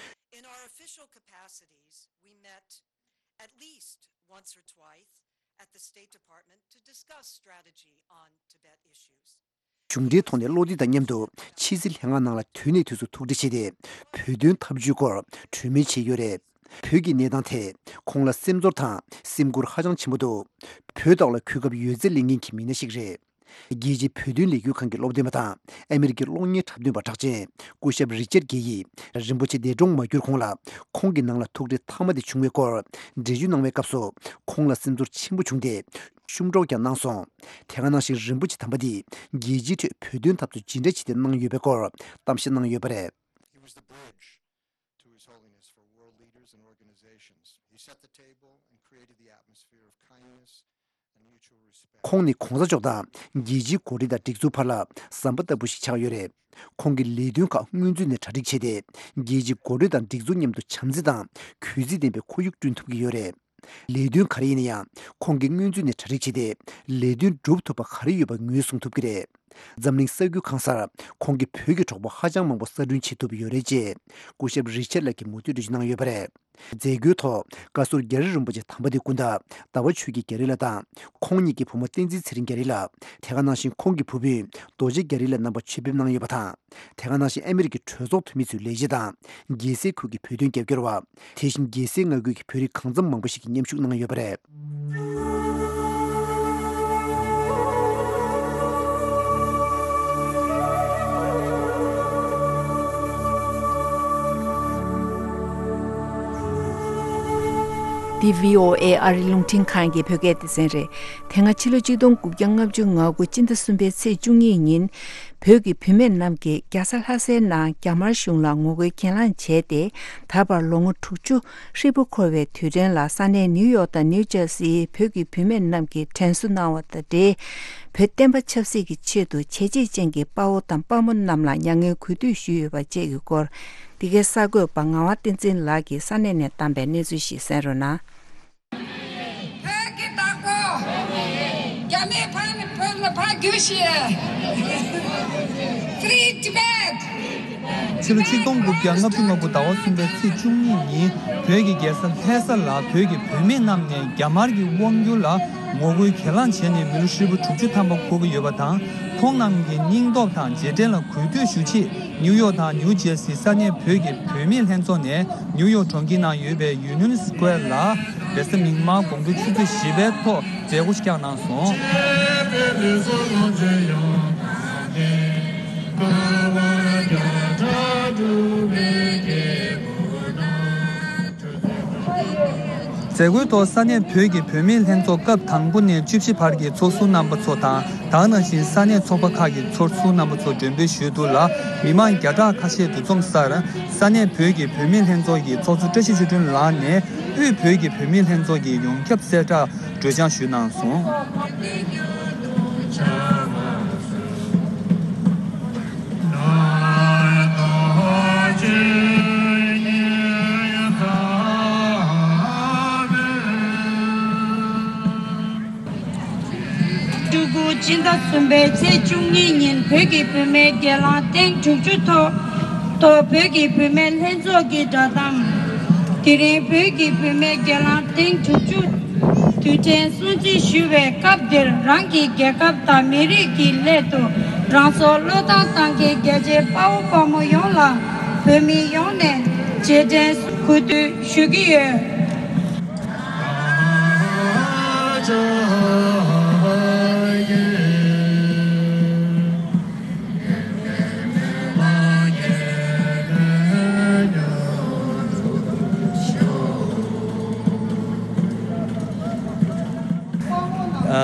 In our official capacities, we met at least once or twice at the State Department to discuss strategy on Tibet issues. གཞུང་འབྲེལ་ཐོག་ནས་བློ་བདེ་དང་མཉམ་དུ་ཕྱི་སྲིད་ལྷན་ཁང་ནང་ལ་དུས་ནས་དུས་སུ་ཐུག་འཕྲད་བྱས་ཏེ། བོད་དོན་འཐབ་ཇུས་སྐོར་གྲོས་མོལ་བྱས་ཡོད་རེད། བོད་ཀྱི་གནས་སྟངས་ཐད་ཁོང་ལ་སེམས་ཚོར་དང་སེམས་ཁུར་ཧ་ཅང་ཆེན་པོ་འདུག་བོད་ཐོག་ལ་གོ་སྐབས་ཡོད་ཚད་ལེན་མཁན་གྱི་མི་སྣ་ཞིག་རེད། རྒྱལ་སྤྱིའི་བོད་དོན་ལས་འགུལ་ཁང་གི་སློབ་སྟོན་པ་དང་ཨ་མི་རི་ཀའི་གློག་བརྙན་འཁྲབ་སྟོན་པ་གྲགས་ཅན་སྐུ་ཞབས་རི་ཅར་གྷེ་ཡིས་རིན་པོ་ཆེ་འདས་གྲོངས་མ་གྱུར་གོང་ལ་ཁོང་གི་ནང་ལ་ཐུག་འཕྲད་མཐའ་མ་དེ་བྱུང་བའི་སྐོར་འགྲེལ་བརྗོད་གནང་བའི་སྐབས་སུ། ཁོང་ལ་སེམས་ཚོར་ཆེན་པོ་བྱུང་སྟེ། ཤུགས་སྒྲོག་ཀྱང་གནང་སོང་། དེ་ག་ནང་བཞིན་རིན་པོ་ཆེ་དམ་པ་འདིས་རྒྱལ་སྤྱིའི་ཁྲོད་བོད་དོན་འཐབ་རྩོད་ཇི་འདྲ་བྱས་ཏེ་གནང་ཡོད་པའི་སྐོར་གཏམ་བཤད་གནང་ཡོད་པ་རེད། He was the bridge to His Holiness for world leaders and organizations. He set the table and created the atmosphere of kindness and mutual respect. ཁོང་ནི་གོང་ས་མཆོག་དང་རྒྱལ་སྤྱིའི་འགོ་ཁྲིད་དང་སྒྲིག་འཛུགས་བར་ལ་ཟམ་པ་ལྟ་བུ་ཞིག་ཆགས་ཡོད་རེད། ཁོང་གི་ལས་དོན་ཁག་སྔོན་ཚུད་ནས་གྲ་སྒྲིག་བྱས་ཏེ། རྒྱལ་སྤྱིའི་འགོ་ཁྲིད་དང་སྒྲིག་འཛུགས་མཉམ་དུ་བྱམས་བརྩེ་དང་གུས་བརྩི་ལྡན་པའི་ཁོར་ཡུག་བསྐྲུན་ཐུབ་ཀྱི་ཡོད་རེད། ལས་དོན་ག་རེ་ཡིན་ན་ཡང་ཁོང་གིས་སྔོན་ཚུད་ནས་གྲ་སྒྲིག་བྱས་ཏེ། ལས་དོན་སྒྲུབ་ཐུབ་པ་ག་རེ་ཡོད་པ་ངོས་བཟུང་ཐུབ་ཀྱི་རེད། འཛམ་གླིང་ས་རྒྱུས་གང་སར་ཁོང་གིས་བོད་ཀྱི་གྲོགས་པོ་ཧ་ཅང་མང་པོ་གསར་སྐྲུན་བྱེད་ཐུབ་ཡོད་རེད་ཅེས་སྐུ་ཞབས་རི་ཆར་ལགས་ཀྱིས་མུ་མཐུད་འགྲེལ་བརྗོད་གནང་ཡོད་པ་རེད། མཛད་སྒོའི་ཐོག་བཀའ་ཟུར་རྒྱ་རི་རིན་པོ་ཆེ་དམ་པ་དེ་སྐུ་ཟླ་ཟླ་བ་ཆོས་སྐྱིད་རྒྱ་རི་ལགས་དང་། ཁོང་ཉིད་ཀྱི་བུ་མོ་བསྟན་འཛིན་ཚེ་རིང་རྒྱ་རི་ལགས། དེ་ག་ནང་བཞིན་ཁོང་གི་བུ་སྤུན་རྡོ་རྗེ་རྒྱ་རི་ལགས་རྣམ་པ་ཆེད་ཕེབས་གནང་ཡོད་པ་དང་། དེ་ག་ནང་བཞིན་ཨ་མི་རི་ཀའི་གྲོས་ཚོགས་འཐུས་མི་ཚོའི་ལས་བྱེད་དང་། རྒྱལ་སའི་ཁུལ་གྱི་བོད་དོན་རྒྱབ་སྐྱོར་བ། དེ་བཞིན་རྒྱལ་སའི་མངའ་ཁུལ་གྱི་བོད་རིགས་གང་འཚམ་མང་པོ་ཞིག་གིས་མཉམ་ཞུགས་གནང་ཡོད་པ་རེད། འདི་བྷི་ཨོ་ཨེ་ཨ་རི་རླུང་འཕྲིན་ཁང་གི་བོད་སྐད་སྡེ་ཚན་རེད། དེ་སྔ་ཕྱི་ལོ་ཆིག་སྟོང་དགུ་བརྒྱ་ལྔ་བཅུ་ང་དགུ་སྤྱི་ཟླ་གསུམ་པའི་ཚེས་བཅུ་གཉིས་ཉིན། བོད་ཀྱི་བུད་མེད་རྣམས་ཀྱིས་རྒྱལ་ས་ལྷ་སའི་ནང་རྒྱ་དམར་གཞུང་ལ་ངོ་རྒོལ་གྱེན་ལངས་བྱས་ཏེ། ད་བར་ལོ་ངོ་དྲུག་ཅུ་ཧྲིལ་པོ་འཁོར་བའི་དུས་དྲན་ལ་ས་གནས་ནིའུ་ཡོག་དང་ནིའུ་ཇར་སིའི་བོད་ཀྱི་བུད་མེད་རྣམས་ཀྱིས་དྲན་གསོ་གནང་བ་དང་འབྲེལ། བོད་བསྟན་པ་ཆབ་སྲིད་ཀྱི་ཆེད་དུ་བྱས་རྗེས་ཅན་གྱི་དཔའ་བོ་དང་དཔའ་མོ་རྣམས་ལ་མྱ་ངན་གུས་འདུད་ཞུས་ཡོད་པ་བཅས་ཀྱི་སྐོར། འདི་གའི་གསར་འགོད་པ་ངག་དབང་བསྟན་འཛིན་ལགས་ཀྱིས་ས་གནས་ནས་བཏང་པའི་གནས་ཚུལ་ཞིག་གསན་རོགས་གནང་། བོད་ཀྱི་བདག་པོ། རྒྱ་མིའི་ཕ་ནི་བོད་ལ་ཕ་རྒྱུད་བཤད། Free Tibet! ཕྱི་ལོ་ཆིག་སྟོང་དགུ་བརྒྱ་ལྔ་བཅུ་ང་དགུ་ཟླ་བ་གསུམ་པའི་ཚེས་བཅུ་གཉིས་ཉིན་བོད་ཀྱི་རྒྱལ་ས་ལྷ་ས་ལ་བོད་ཀྱི་བུད་མེད་རྣམས་ནས་རྒྱ་དམར་གྱི་དབང་སྒྱུར་ལ་ངོ་རྒོལ་གྱེན་ལངས་བྱས་ནས་མི་ལོ་ཧྲིལ་པོ་དྲུག་ཅུ་ཐམ་པ་འཁོར་གྱི་ཡོད་པ་དང་། ཁོང་རྣམས་ཀྱི་སྙིང་སྟོབས་དང་རྗེས་དྲན་ལ་གུས་འདུད་ཞུ་ཆེད་ནིའུ་ཡོག་དང་ནིའུ་ཇེར་སི་ས་གནས་བོད་ཀྱི་བུད་མེད་ལྷན་ཚོགས་ནས་ནིའུ་ཡོག་གྲོང་ཁྱེར་ནང་ཡོད་པའི་ཡུ་ནི་ཡན་སི་ཀོ་ཝེར་ལ་རེས་གཟའ་མིག་དམར་དགོང་དྲོ་ཆུ་ཚོད་བཞི་པའི་ཐོག་མཛད་སྒོ་ཞིག་བསྐྱངས་གནང་སོང་། མཛད་སྒོའི་ཐོག་ས་གནས་བོད་ཀྱི་བུད་མེད་ལྷན་ཚོགས་སྐབས་དང་པོ་ནས་བཅུ་བཞི་བར་གྱི་ཚོགས་ཟུར་རྣམ་པ་ཚོ་དང་། ད་ག་ནང་བཞིན་ས་གནས་ཚོགས་པ་ཁག་གི་ཚོགས་ཟུར་རྣམ་པ་ཚོ་མགྲོན་འབོད་ཞུས་འདུག་ལ། མི་མང་བརྒྱ་ཕྲག་ཁ་ཤས་འདུ་འཛོམས་སར་ས་གནས་བོད་ཀྱི་བུད་མེད་ལྷན་ཚོགས་ཀྱི་ཚོགས་གཙོ་བཀྲ་ཤིས་ཆོས་སྒྲོན་ལགས་ནས་དབུས་བོད་ཀྱི་བུད་མེད་ལྷན་ཚོགས་ཀྱི་ཡོངས་ཁྱབ་གསལ་བསྒྲགས་གྲོས་འཆར་ཞུས་གནང་སོང་། སྤྲུལ་སྐུ་སྤྱི་ཟླ་གསུམ་པའི་ཚེས་བཅུ་གཉིས་ཉིན་བོད་ཀྱི་བུད་མེད་སྒེར་ལངས་ཐེངས་དྲུག་ཅུ་ཐོག་ཐོག་བོད་ཀྱི་བུད་མེད་ལྷན་ཚོགས་ཀྱི་བསྒྲགས་གཏམ། དེ་རིང་བོད་ཀྱི་བུད་མེད་སྒེར་ལངས་ཐེངས་དྲུག་ཅུ་དུས་དྲན་སྲུང་བརྩི་ཞུ་བའི་སྐབས་འདིར། རང་གི་རྒྱལ་ཁབ་དང་མི་རིགས་ཀྱི་སླད་དུ་རང་སྲོག་བློས་བཏང་གཏང་མཁན་རྒྱལ་གཅེས་དཔའ་བོ་དཔའ་མོ་ཡོངས་ལ་བོད་མི་ཡོངས་ནས་རྗེས་དྲན་གུས་འདུད་ཞུ་གི་ཡོད།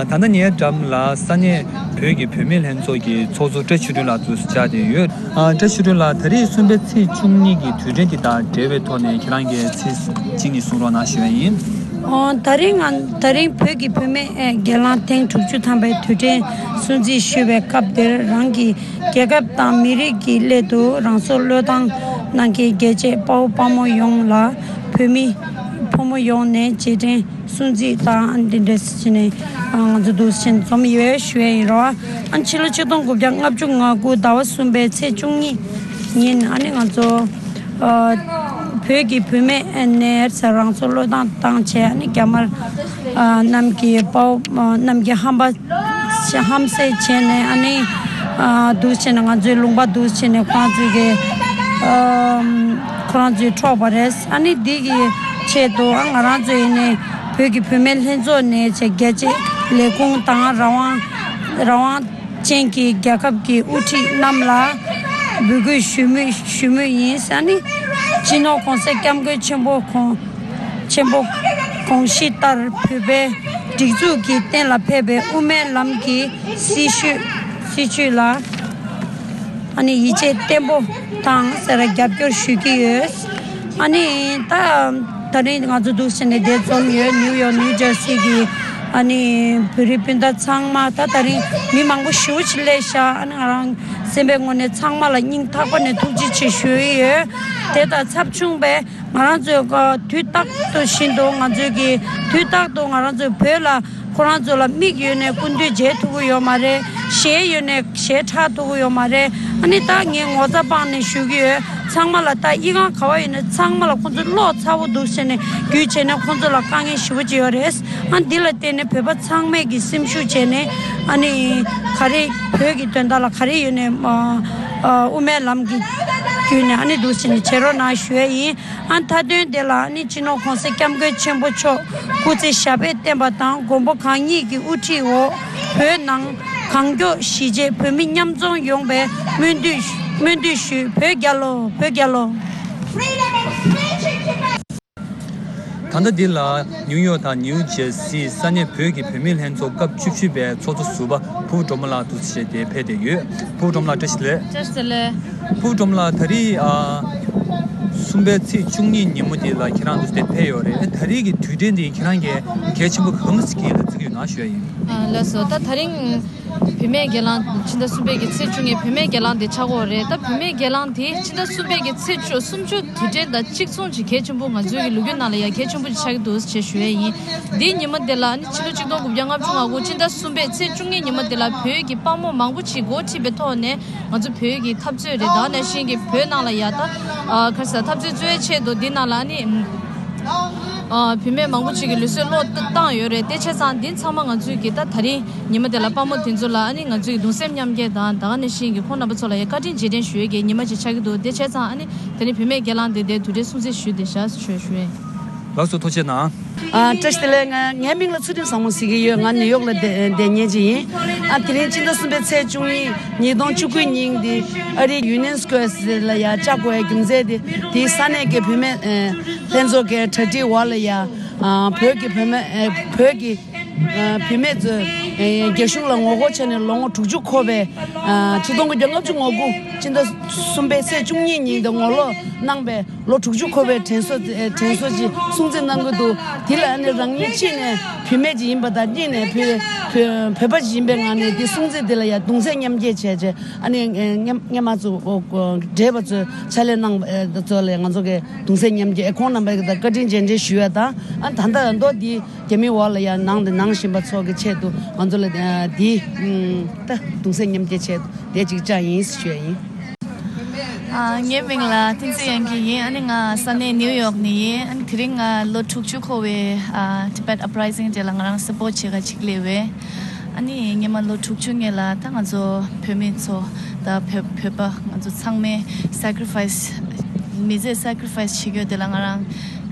ད་ལྟ་ངའི་འགྲམ་ལ་ས་གནས་ བོད་ཀྱི་བུད་མེད་ལྷན་ཚོགས་ཀྱི་ཚོགས་གཙོ་བཀྲ་ཆོས་སྒྲོན་ལགས་འདུག་སེ་བཅར་བསྡད་ཡོད། ཨ། བཀྲ་ཆོས་སྒྲོན་ལགས། ད་རེས་གསུམ་པའི་ཚེས་བཅུ་གཉིས་ཀྱི་དུས་དྲན་དེ་དང་འབྲེལ་བའི་ཐོག་ནས་ཁྱེད་རང་གིས་ཚིག་གཅིག་གཉིས་གསུང་རོགས་གནང་ཞུ་ཡ་ཡིན། ཨོ། ད་རིང་ང་ད་རིང་བོད་ཀྱི་བུད་མེད་ཨེ་སྒེར་ལངས་ཐེངས་དྲུག་ཅུ་ཐམ་པའི་དུས་དྲན་སྲུང་བརྩི་ཞུ་བའི་སྐབས་འདིར། རང་གི་རྒྱལ་ཁབ་དང་མི་རིགས་ཀྱི་སླད་དུ་རང་སྲོག་བློས་བཏང་གནང་མཁན་རྒྱལ་གཅེས་དཔའ་བོ་དཔའ་མོ་ཡོངས་ལ། བོད་མི་ཕོ་མོ་ཡོངས་ནས་རྗེས་དྲན་སྲུང་བརྩི་དང་། འདི་འདྲ་ཞིག་ནས་ང་ཚོ་འདུག་སེ་འཛོམས་ཡོད་ཞུ་ཡ་ཡིན་རོ། ཨ་ནི་ཕྱི་ལོ་ཆིག་སྟོང་དགུ་བརྒྱ་ལྔ་བཅུ་ང་དགུ་ཟླ་བ་གསུམ་པའི་ཚེས་བཅུ་གཉིས་ཉིན། ཨ་ནི་ང་ཚོ་ཨ་བོད་ཀྱི་བུད་མེད་ནས་རང་སྲོག་བློས་བཏང་བཏང་བྱས། ཨ་ནི་རྒྱ་དམར་ཨ་རྣམས་ཀྱི་དཔའ་བོ་ཨ་རྣམས་ཀྱི་ཧམ་པ་ཧམ་བཤད་བྱས་ནས། ཨ་ནི་ཨ་འདུག་སེ་བྱས་ནས་ང་ཚོའི་ལུང་པ་འདུག་སེ་བྱས་ནས་ཁོ་རང་ཚོའི་གི་ཨ་ཁོ་རང་ཚོས་འཕྲོག་པ་རེད། ཨ་ནི་འདི་གི་ཆེད་དུ་ཨ་ང་རང་ཚོ་ཡིན་ནའི་བོད་ཀྱི་བུད་མེད་ལྷན་ཚོགས་ནས་བྱས་རྒྱལ་གཅེས་ལས་ཁུངས་དང་རང་དབང་རང་དབང་ཅན་གྱི་རྒྱལ་ཁབ་ཀྱི་དབུ་ཁྲིད་རྣམས་ལ་འབོད་སྐུལ་ཞུ་མུས་ཞུ་མུས་ཡིན། ཨ་ནི་སྤྱི་ནོར་༸གོང་ས་༸སྐྱབས་མགོན་ཆེན་པོ་ཁོང་ཆེན་པོ་དགོངས་གཞི་ལྟར་བོད་པའི་སྒྲིག་འཛུགས་ཀྱི་གཏན་ལ་ཕེབས་པའི་དབུ་མའི་ལམ་གྱི་སྲིད་བྱུས་སྲིད་བྱུས་ལ་ཨ་ནི་ཡིད་ཆེས་བརྟན་པོ་དང་ཟེར་རྒྱབ་སྐྱོར་ཞུ་གི་ཡོད། ཨ་ནི་ད་ད་རིང་ང་ཚོ་འདུག་སེ་ནས་འདིར་འཛོམས་ཡོད། ནིའུ་ཡོག་ནིའུ་ཇར་སི་གི་ཨ་ནི་བོད་རིགས་སྤུན་ཟླ་ཚང་མ། ད་ད་རིང་མི་མང་པོ་ཞེ་པོ་ཅིག་སླེབས་ཤག་ཨ་ནི་ང་རང་སེམས་པའི་ངོས་ནས་ཚང་མ་ལ་སྙིང་ཐག་པ་ནས་ཐུགས་རྗེ་ཆེ་ཞུ་ཡི་ཡོད། དེ་དང་ཚབ་མཚུངས་པའི་ང་རང་ཚོའི་དུས་རྟག་ཏུ་བཞིན་དུ་ང་ཚོའི་གི་དུས་རྟག་ཏུ་ང་རང་ཚོའི་བོད་ལ་ཁོ་རང་ཚོ་ལ་མིག་ཡོད་ནས་སྐུ་མདུན་མཇལ་ཐུབ་ཀྱི་ཡོད་མ་རེད། ཞལ་ཡོད་ནས་ཞལ་ཕྲད་ཐུབ་ཀྱི་ཡོད་མ་རེད། ཨ་ནི་ད་ངས་ངོ་ཚ་སྤངས་ནས་ཞུ་གི་ཡོད། ཚང་མ་ལ་ད་ཨི་ཁུང་ག་པར་ཡོད་ནས་ཚང་མ་ལ་ཁོང་ཚོ་བློ་ཚ་པོ་འདུག་ཟེར་ནས་བརྒྱུད་བྱས་ནས་ཁོང་ཚོ་ལ་དཀའ་ངལ་ཞེ་པོ་ཅིག་ཡོད་རེད། ཨ་འདི་ལ་བརྟེན་ནས་བོད་པ་ཚང་མས་ཀྱི་སེམས་ཤུགས་བྱས་ནས། ཨ་ནི་ག་རེ་བོད་ཀྱི་དོན་དག་ལ་ག་རེ་ཡོད་ནས་ཨ་ཨ་དབུ་མའི་ལམ་གྱི་བརྒྱུད་ནས་ཨ་ནི་འདུག་ཟེར་ནས་བྱེད་རོགས་གནང་ཞུ་ཡ་ཡིན། ཨ་མཐའ་དོན་དེ་ལ་ནི་སྤྱི་ནོར་༸གོང་ས་༸སྐྱབས་མགོན་ཆེན་པོ་མཆོག་སྐུ་ཚེ་ཞབས་པད་བརྟན་པ་དང་། མགོན་པོ་གང་ཉིད་ཀྱི་དབུ་ཁྲིད་འོག་བོད་ནང་གང་མགྱོགས་གཞིས་བྱེས་བོད་མི་མཉམ་འཛོམས་ཡོང་བའི་སྨོན་འདུན་སྨོན་འདུན་ཞུ། བོད་རྒྱལ་ལོ། བོད་རྒྱལ་ལོ། ད་ལྟ་འདི་ལ་ནིའུ་ཡོག་དང་ནིའུ་ཇར་སིའི་ས་གནས་བོད་ཀྱི་བུད་མེད་ལྷན་ཚོགས་སྐབས་བཅུ་བཞི་པའི་ཚོགས་གཙོ་ཟུར་པ་ཕུར་བུ་སྒྲོལ་མ་ལགས་འདུག་སེ་བྱས་ཏེ་ཕེབས་བསྡད་ཡོད། ཕུར་བུ་སྒྲོལ་མ་ལགས་བཀྲ་ཤིས་བདེ་ལེགས། བཀྲ་ཤིས་བདེ་ལེགས། ཕུར་བུ་སྒྲོལ་མ་ལགས། ད་རེས་ཨ་གསུམ་པའི་ཚེས་བཅུ་གཉིས་ཉིན་མོ་འདི་ལ་ཁྱེད་རང་འདུག་སེ་ཕེབས་ཡོད་རེད། ད་རེས་ཀྱི་དུས་དྲན་འདི་ཁྱེད་རང་གིས་གལ་ཆེན་པོ་གང་ཞིག་ཡིད་ལ་བརྩི་གི་ཡོད་ན་ཞུ་ཡ་ཡིན། ཨ་ལགས་སོ། ད་ད་རིང་བུད་མེད་སྒེར་ལངས། ཕྱི་ཟླ་གསུམ་པའི་གི་ཚེས་བཅུ་གཉིས་བུད་མེད་སྒེར་ལངས་དེ་ཆགས་ཀྱི་ཡོད་རེད། ད་བུད་མེད་སྒེར་ལངས་དེ་ཕྱི་ཟླ་གསུམ་པའི་གི་ཚེས་བཅུ་སུམ་ཅུ་དུས་དྲན་དང་གཅིག་མཚུངས་ཀྱི་གལ་ཆེན་པོ་ང་ཚོའི་གི་ལོ་རྒྱུས་ནང་ལ་ཡང་གལ་ཆེན་པོ་ཅིག་ཆགས་ཀྱི་འདུག་ཅེས་ཞུ་ཡས་ཡིན། འདིའི་ཉིན་མོ་དེ་ལ་ནི་ཕྱི་ལོ་ཆིག་སྟོང་དགུ་བརྒྱ་ལྔ་བཅུ་ང་དགུ་ཕྱི་ཟླ་གསུམ་པའི་ཚེས་བཅུ་གཉིས་ཉིན་མོ་དེ་ལ་བོད་ཀྱི་དཔའ་མོ་མང་པོ་ཅིག་འགོ་ཁྲིད་པའི་ཐོག་ནས་ང་ཚོ་བོད་ཀྱི་འཐབ་རྩོད་རེད། ད་ག་ནང་བཞིན་གྱི་བོད་ནང་ལ་ཡ་ད་ཨ་ག་རེ་ཟེར། འཐབ་རྩོད་རྩོད་ཡའི་ཆེད་དུ་འདི་ནང་ལ་ནི་ཨ་བུད་མེད་མང་པོ་ཅིག་གི་ལུས་སྲོག་བློས་བཏང་ཡོད་རེད། དེ་བྱས་ཙང་འདི་ཚང་མ་ང་ཚོས་ཀྱི་ད་ད་རིང་ཉི་མ་དེ་ལ་དཔའ་མོ་དེ་ཚོ་ལ་ཨ་ནི་ང་ཚོས་ཀྱི་གདུང་སེམས་མཉམ་སྐྱེད་དང་། ད་ག་ནང་བཞིན་གྱི་ཁོང་རྣམ་པ་ཚོ་ལ་ཡང་བཀའ་དྲིན་རྗེས་དྲན་ཞུ་ཡས་ཀྱི་ཉི་མ་ཅིག་ཆགས་ཀྱི་འདུག་དེ་བྱས་ཙང་ཨ་ནི་དེ་རིང་བུད་མེད་སྒེར་ལངས་དེ་དེ་དུས་དྲན་སྲུང་བརྩི་ཞུས་བསྡད་བཞག་ཞུ་ཞུ་ཡས། ལགས་སོ། ཐུགས་རྗེ་གནང་། ཨ་བཀྲ་ཤིས་བདེ་ལེགས། ང་ངའི་མིང་ལ་ཚུལ་ཁྲིམས་བཟང་མོ་ཟེར་གྱི་ཡོད། ང་ནིའུ་ཡོག་ལ་བསྡད་བསྡད་མཁན་ཅིག་ཡིན། ཨ་དེ་རིང་ཕྱི་ཟླ་གསུམ་པའི་ཚེས་བཅུ་གཉིས་ཉིས་སྟོང་བཅུ་དགུ་ཉིན་འདི་ཨ་རིའི་ཡུ་ནིའན་སི་ཀོ་ཝེར་ལ་ཡ་བཅར་དགོས་པའི་རྒྱུ་མཚན་དེ་དེའི་ས་གནས་ཀྱི་བུད་མེད་ཨ་ལྷན་ཚོགས་ཀྱི་གྲ་སྒྲིག་འོག་ལ་ཡ་ཨ་བོད་ཀྱི་བུད་མེད་ཨ་བོད་ཀྱི་ཨ་བུད་མེད་ཚོས་ཨ་རྒྱ་གཞུང་ལ་ངོ་རྒོལ་བྱས་ནས་ལོ་ངོ་དྲུག་ཅུ་འཁོར་བའི་ཨ་ཆིག་སྟོང་དགུ་བརྒྱ་ལྔ་བཅུ་ང་དགུ་ཕྱི་ཟླ་གསུམ་པའི་ཚེས་བཅུ་གཉིས་ཉིན་དུ་ངོ་ལོག་གནང་བའི་ལོ་དྲུག་ཅུ་འཁོར་བའི་དྲན་གསོ་དྲན་གསོ་ཅིག་སྲུང་བརྩི་གནང་གི་འདུག་དེ་ལ་ཨ་ནི་རང་ཉིད་གཅིག་ནས་བུད་མེད་ཅིག་ཡིན་པ་དང་། གཉིས་ནས་བོད་བོད་བོད་པ་ཅིག་ཡིན་པའི་ངང་ནས་དེ་སྲུང་བརྩི་དེ་ལ་ཡང་གདུང་སེམས་མཉམ་སྐྱེད་བྱས་བྱས། ཨ་ནི་སྔོན་སྔོན་མ་ཚོ་བགྲེས་པ་ཚོས་ཕྱག་ལས་གནང་བ་ཚོ་ལ་ང་ཚོ་གི་གདུང་སེམས་མཉམ་སྐྱེད། ཁོང་རྣམ་པ་གི་བཀའ་དྲིན་རྗེས་དྲན་ཞུ་ཡ་དང་། ཨ་ད་ལྟ་མདོ་འདི་རྒྱ་མིའི་འོག་ལ་ཡང་ནང་དུ་ནང་བཞིན་པ་ཚོ་གི་ཆེད་དུ་ང་ཚོ་ལ་འདི་ད་གདུང་སེམས་མཉམ་སྐྱེད་ཆེད་དུ་དེ་ཅིག་བཅར་ཡིན་ཞུ་ཡ་ཡིན། ཨ་ངའི་མིང་ལ་བསྟན་འཛིན་དབྱངས་སྐྱིད་ཡིན། ཨ་ནི་ང་ས་གནས་ནིའུ་ཡོག་ནས་ཡིན། ཨ་ནི་དེ་རིང་ང་ལོ་དྲུག་ཅུ་འཁོར་བའི་ཨ་Tibet Uprising དེ་ལ་ང་རང་སཔོརཊ་བྱེད་ག་ཅིག་སླེབས་པས། ཨ་ནི་སྔོན་མ་ལོ་དྲུག་ཅུ་སྔོན་ལ་ད་ང་ཚོ་བོད་མི་ཚོ་ད་བོད་བོད་པ་ང་ཚོ་ཚང་མས་sacrifice མི་ཚེ་sacrifice བྱེད་རྒྱུ་དེ་ལ་ང་རང་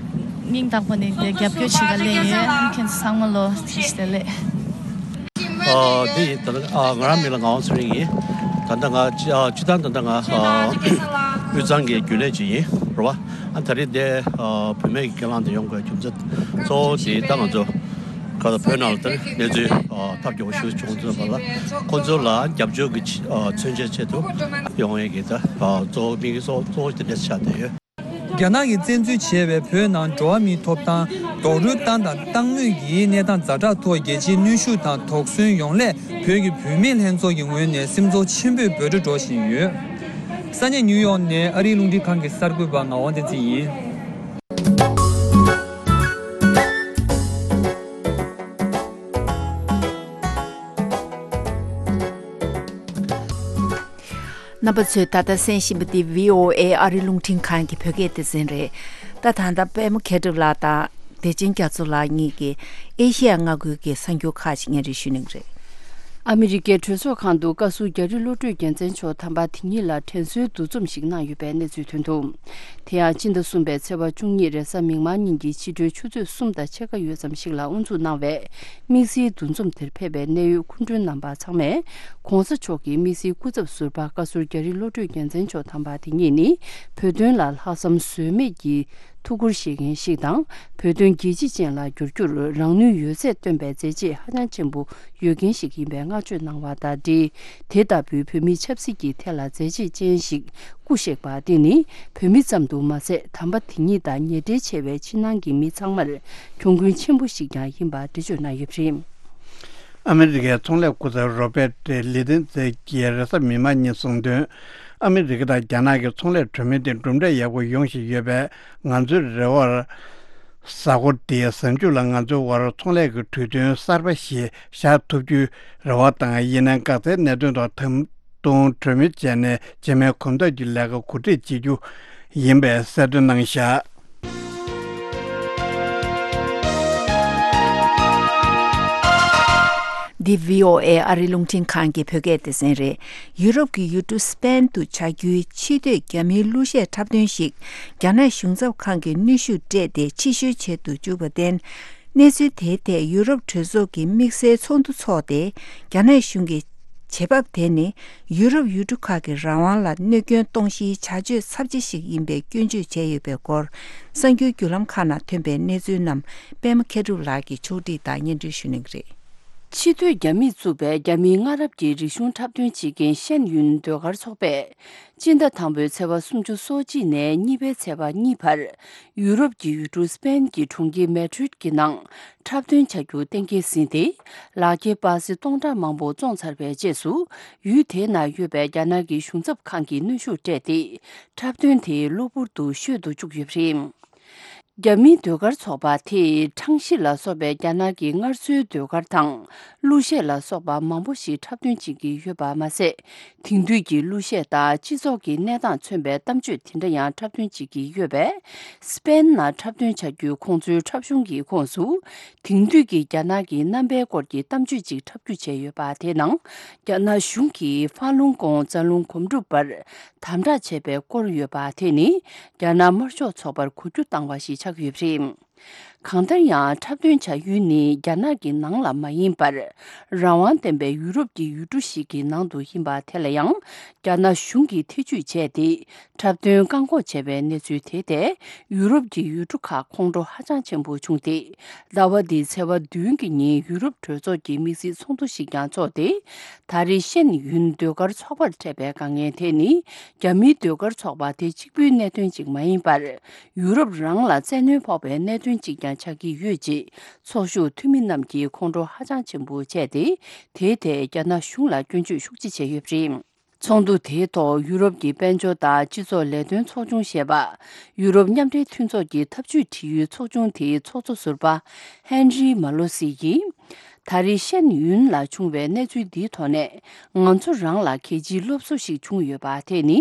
སྙིང་ཐག་པ་ནས་དེ་རྒྱབ་སྐྱོར་བྱེད་ག་སླེབས་ཡོད། ཨ་ནི་ཁྱེད་ཚོ་ཚང་མ་ལོ་བཀྲ་ཤིས་བདེ་ལེགས། ཨ་འདི་ཡིན། ད་ལྟ་ཨ་ང་རང་མིང་ལ་ངག་དབང་ཚེ་རིང་ཡིན། ད་ལྟ་ང་སྤྱི་ཨ་སྤྱི་བཏང་ད་ལྟ་ང་ཨ་དབུས་གཙང་གི་རྒྱུན་ལས་ཅིག་ཡིན་རེད་བ། ཨ་ད་རེས་འདི་ཨ་བུད་མེད་ཀྱི་སྒེར་ལངས་དེ་ཡོང་དགོས་རྒྱུ་མཚན་གཙོ་བོ་དེ་ད་ང་ཚོ་ ཁ་ད་བོད་ནང་ལ་དེར་གནས་ཚུལ་ཨ་ཐབས་སྐྱོ་པོ་ཞིག་བྱུང་ཚུལ་བ་ལ། ཁོ་ཚོ་ལ་རྒྱབ་སྐྱོར་གྱི་ཆེད་ཨ་མཚོན་ཆ་ཆེད་དུ་ཡོང་ཡས་ཀྱི་ད་ཨ་གཙོ་བོ་དམིགས་ཡུལ་གཙོ་གཙོ་བོ་དེ་འདྲ་ཆགས་བསྡད་ཡོད། རྒྱ་ནག་གིས་བཙན་འཛུལ་བྱས་པའི་བོད་ནང་འགྲོ་བ་མིའི་ཐོབ་ཐང་རྡོག་རོལ་བཏང་དང་བཏང་མུས་ཀྱི་གནས་སྟངས་ཛ་དྲག་ཐོག་རྒྱལ་སྤྱིའི་གནོན་ཤུགས་དང་དོགས་ཟོན་ཡོང་སླད། བོད་ཀྱི་བུད་མེད་ལྷན་ཚོགས་ཀྱི་ངོས་ནས་སེམས་ཚོར་ཆེན་པོས་འབོད་སྒྲ་སྒྲོག་བཞིན་ཡོད། ས་གནས་ནིའུ་ཡོག་ནས་ཨ་རིའི་རླུང་འཕྲིན་ཁང་གི་གསར་འགོད་པ་ངག་དབང་བསྟན་འཛིན་ཡིན། རྣམ་པ་ཚོས་ད་ལྟ་གསན་བཞིན་པ་འདི་བྷི་ཨོ་ཨེ་ཨ་རི་རླུང་འཕྲིན་ཁང་གི་བོད་སྐད་སྡེ་ཚན་རེད། ད་ད་ལྟ་པད་མ་མཁས་གྲུབ་ལགས་དང་བདེ་ཆེན་རྒྱ་མཚོ་ལགས་གཉིས་ཀྱིས་ཨེ་ཤེ་ཡ་མངའ་ཁུལ་གྱི་གསར་འགྱུར་ཁག་ཅིག་སྙན་སྒྲོན་ཞུ་གནང་གི་རེད། ཨ་མི་རི་ཀའི་གྲོས་ཚོགས་ཁང་དུ་བཀའ་ཟུར་རྒྱ་རི་བློ་གྲོས་རྒྱལ་མཚན་མཆོག་དམ་པ་དེ་ཉིད་ལ་དྲན་གསོའི་འདུ་འཛོམས་ཤིག་གནང་ཡོད་པའི་གནས་ཚུལ་ཐོན་འདུག་དེ་ཡང་སྤྱི་ཟླ་གསུམ་པའི་ཚེས་པ་བཅུ་གཉིས་རེས་གཟའ་མིག་དམར་ཉིན་གྱི་ཕྱི་དྲོའི་ཆུ་ཚོད་གསུམ་དང་ཕྱེད་ཀ་ཡོལ་ཙམ་ཞིག་ལ་དབུ་འཛུགས་གནང་བའི་དམིགས་བསལ་འདུ་འཛོམས་དེར་ཕེབས་པའི་གནད་ཡོད་སྐུ་མགྲོན་རྣམ་པ་ཚང་མས་༸གོང་ས་མཆོག་གི་དམིགས་བསལ་སྐུ་ཚབ་ཟུར་པ་བཀའ་ཟུར་རྒྱ་རི་བློ་གྲོས་རྒྱལ་མཚན་མཆོག་དམ་པ་དེ་ཉིད་ནི་བོད་དོན་ལ་ལྷག་བསམ་ཟོལ་མེད་ཀྱི་ཐུགས་ཁུར་བཞེས་མཁན་ཞིག་དང་། བོད་དོན་རྒྱལ་སྤྱི་ཅན་ལ་བསྒྱུར་རྒྱུར་རང་ནུས་ཡོད་ཚད་བཏོན་པའི་མཛད་རྗེས་ཧ་ཅང་ཆེན་པོ་ཡོད་མཁན་ཞིག་ཡིན་པའི་བསྔགས་བརྗོད་གནང་བ་དང་འབྲེལ། དེ་ལྟ་བུའི་བོད་མིའི་ཆབ་སྲིད་ཀྱི་ཐད་ལ་མཛད་རྗེས་ཅན་ཞིག་སྐུ་གཤེགས་པ་དེ་ནི་བོད་མི་ཙམ་དུ་མ་ཟད། དམ་པ་དེ་ཉིད་དང་ཉེ་འབྲེལ་ཆེ་བའི་ཕྱི་ནང་གི་མི་ཚང་མར་གྱོང་གུན་ཆེན་པོ་ཞིག་ཀྱང་ཡིན་པ་འགྲེལ་བརྗོད་གནང་ཡོད་པ་རེད། ཨ་མི་རི་ཀའི་ཚོང་ལས་སྐུ་ཚབ་རོ་པད་ལི་ཏན་ཛེ་གྱིས་རེས་གཟའ་མིག་དམར་ཉིན་གསུངས་དོན། ཨ་མི་རི་ཀ་དང་རྒྱ་ནག་གི་ཚོང་ལས་གྲོས་མོལ་དེ་གྲུབ་འབྲས་ཡག་པོ་ཡོང་བཞིན་ཡོད་པས། ང་ཚོའི་རེ་བར། གཟའ་འཁོར་འདིའི་གཟའ་མཇུག་ལ་ང་ཚོའི་དབར་ཚོང་ལས་ཀྱི་གྲོས་མཐུན་གསར་པ་ཞིག་བཞག་ཐུབ་རྒྱུའི་རེ་བ་དང་། ཡིན་ནའང་། འགག་རྩའི་གནད་དོན་ཐོག་ད་དུང་གྲོས་མོལ་བྱས་ནས། རྗེས་མའི་གོམ་སྟབས་ཀྱི་ལས་ཀ་གོ་སྒྲིག་བྱེད་རྒྱུ་ཡིན་པའི་གསལ་སྟོན་གནང་བཞག་འདི་བྷི་ཨོ་ཨེ་ཨ་རི་རླུང་འཕྲིན་ཁང་གི་བོད་སྐད་སྡེ་ཚན་རེད། ཡུ་རོབ་ཀྱི་ཡུལ་གྲུ་སི་པན་དུ་བྱ་རྒྱུའི་ཕྱི་སྡོད་རྒྱ་མིའི་གླུ་གཞས་འཁྲབ་སྟོན་ཞིག་རྒྱ་ནག་གཞུང་ཚབ་ཁང་གིས་གནོན་ཤུགས་སྤྲད་དེ་ཕྱིར་བཤོལ་བྱེད་དུ་བཅུག་པར་བརྟེན། གནས་ཚུལ་དེའི་ཐད་ཡུ་རོབ་གྲོས་ཚོགས་ཀྱི་དམིགས་བསལ་ཚོགས་འདུ་འཚོགས་ཏེ། རྒྱ་ནག་གཞུང་གི་བྱེད་བབ་དེ་ནི་ཡུ་རོབ་ཡུལ་གྲུ་ཁག་གི་རང་དབང་ལ་གནོད་སྐྱོན་གཏོང་གཞིའི་བྱ་སྤྱོད་ཚབས་ཆེ་ཞིག་ཡིན་པའི་སྐྱོན་བརྗོད་བྱས་ཡོད་པའི་སྐོར། གསར་འགྱུར་བརྒྱུད་ལམ་ཁག་ནང་ཐོན་པའི་གནས་ཚུལ་རྣམས་པད་མ་མཁས་གྲུབ་ལགས་ཀྱིས་ཕྱོགས་སྒྲིག་དང་སྙན་སྒྲོན་ཞུ་གནང་གི་རེད། ཕྱི་སྡོད་རྒྱ་མིས་བཙུགས་པའི་རྒྱ་མིའི་སྔ་རབས་ཀྱི་རིག་གཞུང་འཁྲབ་སྟོན་བྱེད་མཁན་ཤན་ཡུན་ཟློས་གར་ཚོགས་པས། སྤྱི་ཟླ་དང་པོའི་ཚེས་པ་སུམ་ཅུ་སོ་གཅིག་ནས་གཉིས་པའི་ཚེས་པ་གཉིས་བར། ཡུ་རོབ་ཀྱི་ཡུལ་གྲུ་སི་པན་གྱི་གྲོང་ཁྱེར་མེ་ཌྲིད་ཀྱི་ནང་འཁྲབ་སྟོན་བྱ་རྒྱུ་གཏན་འཁེལ་ཟིན་ཏེ། ལག་འཁྱེར་པ་སེ་སྟོང་ཕྲག་མང་པོ་བཙོངས་ཚར་བའི་རྗེས་སུ། ཡུལ་དེའི་ནང་ཡོད་པའི་རྒྱ་ནག་གི་གཞུང་ཚབ་ཁང་གིས་གནོན་ཤུགས་སྤྲད་དེ། འཁྲབ་སྟོན་དེ་གློ་བུར་དུ་བཤོལ་དུ་བཅུག་ཡོད་པ་རེད། རྒྱ་མིའི་ཟློས་གར་ཚོགས་པ་དེས་ཁྲང་ཤི་ལ་སོགས་པའི་རྒྱ་ནག་གི་སྔར་སྲོལ་ཟློས་གར་དང་གླུ་གཞས་ལ་སོགས་པ་མང་པོ་ཞིག་འཁྲབ་སྟོན་བྱེད་ཀྱི་ཡོད་པ་མ་ཟད། དེང་དུས་ཀྱི་གླུ་གཞས་དང་སྤྱི་ཚོགས་ཀྱི་གནས་སྟངས་མཚོན་པའི་གཏམ་བརྗོད་དེ་འདྲ་ཡང་འཁྲབ་སྟོན་བྱེད་ཀྱི་ཡོད་པས། སི་པན་ནང་འཁྲབ་སྟོན་བྱ་རྒྱུའི་ཁོང་ཚོའི་འཁྲབ་གཞུང་གི་ཁོངས་སུ། དེང་དུས་ཀྱི་རྒྱ་ནག་གི་རྣམ་པའི་སྐོར་གྱི་གཏམ་བརྗོད་ཅིག་འཁྲབ་རྒྱུ་བྱས་ཡོད་པ་དེའི་ནང་། རྒྱ་ནག་གཞུང་གིས་ཧྥ་ལུང་ཀོང་རྩ་རླུང་སྒོམ་སྒྲུབ་པར་དམ་དྲག་བྱས་པའི་སྐོར་ཡོད་པ་དེ་ནི། རྒྱ་ནག་དམར་ཤོག་ཚོགས་པར་གོ་རྒྱུ་བཏང་བ་ཞིག་ཆགས་ཡོད་པ་རེད། གང་ལྟར་ཡང་། འཁྲབ་སྟོན་བྱ་ཡུལ་ནི་རྒྱ་ནག་གི་ནང་ལ་མ་ཡིན་པར། རང་དབང་ལྡན་པའི་ཡུ་རོབ་ཀྱི་ཡུལ་གྲུ་ཞིག་གི་ནང་དུ་ཡིན་པ་དེ་ལ་ཡང་། རྒྱ་ནག་གཞུང་གིས་ཐེ་ཇུས་བྱས་ཏེ། འཁྲབ་སྟོན་བཀག་འགོག་བྱས་པའི་གནས་ཚུལ་དེ་ཐད། ཡུ་རོབ་ཀྱི་ཡུལ་གྲུ་ཁག་ཁོང་ཁྲོ་ཧ་ཅང་ཆེན་པོ་བྱུང་སྟེ། ཟླ་བ་འདིའི་ཚེས་པ་བདུན་གྱི་ཉིན་ཡུ་རོབ་གྲོས་ཚོགས་ཀྱི་དམིགས་བསལ་ཚོགས་འདུ་ཞིག་ཀྱང་འཚོགས་ཏེ། ད་རེས་ཤན་ཡུན་ཟློས་གར་ཚོགས་པར་འཕྲད་པའི་དཀའ་ངལ་དེ་ནི། རྒྱ་མིའི་ཟློས་གར་ཚོགས་པ་དེ་གཅིག་པུའི་གནད་དོན་ཅིག་མ་ཡིན་པར། ཡུ་རོབ་རང་ལ་བཙན་གནོན་ཕོག་པའི་གནད་དོན་ཅིག་ཀྱང་ཆགས་ཀྱི་ཡོད་ཅེས། ཚོགས་ཞུགས་འཐུས་མི་རྣམས་ཀྱིས་ཁོང་ཁྲོ་ཧ་ཅང་ཆེན་པོ་བྱས་ཏེ། དེའི་ཐད་རྒྱ་ནག་གཞུང་ལ་སྐྱོན་བརྗོད་ཤུགས་ཆེ་བྱས་ཡོད་པ་རེད། ཚོགས་འདུ་དེའི་ཐོག་ཡུ་རོབ་ཀྱི་དཔལ་འབྱོར་དང་སྤྱི་ཚོགས་ལས་དོན་ཚོགས་ཆུང་ཞེས་པ། ཡུ་རོབ་མཉམ་འབྲེལ་མཐུན་ཚོགས་ཀྱི་ཐབས་ཇུས་དྲི་ཡུལ་ཚོགས་ཆུང་དེའི་ཚོགས་གཙོ་ཟུར་པ་ཧན་རི་མ་ལོ་སི་ཡིས། ད་རེས་ཤན་ཡུན་ལ་བྱུང་བའི་གནས་ཚུལ་འདིའི་ཐོག་ནས། ང་ཚོ་རང་ལ་གལ་ཆེའི་སློབ་གསོ་ཞིག་བྱུང་ཡོད་པ་དེ་ནི།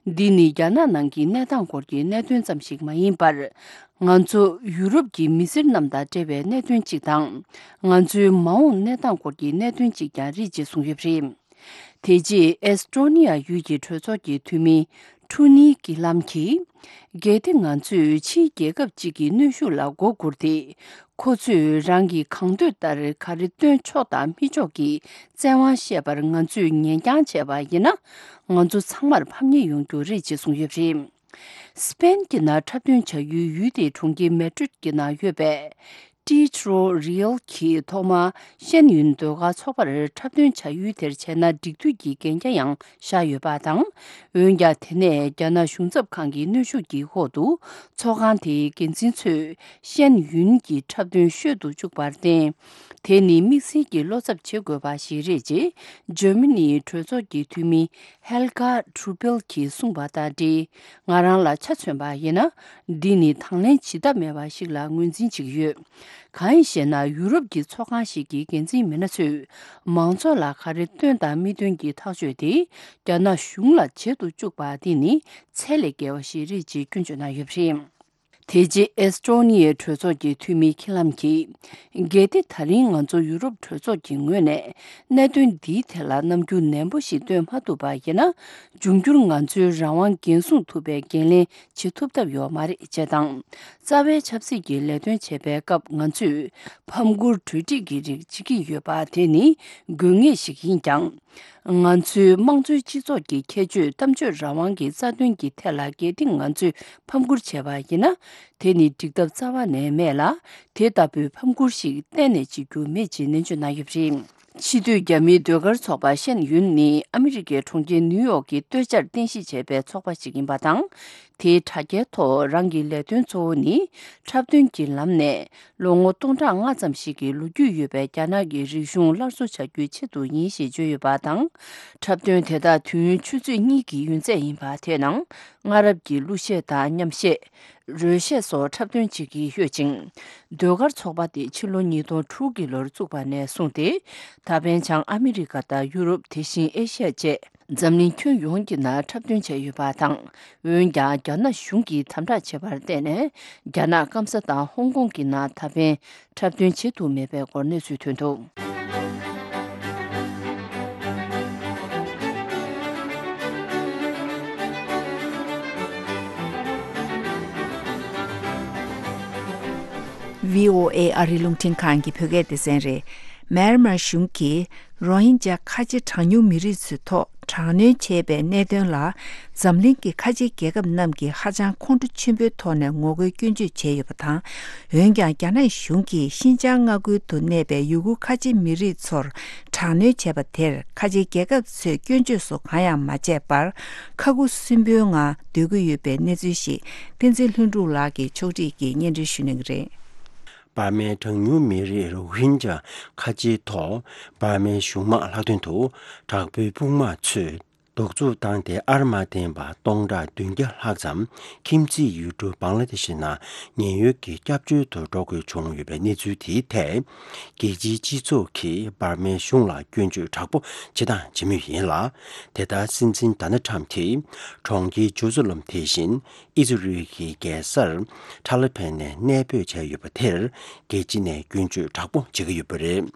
འདི་ནི་རྒྱ་ནག་ནང་གི་གནས་སྟངས་སྐོར་གྱི་གནད་དོན་ཙམ་ཞིག་མ་ཡིན་པར། ང་ཚོ་ཡུ་རོབ་ཀྱི་མི་སེར་རྣམས་དང་འབྲེལ་བའི་གནད་དོན་ཅིག་དང་། ང་ཚོའི་མ་འོངས་གནས་སྟངས་སྐོར་གྱི་གནད་དོན་ཅིག་ཀྱང་རེད་ཅེས་གསུངས་ཡོད་པ་རེད། དེ་རྗེས་ཨེས་ཀྲོ་ནི་ཡ་ཡུལ་གྱི་གྲོས་ཚོགས་ཀྱི་འཐུས་མི་ཁྲུ་ནི་ཀི་ལམ་གྱིས། གལ་ཏེ་ང་ཚོས་ཕྱིའི་རྒྱལ་ཁབ་ཅིག་གི་གནོན་ཤུགས་ལ་མགོ་སྒུར་ཏེ། ཁོ་ཚོས་རང་གི་གང་འདོད་ལྟར་ག་རེ་སྟོན་ཆོག་དང་མི་ཆོག་གི་བཙན་དབང་བཤད་པར་ང་ཚོས་ཉན་རྐྱང་བྱས་པ་ཡིན་ན། ང་ཚོ་ཚང་མར་ཕམ་ཉེས་ཡོང་རྒྱུ་རེད་ཅེས་གསུངས་ཡོད་པ་རེད། སི་པན་གྱི་ནང་འཁྲབ་སྟོན་བྱ་ཡུལ་ཡུལ་དེའི་གྲོང་ཁྱེར་མེ་ཌྲིད་ཀྱི་ནང་ཡོད་པའི། Teachers for Real གྱིས་ཐོག་མར་ཤེན་ཡུན་ཟློས་གར་ཚོགས་པར་འཁྲབ་སྟོན་བྱ་ཡུལ་དེར་བྱས་ན་འགྲིག་འདུག་གི་གན་རྒྱ་ཡང་བཞག་ཡོད་པ་དང་། འོན་ཀྱང་དེ་ནས་རྒྱ་ནག་གཞུང་ཚབ་ཁང་གི་གནོན་ཤུགས་ཀྱི་འོག་ཏུ་ཚོགས་ཁང་དེའི་འགན་འཛིན་ཚོས་ཤེན་ཡུན་གྱི་འཁྲབ་སྟོན་བཤོལ་དུ་བཅུག་པར་བརྟེན། དེ་ནི་དམིགས་བསལ་གྱི་བློ་འཚབ་བྱེད་དགོས་པ་ཞིག་རེད་ཅེས་འཇར་མ་ནིའི་གྲོས་ཚོགས་ཀྱི་འཐུས་མི་Helga Truppel གྱིས་གསུངས་པ་དང་འབྲེལ། ང་རང་ལ་ཆ་མཚོན་པ་ཡིན་ན། འདི་ནི་དང་ལེན་བྱེད་ཐབས་མེད་པ་ཞིག་ལ་ངོས་འཛིན་བྱེད་ཀྱི་ཡོད། གང་ཡིན་ཞེ་ན། ཡུ་རོབ་ཀྱི་ཚོགས་ཁང་ཞིག་གི་འགན་འཛིན་མི་སྣ་ཚོས་མང་ཚོགས་ལ་ག་རེ་སྟོན་དང་མི་སྟོན་གྱི་ཐག་གཅོད་དེ་རྒྱ་ནག་གཞུང་ལ་བྱེད་དུ་བཅུག་པ་འདི་ནི་ཚད་ལས་བརྒལ་བ་ཞིག་རེད་ཅེས་སྐྱོན་བརྗོད་གནང་ཡོད་པ་རེད། དེ་རྗེས་ཨེས་ཏྲོ་ནི་ཡའི་གྲོས་ཚོགས་ཀྱི་འཐུས་མི་ཁི་ལམ་གྱིས། གལ་ཏེ་ད་རིང་ང་ཚོ་ཡུ་རོབ་གྲོས་ཚོགས་ཀྱི་ངོས་ནས་གནད་དོན་འདིའི་ཐད་ལ་རྣམ་འགྱུར་ནན་པོ་ཞིག་སྟོན་མ་ཐུབ་པ་ཡིན་ན། འབྱུང་འགྱུར་ང་ཚོའི་རང་དབང་འགན་སྲུང་ཐུབ་པའི་འགན་ལེན་བྱེད་ཐུབ་ཐབས་ཡོད་མ་རེད་ཅེས་དང་། རྩ་བའི་ཆབ་སྲིད་ཀྱི་ལས་དོན་བྱེད་པའི་སྐབས་ང་ཚོས་ཕམ་ཁུར་གྲོས་སྒྲིག་གི་རིགས་བྱེད་ཀྱི་ཡོད་པ་དེ་ནི་དགོས་ངེས་ཤིག་ཡིན་ཀྱང་། ང་ཚོའི་དམངས་གཙོའི་སྤྱི་ཚོགས་ཀྱི་ཁྱད་ཆོས་གཏམ་བརྗོད་རང་དབང་གི་རྩ་དོན་གྱི་ཐད་ལ་གལ་ཏེ་ང་ཚོས་ཕམ་ཁུར་བྱས་པ་ཡིན་ན། དེ་ནི་འགྲིག་ཐབས་རྩ་བ་ནས་མེད་ལ། དེ་ལྟ་བུའི་ཕམ་ཁུར་ཞིག་གཏན་ནས་བྱེད་རྒྱུ་མེད་ཅེས་ནན་བརྗོད་གནང་ཡོད་པ་རེད། ཕྱི་སྡོད་རྒྱ་མིའི་ཟློས་གར་ཚོགས་པ་ཤེན་ཡུན་ནི་ཨ་མི་རི་ཀའི་གྲོང་ཁྱེར་ནིའུ་ཡོག་གི་སྟོད་ཆར་རྟེན་གཞི་བྱས་པའི་ཚོགས་པ་ཞིག་ཡིན་པ་དང་། དེའི་དྲ་རྒྱའི་ཐོག་རང་གི་ལས་དོན་གཙོ་བོ་ནི་འཁྲབ་སྟོན་གྱི་ལམ་ནས་ལོ་ངོ་སྟོང་ཕྲག་ལྔ་ཙམ་ཞིག་གི་ལོ་རྒྱུས་ཡོད་པའི་རྒྱ་ནག་གི་རིག་གཞུང་སླར་གསོ་བྱ་རྒྱུའི་ཆེད་དུ་ཡིན་ཞེས་བརྗོད་ཡོད་པ་དང་། འཁྲབ་སྟོན་དེ་དག་དུས་ཡུན་ཆུ་ཚོད་གཉིས་ཀྱི་ཡུན་ཚད་ཡིན་པ་དེའི་ནང་སྔ་རབས་ཀྱི་གླུ་གཞས་དང་མཉམ་གཞས། རོལ་གཞས་སོགས་འཁྲབ་སྟོན་བྱེད་ཀྱི་ཡོད་ཅིང་། ཟློས་གར་ཚོགས་པ་དེ་ཕྱི་ལོ་ཉིས་སྟོང་དྲུག་གི་ལོར་བཙུགས་པ་ནས་བཟུང་སྟེ། ད་ཕན་བྱང་ཨ་མི་རི་ཀ་དང་ཡུ་རོབ། དེ་བཞིན་ཨེ་ཤི་ཡ་བཅས་འཛམ་གླིང་ཁྱོན་ཡོངས་ཀྱི་ནང་འཁྲབ་སྟོན་བྱས་ཡོད་པ་དང་། འོན་ཀྱང་རྒྱ་ནག་གཞུང་གིས་དམ་དྲག་བྱས་པར་བརྟེན་ནས། རྒྱ་ནག་སྐམ་ས་དང་ཧོང་ཀོང་གི་ནང་ད་ཕན་འཁྲབ་སྟོན་བྱེད་ཐུབ་མེད་པའི་སྐོར་གནས་ཚུལ་ཐོན་འདུག། ཝི་ཨོ་ཨེ་ཨ་རིའི་རླུང་འཕྲིན་ཁང་གི་བོད་སྐད་སྡེ་ཚན་རེད། མེན་མར་གཞུང་གིས་རོ་ཧིན་ཇཱ་ཁ་ཆེ་གྲངས་ཉུང་མི་རིགས་ཚོའི་ཐོག་དྲག་གནོན་བྱས་པའི་གནད་དོན་ལ། འཛམ་གླིང་གི་ཁ་ཆེ་རྒྱལ་ཁབ་རྣམས་ཀྱིས་ཧ་ཅང་ཁོང་ཁྲོ་ཆེན་པོའི་ཐོག་ནས་ངོ་རྒོལ་སྐྱོན་བརྗོད་བྱས་ཡོད་པ་དང་། འོན་ཀྱང་། རྒྱ་ནག་གཞུང་གིས་ཤིན་ཅང་མངའ་ཁུལ་དུ་གནས་པའི་ཡུ་གུར་ཁ་ཆེ་མི་རིགས་ཚོར་དྲག་གནོན་བྱས་པ་དེར། ཁ་ཆེ་རྒྱལ་ཁབ་ཚོས་སྐྱོན་བརྗོད་སོགས་གང་ཡང་མ་བྱས་པར། ཁ་ཁུ་སིམ་པོའི་ངང་སྡོད་ཀྱི་ཡོད་པའི་གནས་ཚུལ་ཞིག་བསྟན་འཛིན་ལྷུན་གྲུབ་ལགས་ཀྱིས་ཕྱོགས་སྒྲིག་གིས་སྙན་སྒྲོན་ཞུ་གནང་གི་རེད། འབར་མའི་གྲངས་ཉུང་མི་རིགས་རོ་ཧིན་ཇཱ་ཁ་ཆེའི་ཐོག་འབར་མའི་གཞུང་དམག་ལྷག་དོན་དུ་དྲག་པོའི་དཔུང་དམག་ཚོས་གདུག་རྩུབ་བཏང་སྟེ། ཨར་མ་བརྟེན་པ་སྟོང་ཕྲག་བདུན་བརྒྱ་ལྷག་ཙམ་ཁྱིམ་མཚེས་ཡུལ་གྲུ་བང་ལ་དེ་ཤི་ནང་ཉེན་གཡོལ་གྱི་སྐྱབས་བཅོལ་དུ་འགྲོ་དགོས་བྱུང་ཡོད་པའི་གནས་ཚུལ་དེའི་ཐད། རྒྱལ་སྤྱིའི་སྤྱི་ཚོགས་ཀྱིས་འབར་མའི་གཞུང་ལ་སྐྱོན་བརྗོད་དྲག་པོ་བྱེད་དང་བྱེད་མུས་ཡིན་ལ། དེ་ལྟར་སྲིད་འཛིན་ཌོ་ནལ་ཊམ་གྱིས་གྲོང་ཁྱེར་ཇོ་ཛི་ལམ་དེ་བཞིན་ཨི་ཛི་རལ་གྱི་རྒྱལ་སར་ཐ་ལི་བན་ནས་གནས་སྤོས་བྱས་ཡོད་པ་དེར་རྒྱལ་སྤྱི་ནས་སྐྱོན་བརྗོད་དྲག་པོ་བྱེད་ཀྱི་ཡོད་པ་རེད།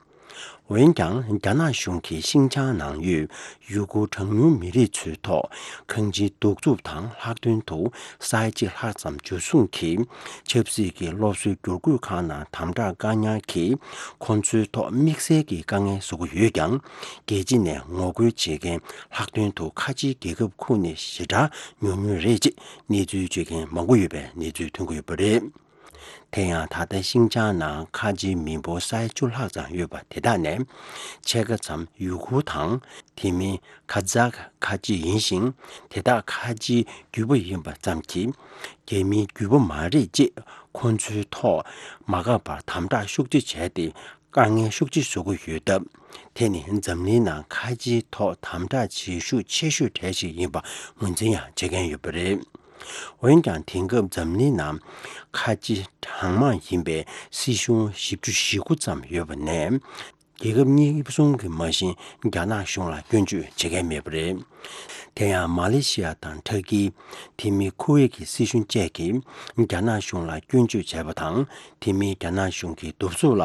འོན་ཀྱང་། རྒྱ་ནག་གཞུང་གིས་ཤིན་ཅང་ནང་ཡོད་ཡུ་གུར་གྲངས་ཉུང་མི་རིགས་ཚོའི་ཐོག་གང་ཅིའི་གདུག་རྩུབ་དང་། ལྷག་དོན་དུ་ས་ཡ་གཅིག་ལྷག་ཙམ་འཇུ་བཟུང་གིས་ཆབ་སྲིད་ཀྱི་སློབ་གསོའི་བསྒྱུར་བཀོད་ཁང་ནང་དམ་དྲག་བཀག་ཉར་གྱིས་ཁོང་ཚོའི་ཐོག་དམིགས་བསལ་གྱི་དཀའ་ངལ་བཟོ་གི་ཡོད་ཀྱང་། རྒྱལ་སྤྱི་ནས་ངོ་རྒོལ་བྱེད་མཁན་ལྷག་དོན་དུ་ཁ་ཆེའི་རྒྱལ་ཁབ་ཁག་ནས་ཞེ་དྲག་ཉུང་ཉུང་རེད་ཅེས་གནས་ཚུལ་བརྗོད་མཁན་མང་པོ་ཡོད་པའི་གནས་ཚུལ་ཐོན་གྱི་ཡོད་པ་རེད། དེ་ཡང་། ད་ལྟ་ཤིན་ཅང་ནང་ཁ་ཆེའི་མི་འབོར་ས་ཡ་བཅུ་ལྷག་ཙམ་ཡོད་པ་དེ་དག་ནས་ཕྱེད་ཀ་ཙམ་ཡུ་གུར་དང་། དེ་མིན་ཁ་ཛག་ཁ་ཆེ་ཡིན་ཞིང་། དེ་དག་ཁ་ཆེའི་རྒྱུད་པ་ཡིན་པ་ཙམ་གྱིས། རྒྱ་མིའི་རྒྱུད་པ་མ་རེད་ཅེས་ཁོང་ཚོའི་ཐོག་མ་དགའ་བར་དམ་དྲག་ཤུགས་ཆེ་བྱས་ཏེ། དཀའ་ངལ་ཤུགས་ཆེ་བཟོ་གི་ཡོད་སྟབས། དེ་ནི་འཛམ་གླིང་ནང་ཁ་ཆེའི་ཐོག་དམ་དྲག་བྱེད་ཤུགས་ཆེ་ཤོས་གྲས་ཤིག་ཡིན་པ་ངོས་འཛིན་ཡང་བྱེད་མཁན་ཡོད་པ་རེད། འོན་ཀྱང་། དེང་སྐབས་འཛམ་གླིང་ནང་ཁ་ཆེ་གྲངས་མང་ཡིན་པའི་སྲིད་གཞུང་བཞི་བཅུ་ཞེ་དགུ་ཙམ་ཡོད་པ་ནས། རྒྱལ་ཁབ་གཉིས་གསུམ་གྱིས་མ་གཞི་རྒྱ་ནག་གཞུང་ལ་སྐྱོན་བརྗོད་བྱེད་མཁན་མེད་པ་རེད། དེ་ཡང་། མ་ལེ་ཤི་ཡ་དང་ཊར་ཀི། དེ་མིན་ཁུ་ཝེད་ཀྱི་སྲིད་གཞུང་བཅས་ཀྱིས་རྒྱ་ནག་གཞུང་ལ་སྐྱོན་བརྗོད་བྱས་པ་དང་། དེ་མིན་རྒྱ་ནག་གཞུང་གི་གདུག་རྩུབ་ལ་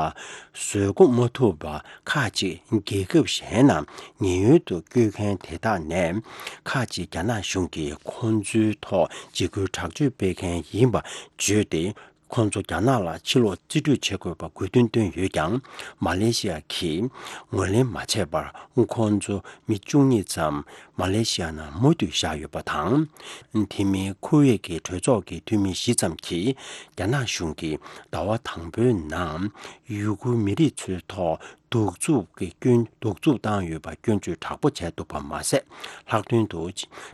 བཟོད་སྒོམ་མ་ཐུབ་པ། ཁག་ཅིག་རྒྱལ་ཁབ་གཞན་ནང་ཉེན་གཡོལ་དུ་བསྐྱོད་མཁན་དེ་དག་ནས། ཁག་ཅིག་རྒྱ་ནག་གཞུང་གིས་ཁོང་ཚོའི་ཐོག་འཇིགས་སྐུལ་དྲག་སྤྱོད་སྤེལ་མཁན་ཡིན་པ་བརྗོད་དེ། ཁོང་ཚོ་རྒྱ་ནག་ལ་ཕྱིར་ལོག་རྩིས་སྤྲོད་བྱེད་དགོས་པ་དགོས་འདུན་བཏོན་ཡོད་ཀྱང་། མ་ལེ་ཤི་ཡ་གིས་ངོས་ལེན་མ་བྱས་པར། ཁོང་ཚོ་མི་བཅུ་གཉིས་ཙམ་མ་ལེ་ཤི་ཡ་ནང་མུ་མཐུད་བཞག་ཡོད་པ་དང་། དེ་མིན་ཁུ་ཝེད་ཀྱི་གྲོས་ཚོགས་ཀྱི་འཐུས་མི་བཞི་ཙམ་གྱིས་རྒྱ་ནག་གཞུང་གིས་ཟླ་བ་དང་པོའི་ནང་ཡུ་གུར་མི་རིགས་ཚོའི་ཐོག་གདུག་རྩུབ་ཀྱི་སྐྱོན། གདུག་རྩུབ་བཏང་ཡོད་པ་སྐྱོན་བརྗོད་དྲག་པོ་བྱས་འདུག་པ་མ་ཟད། ལྷག་དོན་དུ་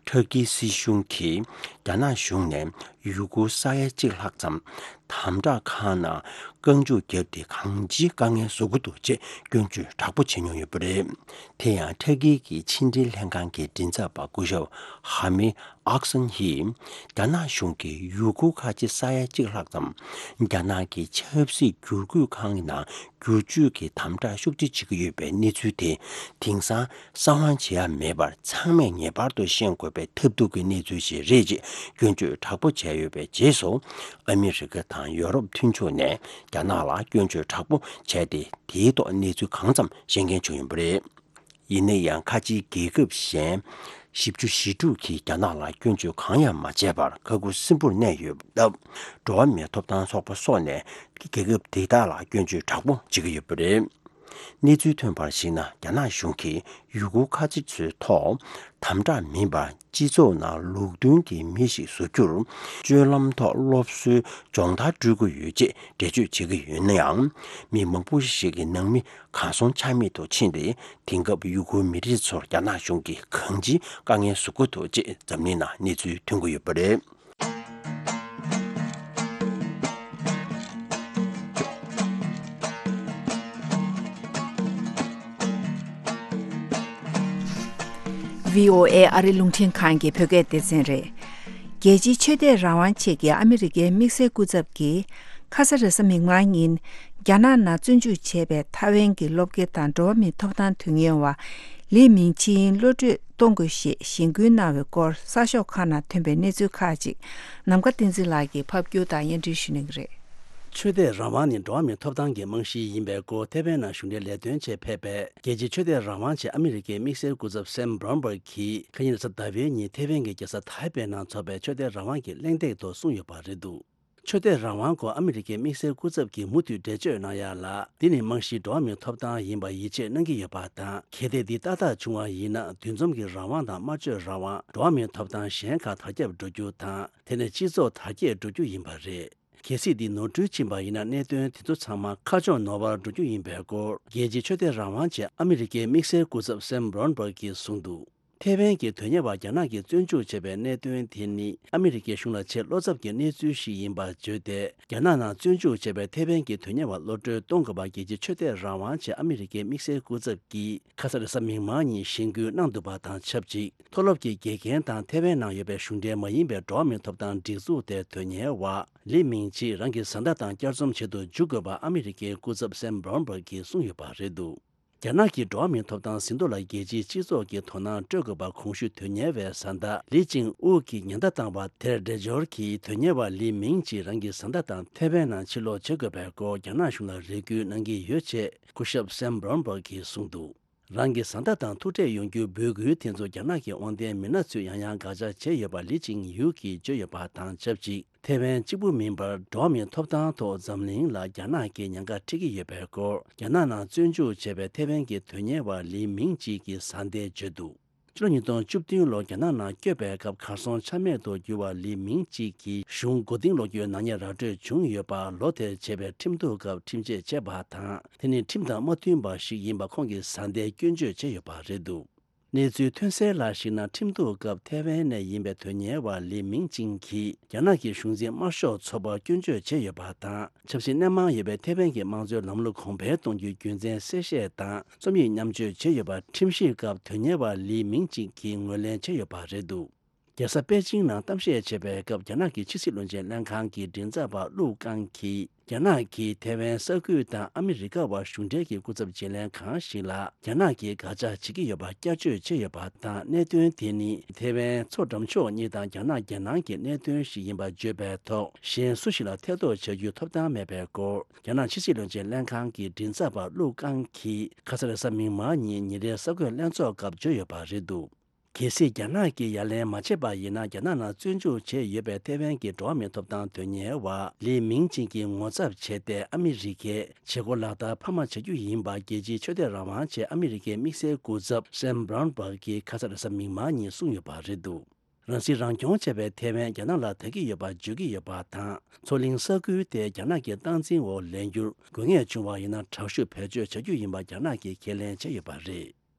ཁྲ་ཀིའི་སྲིད་གཞུང་གིས་རྒྱ་ནག་གཞུང་ནས་ཡུ་གུར་ས་ཡ་གཅིག་ལྷག་ཙམ་དམ་དྲག་ཁང་ནང་རྐང་བཅུག་བརྒྱབ་སྟེ་གང་ཅིའི་དཀའ་ངལ་བཟོ་གི་འདུག་ཅེས་སྐྱོན་བརྗོད་དྲག་པོ་བྱེད་མྱོང་ཡོད་པ་རེད། དེ་ཡང་ཁྲ་ཀི་གི་ཕྱི་འབྲེལ་ལྷན་ཁང་གི་མགྲིན་ཚབ་པ་སྐུ་ཞབས་ཧ་མི་ཨག་སན་ཧིས། རྒྱ་ནག་གཞུང་གིས་ཡུ་གུར་ཁ་ཆེ་ས་ཡ་གཅིག་ལྷག་ཙམ་རྒྱ་ནག་གི་ཆབ་སྲིད་བསྒྱུར་བཀོད་ཁང་གི་ནང་བསྒྱུར་བཅོས་ཀྱི་དམ་དྲག་ཤུགས་ཆེ་བྱེད་ཀྱི་ཡོད་པའི་གནས་ཚུལ་དེ། དེང་སང་གསང་བ་བྱེད་ཡ་མེད་པར། ཚང་མས་ངེས་པར་དུ་ཤེས་དགོས་པའི་ཐབས་སྡུག་གི་གནས་ཚུལ་ཞིག་རེད་ཅེས་སྐྱོན་བརྗོད་དྲག་པོ་བྱས་ཡོད་པའི་རྗེས་སུ། ཨ་མི་རི་ཀ་དང་ཡོ་རོབ་མཐུན་ཕྱོགས་ནས་རྒྱ་ནག་ལ་སྐྱོན་བརྗོད་དྲག་པོ་བྱས་ཏེ། དེའི་ཐོག་གནས་ཚུལ་གང་ཙམ་ཤེས་མཁན་བྱུང་ཡོད་པ་རེད། ཡིན་ན་ཡང་། ཁ་ཆེའི་རྒྱལ་ཁབ་གཞན་བཞི་བཅུ་ཞེ་དྲུག་གིས་རྒྱ་ནག་ལ་སྐྱོན་བརྗོད་གང་ཡང་མ་བྱས་པར་ཁ་ཁུ་སིམ་པོར་གནས་ཡོད་སྟབས། འགྲོ་བ་མིའི་ཐོབ་ཐང་ཚོགས་པ་སོགས་ནས་རྒྱལ་ཁབ་དེ་དག་ལ་སྐྱོན་བརྗོད་དྲག་པོ་བྱེད་ཀྱི་ཡོད་པ་རེད། གནས་ཚུལ་ཐོན་པར་གཞིགས་ན། རྒྱ་ནག་གཞུང་གིས་ཡུ་གུར་ཁ་ཆེ་ཚོའི་ཐོག་དམ་དྲག་མིན་པར། སྤྱི་ཚོགས་ནང་ལུགས་མཐུན་གྱི་མི་ཞིག་བཟོ་རྒྱུར། སྤྱོད་ལམ་ཐོག་སློབ་གསོའི་སྦྱོང་བརྡར་སྤྲོད་ཀྱི་ཡོད་ཅེས་འགྲེལ་བརྗོད་བྱེད་ཀྱི་ཡོད་ན་ཡང་། མི་མང་པོ་ཞིག་གི་ནང་མི་གང་སོང་ཆ་མེད་དུ་ཕྱིན་ཏེ། དེང་སྐབས་ཡུ་གུར་མི་རིགས་ཚོར་རྒྱ་ནག་གཞུང་གིས་གང་ཅིའི་དཀའ་ངལ་བཟོ་གི་འདུག་ཅེས་འཛམ་གླིང་ནང་གནས་ཚུལ་ཐོན་གྱི་ཡོད་པ་རེད། བྷི་ཨོ་ཨེ་ཨ་རི་རླུང་འཕྲིན་ཁང་གི་བོད་སྐད་སྡེ་ཚན་རེད། རྒྱལ་སྤྱིའི་ཆོས་དད་རང་དབང་ཆེད་ཀྱི་ཨ་མི་རི་ཀའི་དམིགས་བསལ་སྐུ་ཚབ་ཀྱིས། ཁ་ས་རེས་གཟའ་མིག་དམར་ཉིན། རྒྱ་ནག་ནང་བཙོན་འཇུག་བྱས་པའི་ཐའེ་ཝན་གྱི་སློབ་དགེ་དང་འགྲོ་བ་མིའི་ཐོབ་ཐང་དོན་གཉེར་བ་ལི་མིང་ཆིང་གློད་གྲོལ་གཏོང་དགོས་ཞེས་གཞེན་སྐུལ་གནང་བའི་སྐོར། གསར་ཤོག་ཁག་ནང་ཐོན་པའི་གནས་ཚུལ་ཁག་ཅིག་ནམ་མཁའ་བསྟན་འཛིན་ལགས་ཀྱིས་ཕབ་སྒྱུར་དང་སྙན་སྒྲོན་ཞུ་གནང་གི་རེད། ཆོས་དད་རང་དབང་ནི་འགྲོ་བ་མིའི་ཐོབ་ཐང་གི་རྨང་གཞི་ཡིན་པའི་སྐོར། ཐའེ་ཝན་ནང་གཞུང་འབྲེལ་ལས་དོན་ཆེད་ཕེབས་པའི་རྒྱལ་སྤྱིའི་ཆོས་དད་རང་དབང་ཆེད་ཨ་མི་རི་ཀའི་དམིགས་བསལ་སྐུ་ཚབ་སེམ་བྷོན་སྦར་གྱིས། ཁ་ཉིན་རེས་གཟའ་ཟླ་བའི་ཉིན་ཐའེ་ཝན་གྱི་རྒྱལ་ས་ཐའེ་པེ་ནང་འཚོགས་པའི་ཆོས་དད་རང་དབང་གི་གླེང་སྟེགས་ཐོག་གསུངས་ཡོད་པ་རེད་འདུག་ཆོས་དད་རང་དབང་སྐོར་ཨ་མི་རི་ཀའི་དམིགས་བསལ་སྐུ་ཚབ་ཀྱིས་མུ་མཐུད་འགྲེལ་བརྗོད་གནང་ཡ་ལ། འདི་ནི་རྨང་གཞི་འགྲོ་བ་མིའི་ཐོབ་ཐང་ཡིན་པར་ཡིད་ཆེས་གནང་གི་ཡོད་པ་དང་། གལ་ཏེ་འདི་ཏག་ཏག་བྱུང་བ་ཡིན་ན། འདུ་འཛོམས་ཀྱི་རང་དབང་དང་སྨྲ་བརྗོད་རང་དབང་། འགྲོ་བ་མིའི་ཐོབ་ཐང་གཞན་ཁག་དར་ཁྱབ་འགྲོ་རྒྱུ་དང་། དེ་ནས་སྤྱི་ཚོགས་དར་རྒྱས་འགྲོ་རྒྱུ་ཡིན་པ་རེད། གལ་སྲིད་འདི་ནོར་འཁྲུལ་ཕྱིན་པ་ཡིན་ན། གནད་དོན་དེ་ཚོ་ཚང་མ་ཁ་ཕྱོགས་ནོར་བར་འགྲོ་རྒྱུ་ཡིན་པའི་སྐོར། རྒྱལ་སྤྱིའི་ཆོས་དད་རང་དབང་ཆེད་ཨ་མི་རི་ཀའི་དམིགས་བསལ་སྐུ་ཚབ་སེམ་བྷོན་སྦར་གྱིས་གསུངས་འདུག་ཐའེ་ཝན་གྱི་དོན་གཉེར་བ་རྒྱ་ནག་གིས་བཙོན་འཇུག་བྱས་པའི་གནད་དོན་དེ་ནི། ཨ་མི་རི་ཀའི་གཞུང་ལ་ཆེས་བློ་འཚབ་ཀྱི་གནས་ཚུལ་ཞིག་ཡིན་པར་བརྗོད་དེ། རྒྱ་ནག་ནང་བཙོན་འཇུག་བྱས་པའི་ཐའེ་ཝན་གྱི་དོན་གཉེར་བ་གློད་གྲོལ་གཏོང་དགོས་པ། རྒྱལ་སྤྱིའི་ཆོས་དད་རང་དབང་ཆེད་ཨ་མི་རི་ཀའི་དམིགས་བསལ་སྐུ་ཚབ་ཀྱིས་ཁ་ས་རེས་གཟའ་མིག་དམར་ཉིན་གཞེན་སྐུལ་གནང་འདུག་པ་དང་ཆབས་ཅིག་མཐོ་སློབ་ཀྱི་དགེ་རྒན་དང་། ཐའེ་ཝན་ནང་ཡོད་པའི་གཞུང་འབྲེལ་མ་ཡིན་པའི་འགྲོ་བ་མིའི་ཐོབ་ཐང་སྒྲིག་འཛུགས་དེའི་དོན་གཉེར་བ་ལི་མིང་ཆི་རང་གི་བཟའ་ཟླ་དང་བསྐྱར་འཛོམས་བྱེད་དུ་འཇུག་དགོས་པ། ཨ་མི་རི་ཀའི་སྐུ་ཚབ་སེམ་བྷོན་སྦར་གྱིས་གསུངས་ཡོད་པ་རེད་འདུག་རྒྱ་ནག་གིས་འགྲོ་བ་མིའི་ཐོབ་ཐང་ཟིན་ཐོ་ལ་རྒྱལ་སྤྱིའི་སྤྱི་ཚོགས་ཀྱིས་དོ་སྣང་སྤྲོད་དགོས་པ། གོང་ཞུས་དོན་གཉེར་བའི་བཟའ་ཟླ་ལི་ཅིང་ཨུ་གིས་ཉེན་བརྡ་བཏང་བ་དེར་འགྲེལ་སྦྱོར་གྱིས། དོན་གཉེར་བ་ལི་མིང་ཅི་རང་གི་བཟའ་ཟླ་དང་ཐའེ་ཝན་ནང་ཕྱིར་ལོག་བྱེད་དགོས་པའི་སྐོར་རྒྱ་ནག་གཞུང་ལ་རེ་སྐུལ་གནང་གི་ཡོད་ཅེས་སྐུ་ཞབས་སེམ་བྷོན་སྦར་གྱིས་གསུངས་འདུག་རང་གི་བཟའ་ཟླ་དང་ཐུག་འཕྲད་ཡོང་རྒྱུའི་འབོད་སྐུལ་དེ་ཚོ་རྒྱ་ནག་གི་དབང་ལྡན་མི་སྣ་ཚོས་ཡང་ཡང་དགག་བྱ་བྱས་ཡོད་པ་ལི་ཅིང་ཡུ་གིས་བརྗོད་ཡོད་པ་དང་ཆབས་ཅིག་ཐའེ་ཝན་གཅིག་པུ་མིན་པར། འགྲོ་བ་མིའི་ཐོབ་ཐང་ཐོག་འཛམ་གླིང་ལ་རྒྱ་ནག་གིས་ཉེན་ཁ་འཕྲད་ཀྱི་ཡོད་པའི་སྐོར། རྒྱ་ནག་ནང་བཙོན་འཇུག་བྱས་པའི་ཐའེ་ཝན་གྱི་དོན་གཉེར་བ་ལི་མིང་ཅི་གིས་བཟའ་ཟླས་བརྗོད་འདུག་ཕྱི་ལོ་ཉིས་སྟོང་བཅུ་བདུན་ལོར་རྒྱ་ནག་ནང་བསྐྱོད་པའི་སྐབས་གར་སོང་ཆ་མེད་དུ་གྱུར་བ་ལི་མིང་ཅི་གིས་གཞུང་མགོ་རྟིང་སློག་རྒྱུའི་ནག་ཉེས་ར་སྤྲོད་བྱུང་ཡོད་པ། ལོ་དེར་བྱས་པའི་ཁྲིམས་གཏུག་སྐབས་ཁྲིམས་ཆད་བཅད་པ་དང་། དེ་ནི་ཁྲིམས་དང་མ་མཐུན་པ་ཞིག་ཡིན་པ་ཁོང་གི་བཟའ་ཟླས་སྐྱོན་བརྗོད་བྱས་ཡོད་པ་རེད་འདུག་གནས་ཚུལ་ཐོན་གསལ་ལ་གཞིགས་ན། ཁྲིམས་གཏུག་སྐབས་ཐའེ་ཝན་ནས་ཡིན་པའི་དོན་གཉེར་བ་ལི་མིང་ཅིང་གིས་རྒྱ་ནག་གི་གཞུང་འཛིན་དམར་ཤོག་ཚོགས་པར་སྐྱོན་བརྗོད་བྱས་ཡོད་པ་དང་། ཆབ་སྲིད་སྣེ་མང་ཡོད་པའི་ཐའེ་ཝན་གྱི་དམངས་གཙོའི་ལམ་ལུགས་གོང་འཕེལ་གཏོང་རྒྱུའི་རྒྱུ་མཚན་གསལ་བཤད་དང་རྩོམ་ཡིག་མཉམ་སྤྱོད་བྱས་ཡོད་པ། ཁྲིམས་ཞིབ་སྐབས་དོན་གཉེར་བ་ལི་མིང་ཅིང་གིས་ངོས་ལེན་བྱས་ཡོད་པ་རེད་འདུག་རྒྱལ་ས་པེ་ཅིང་ནང་གཏམ་བཤད་བྱས་པའི་སྐབས། རྒྱ་ནག་གི་ཕྱི་སྲིད་བློན་ཆེན་ལྷན་ཁང་གི་མགྲིན་ཚབ་པ་ལུའུ་ཀང་གིས། རྒྱ་ནག་གིས་ཐའེ་ཝན་ས་ཁུལ་དང་ཨ་མི་རི་ཀ་བར་གཞུང་འབྲེལ་གྱི་སྐུ་ཚབ་བརྗེ་ལེན་གང་ཞིག་ལ། རྒྱ་ནག་གིས་དགག་བྱ་བྱེད་ཀྱི་ཡོད་པ་བསྐྱར་བརྗོད་བྱས་ཡོད་པ་དང་། གནད་དོན་དེ་ནི་ཐའེ་ཝན་མཚོ་འགྲམ་ཕྱོགས་གཉིས་དང་རྒྱ་ནག་རྒྱལ་ནང་གི་གནད་དོན་ཞིག་ཡིན་པ་བརྗོད་པའི་ཐོག་གཞན་སུ་ཞིག་ལ་ཐེ་གཏོགས་བྱ་རྒྱུའི་ཐོབ་ཐང་མེད་པའི་སྐོར། རྒྱ་ནག་ཕྱི་སྲིད་བློན་ཆེན་ལྷན་ཁང་གི་མགྲིན་ཚབ་པ་ལུའུ་ཀང་གིས་ཁ་ས་རེས་གཟའ་མིག་དམར་ཉིན་ཉིན་རེའི་གསར་འགོད་ལྷན་ཚོགས་སྐབས་བརྗོད་ཡོད་པ་རེད་འདུག་གལ་སྲིད་རྒྱ་ནག་གིས་ཡ་ལན་མ་བྱས་པ་ཡིན་ན། རྒྱ་ནག་ནང་བཙོན་འཇུག་བྱས་ཡོད་པའི་ཐེ་ཝན་གྱི་འགྲོ་བ་མིའི་ཐོབ་ཐང་དོན་གཉེར་བ་ལི་མིང་ཅིན་གྱིས་ངོ་ཚབ་བྱས་ཏེ། ཨ་མི་རི་ཀས་བྱེད་སྒོ་ལག་བསྟར་འཕར་མ་བྱ་རྒྱུ་ཡིན་པ། རྒྱལ་སྤྱིའི་ཆོས་དད་རང་དབང་ཆེད་ཨ་མི་རི་ཀའི་དམིགས་བསལ་སྐུ་ཚབ་སེམ་བྷ་རོན་སྦག་གིས་ཁ་ས་རེས་གཟའ་མིག་དམར་ཉིན་གསུངས་ཡོད་པ་རེད་འདུག། རང་སྲིད་རང་སྐྱོང་བྱས་པའི་ཐེ་ཝན་རྒྱ་ནག་ལ་ད་གི་ཡོད་པ་བརྗོད་ཀྱི་ཡོད་པ་དང་། མཚོ་གླིང་ས་ཁུལ་དེ་རྒྱ་ནག་གི་སྟངས་འཛིན་འོག་ལེན་རྒྱུར་དགོས་ངེས་བྱུང་བ་ཡིན་ན། དྲག་ཤུགས་བེད་སྤྱོད་བྱ་རྒྱུ་ཡིན་པ་རྒྱ་ནག་གིས་ཁས་ལེན་བྱས་ཡོད་པ་རེད།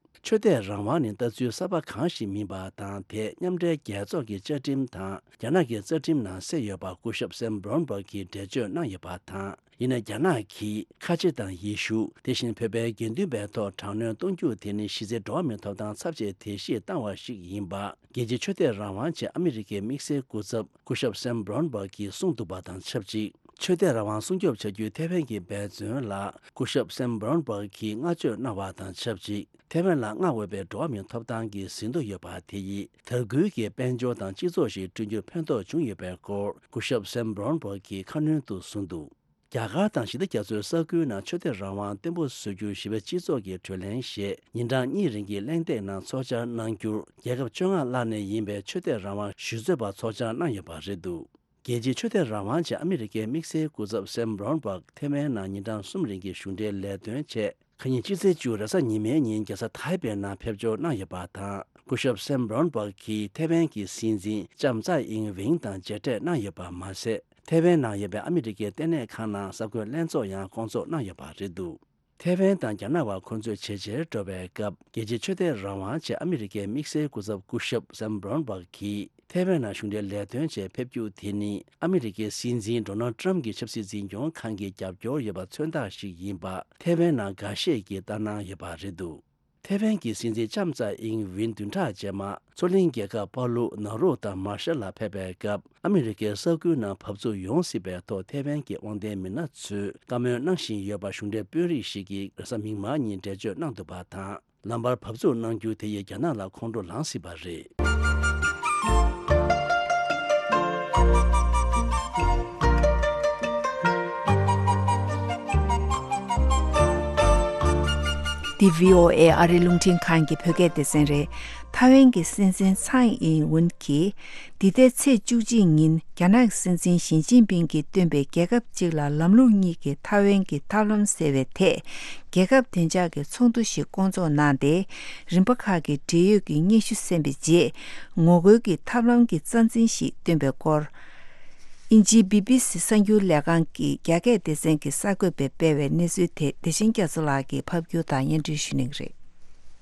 ཆོས་དད་རང་དབང་ནི་ལྟ་ཚུལ་གསར་པ་གང་ཞིག་མིན་པ་དང་། དེ་མཉམ་འབྲེལ་རྒྱལ་ཚོགས་ཀྱི་བཅའ་ཁྲིམས་དང་རྒྱ་ནག་གི་རྩ་ཁྲིམས་ནང་གསལ་ཡོད་པ་སྐུ་ཞབས་སེམ་བྷ་རོན་སྦག་གིས་འགྲེལ་བརྗོད་གནང་ཡོད་པ་དང་། ཡིན་ན་རྒྱ་ནག་གིས་ཁ་ཆེ་དང་ཡེ་ཤུ། དེ་བཞིན་བོད་པའི་དགེ་འདུན་པའི་ཐོག་དྲག་གནོན་གཏོང་རྒྱུ་དེ་ནི་གཞི་རྩའི་འགྲོ་བ་མིའི་ཐོབ་ཐང་ཚབས་ཆེའི་དེད་གཞིས་བཏང་བ་ཞིག་ཡིན་པ། རྒྱལ་སྤྱིའི་ཆོས་དད་རང་དབང་ཆེད་ཨ་མི་རི་ཀའི་དམིགས་བསལ་སྐུ་ཚབ་སྐུ་ཞབས་སེམ་བྷ་རོན་སྦག་གིས་གསུངས་འདུག་པ་དང་ཆབས་ཅིག། ཆོས་དད་རང་དབང་སྲུང་སྐྱོབ་བྱ་རྒྱུའི་ཐེ་ཝན་གྱི་འབད་བརྩོན་ལ་སྐུ་ཞབས་སེམ་བྷ་རོན་སྦག་གིས་བསྔགས་བརྗོད་གནང་བ་དང་ཆབས་ཅིག། ཐེ་ཝན་ལ་མངའ་འོས་པའི་འགྲོ་བ་མིའི་ཐོབ་ཐང་གི་ཟིན་ཐོ་ཡོད་པ་དེ་ཡིས་དར་རྒུད་ཀྱི་དཔལ་འབྱོར་དང་སྤྱི་ཚོགས་ཤིག་བསྐྲུན་རྒྱུར་ཕན་ཐོགས་བྱུང་ཡོད་པའི་སྐོར་སྐུ་ཞབས་སེམ་བྷ་རོན་སྦག་གིས་ཁ་སྣོན་དུ་གསུངས་འདུག། རྒྱ་གར་དང་ཞི་བདེ་རྒྱ་མཚོའི་ས་ཁུལ་ནང་ཆོས་དད་རང་དབང་བརྟན་པོ་བཟོ་རྒྱུར་ཞི་བའི་སྤྱི་ཚོགས་ཀྱི་གྲོས་གླེང་ཞེས་ཉིན་གྲངས་གཉིས་རིང་གི་གླེང་སྟེགས་ནང་ཚོགས་བཅར་གནང་རྒྱུར། རྒྱལ་ཁབ་བཅོ་ལྔ་ལྷག་ནས་ཡིན་པའི་ཆོས་དད་རང་དབང་ཞུ་རྩོད་པ་ཚོགས་བཅར་གནང་ཡོད་པ་རེད་འདུག། རྒྱལ་སྤྱིའི་ཆོས་དད་རང་དབང་ཆེད་ཨ་མི་རི་ཀའི་དམིགས་བསལ་སྐུ་ཚབ་སེམ་བྷ་རོན་སྦག་ཐེ་ཝན་ནང་ཉིན་གྲངས་གསུམ་རིང་གི་གཞུང་འབྲེལ་ལས་དོན་ཆེད། ཁ་ཉིན་སྤྱི་ཚེས་བཅུ་རེས་གཟའ་ཉི་མའི་ཉིན་རྒྱལ་ས་ཐའེ་པེ་ནང་ཕེབས་འབྱོར་གནང་ཡོད་པ་དང་། སྐུ་ཞབས་སེམ་བྷ་རོན་སྦག་གིས་ཐེ་ཝན་གྱི་སྲིད་འཛིན་ལྕམ་ཙའེ་ཨིང་ཝིང་དང་མཇལ་འཕྲད་གནང་ཡོད་པ་མ་ཟད། ཐེ་ཝན་ནང་ཡོད་པའི་ཨ་མི་རི་ཀའི་ལྟེ་གནས་ཁང་ནང་གསར་འགོད་ལྷན་ཚོགས་ཡང་བསྐོང་ཚོགས་གནང་ཡོད་པ་རེད་འདུག། ཐེ་ཝན་དང་རྒྱ་ནག་བར་འཁོན་རྩོད་ཇེ་ཆེར་འགྲོ་བའི་སྐབས། རྒྱལ་སྤྱིའི་ཆོས་དད་རང་དབང་ཆེད་ཨ་མི་རི་ཀའི་དམིགས་བསལ་སྐུ་ཚབ་སྐུ་ཞབས་སེམ་བྷ་རོན་སྦག་གིས་ཐེ་ཝན་ནང་གཞུང་འབྲེལ་ལས་དོན་ཆེད་ཕེབས་རྒྱུ་དེ་ནི། ཨ་མི་རི་ཀའི་སྲིད་འཛིན་ཌོ་ནལ་ཊམ་གྱི་ཆབ་སྲིད་འཛིན་སྐྱོང་ཁང་གིས་རྒྱབ་སྐྱོར་ཡོད་པ་མཚོན་རྟགས་ཤིག་ཡིན་པ་ཐེ་ཝན་ནང་འགའ་ཤས་ཀྱིས་ལྟ་སྣང་ཡོད་པ་རེད་འདུག། ཐེ་ཝན་གྱི་སྲིད་འཛིན་ལྕམ་ཙའེ་ཨིང་ཝིན་བདུན་ཕྲག་རྗེས་མ། མཚོ་གླིང་རྒྱལ་ཁབ་པ་ལུ་ནཱ་རོ་དང་མར་ཤལ་ལ་ཕེབས་པའི་སྐབས། ཨ་མི་རི་ཀའི་ས་ཁུལ་ནང་བབས་ཚུགས་ཡོང་སྲིད་པའི་ཐོག་ཐེ་ཝན་གྱི་དབང་ལྡན་མི་སྣ་ཚོས་བཀའ་མོལ་གནང་བཞིན་ཡོད་པ་གཞུང་འབྲེལ་དཔོན་རིགས་ཤིག་གིས་རེས་གཟའ་མིག་དམར་ཉིན་འགྲེལ་བརྗོད་གནང་འདུག་པ་དང་། ལམ་བར་བབས་ཚུགས་གནང་རྒྱུ་དེ་ཡིས་རྒྱ་ནག་ལ་ཁོང་ཁྲོ་ལངས་སྲིད་པ་རེད། འདི་བྷི་ཨོ་ཨེ་ཨ་རིའི་རླུང་འཕྲིན་ཁང་གི་བོད་སྐད་སྡེ་ཚན་རེད། ཐའེ་ཝན་གྱི་སྲིད་འཛིན་ཚའེ་ཨིན་ཝུན་གྱིས། འདི་ཟླའི་ཚེས་བཅུ་གཅིག་ཉིན་རྒྱ་ནག་གི་སྲིད་འཛིན་ཞི་ཅིན་ཕིང་གིས་བཏོན་པའི་རྒྱལ་ཁབ་གཅིག་ལ་ལམ་ལུགས་གཉིས་ཀྱི་ཐའེ་ཝན་གྱི་ཐབས་ལམ་ཟེར་བའི་ཐད། རྒྱལ་ཁབ་བདེ་འཇགས་ཀྱི་ཚོགས་འདུ་ཞིག་བསྐོང་ཚོགས་གནང་སྟེ། རིམ་པ་ཁག་གི་འབྲེལ་ཡོད་ཀྱི་སྙན་ཞུ་གསན་པའི་རྗེས། ངོ་རྒོལ་གྱི་ཐབས་ལམ་གྱི་རྩ་འཛིན་ཞིག་བཏོན་པའི་སྐོར། དབྱིན་ཇིའི་བི་བི་སི་གསར་འགྱུར་ལས་ཁང་གི་རྒྱ་སྐད་སྡེ་ཚན་གྱི་གསར་འགོད་པས་སྤེལ་བའི་གནས་ཚུལ་དེ་བདེ་ཆེན་རྒྱ་མཚོ་ལགས་ཀྱིས་ཕབ་སྒྱུར་དང་སྙན་སྒྲོན་ཞུ་གནང་གི་རེད།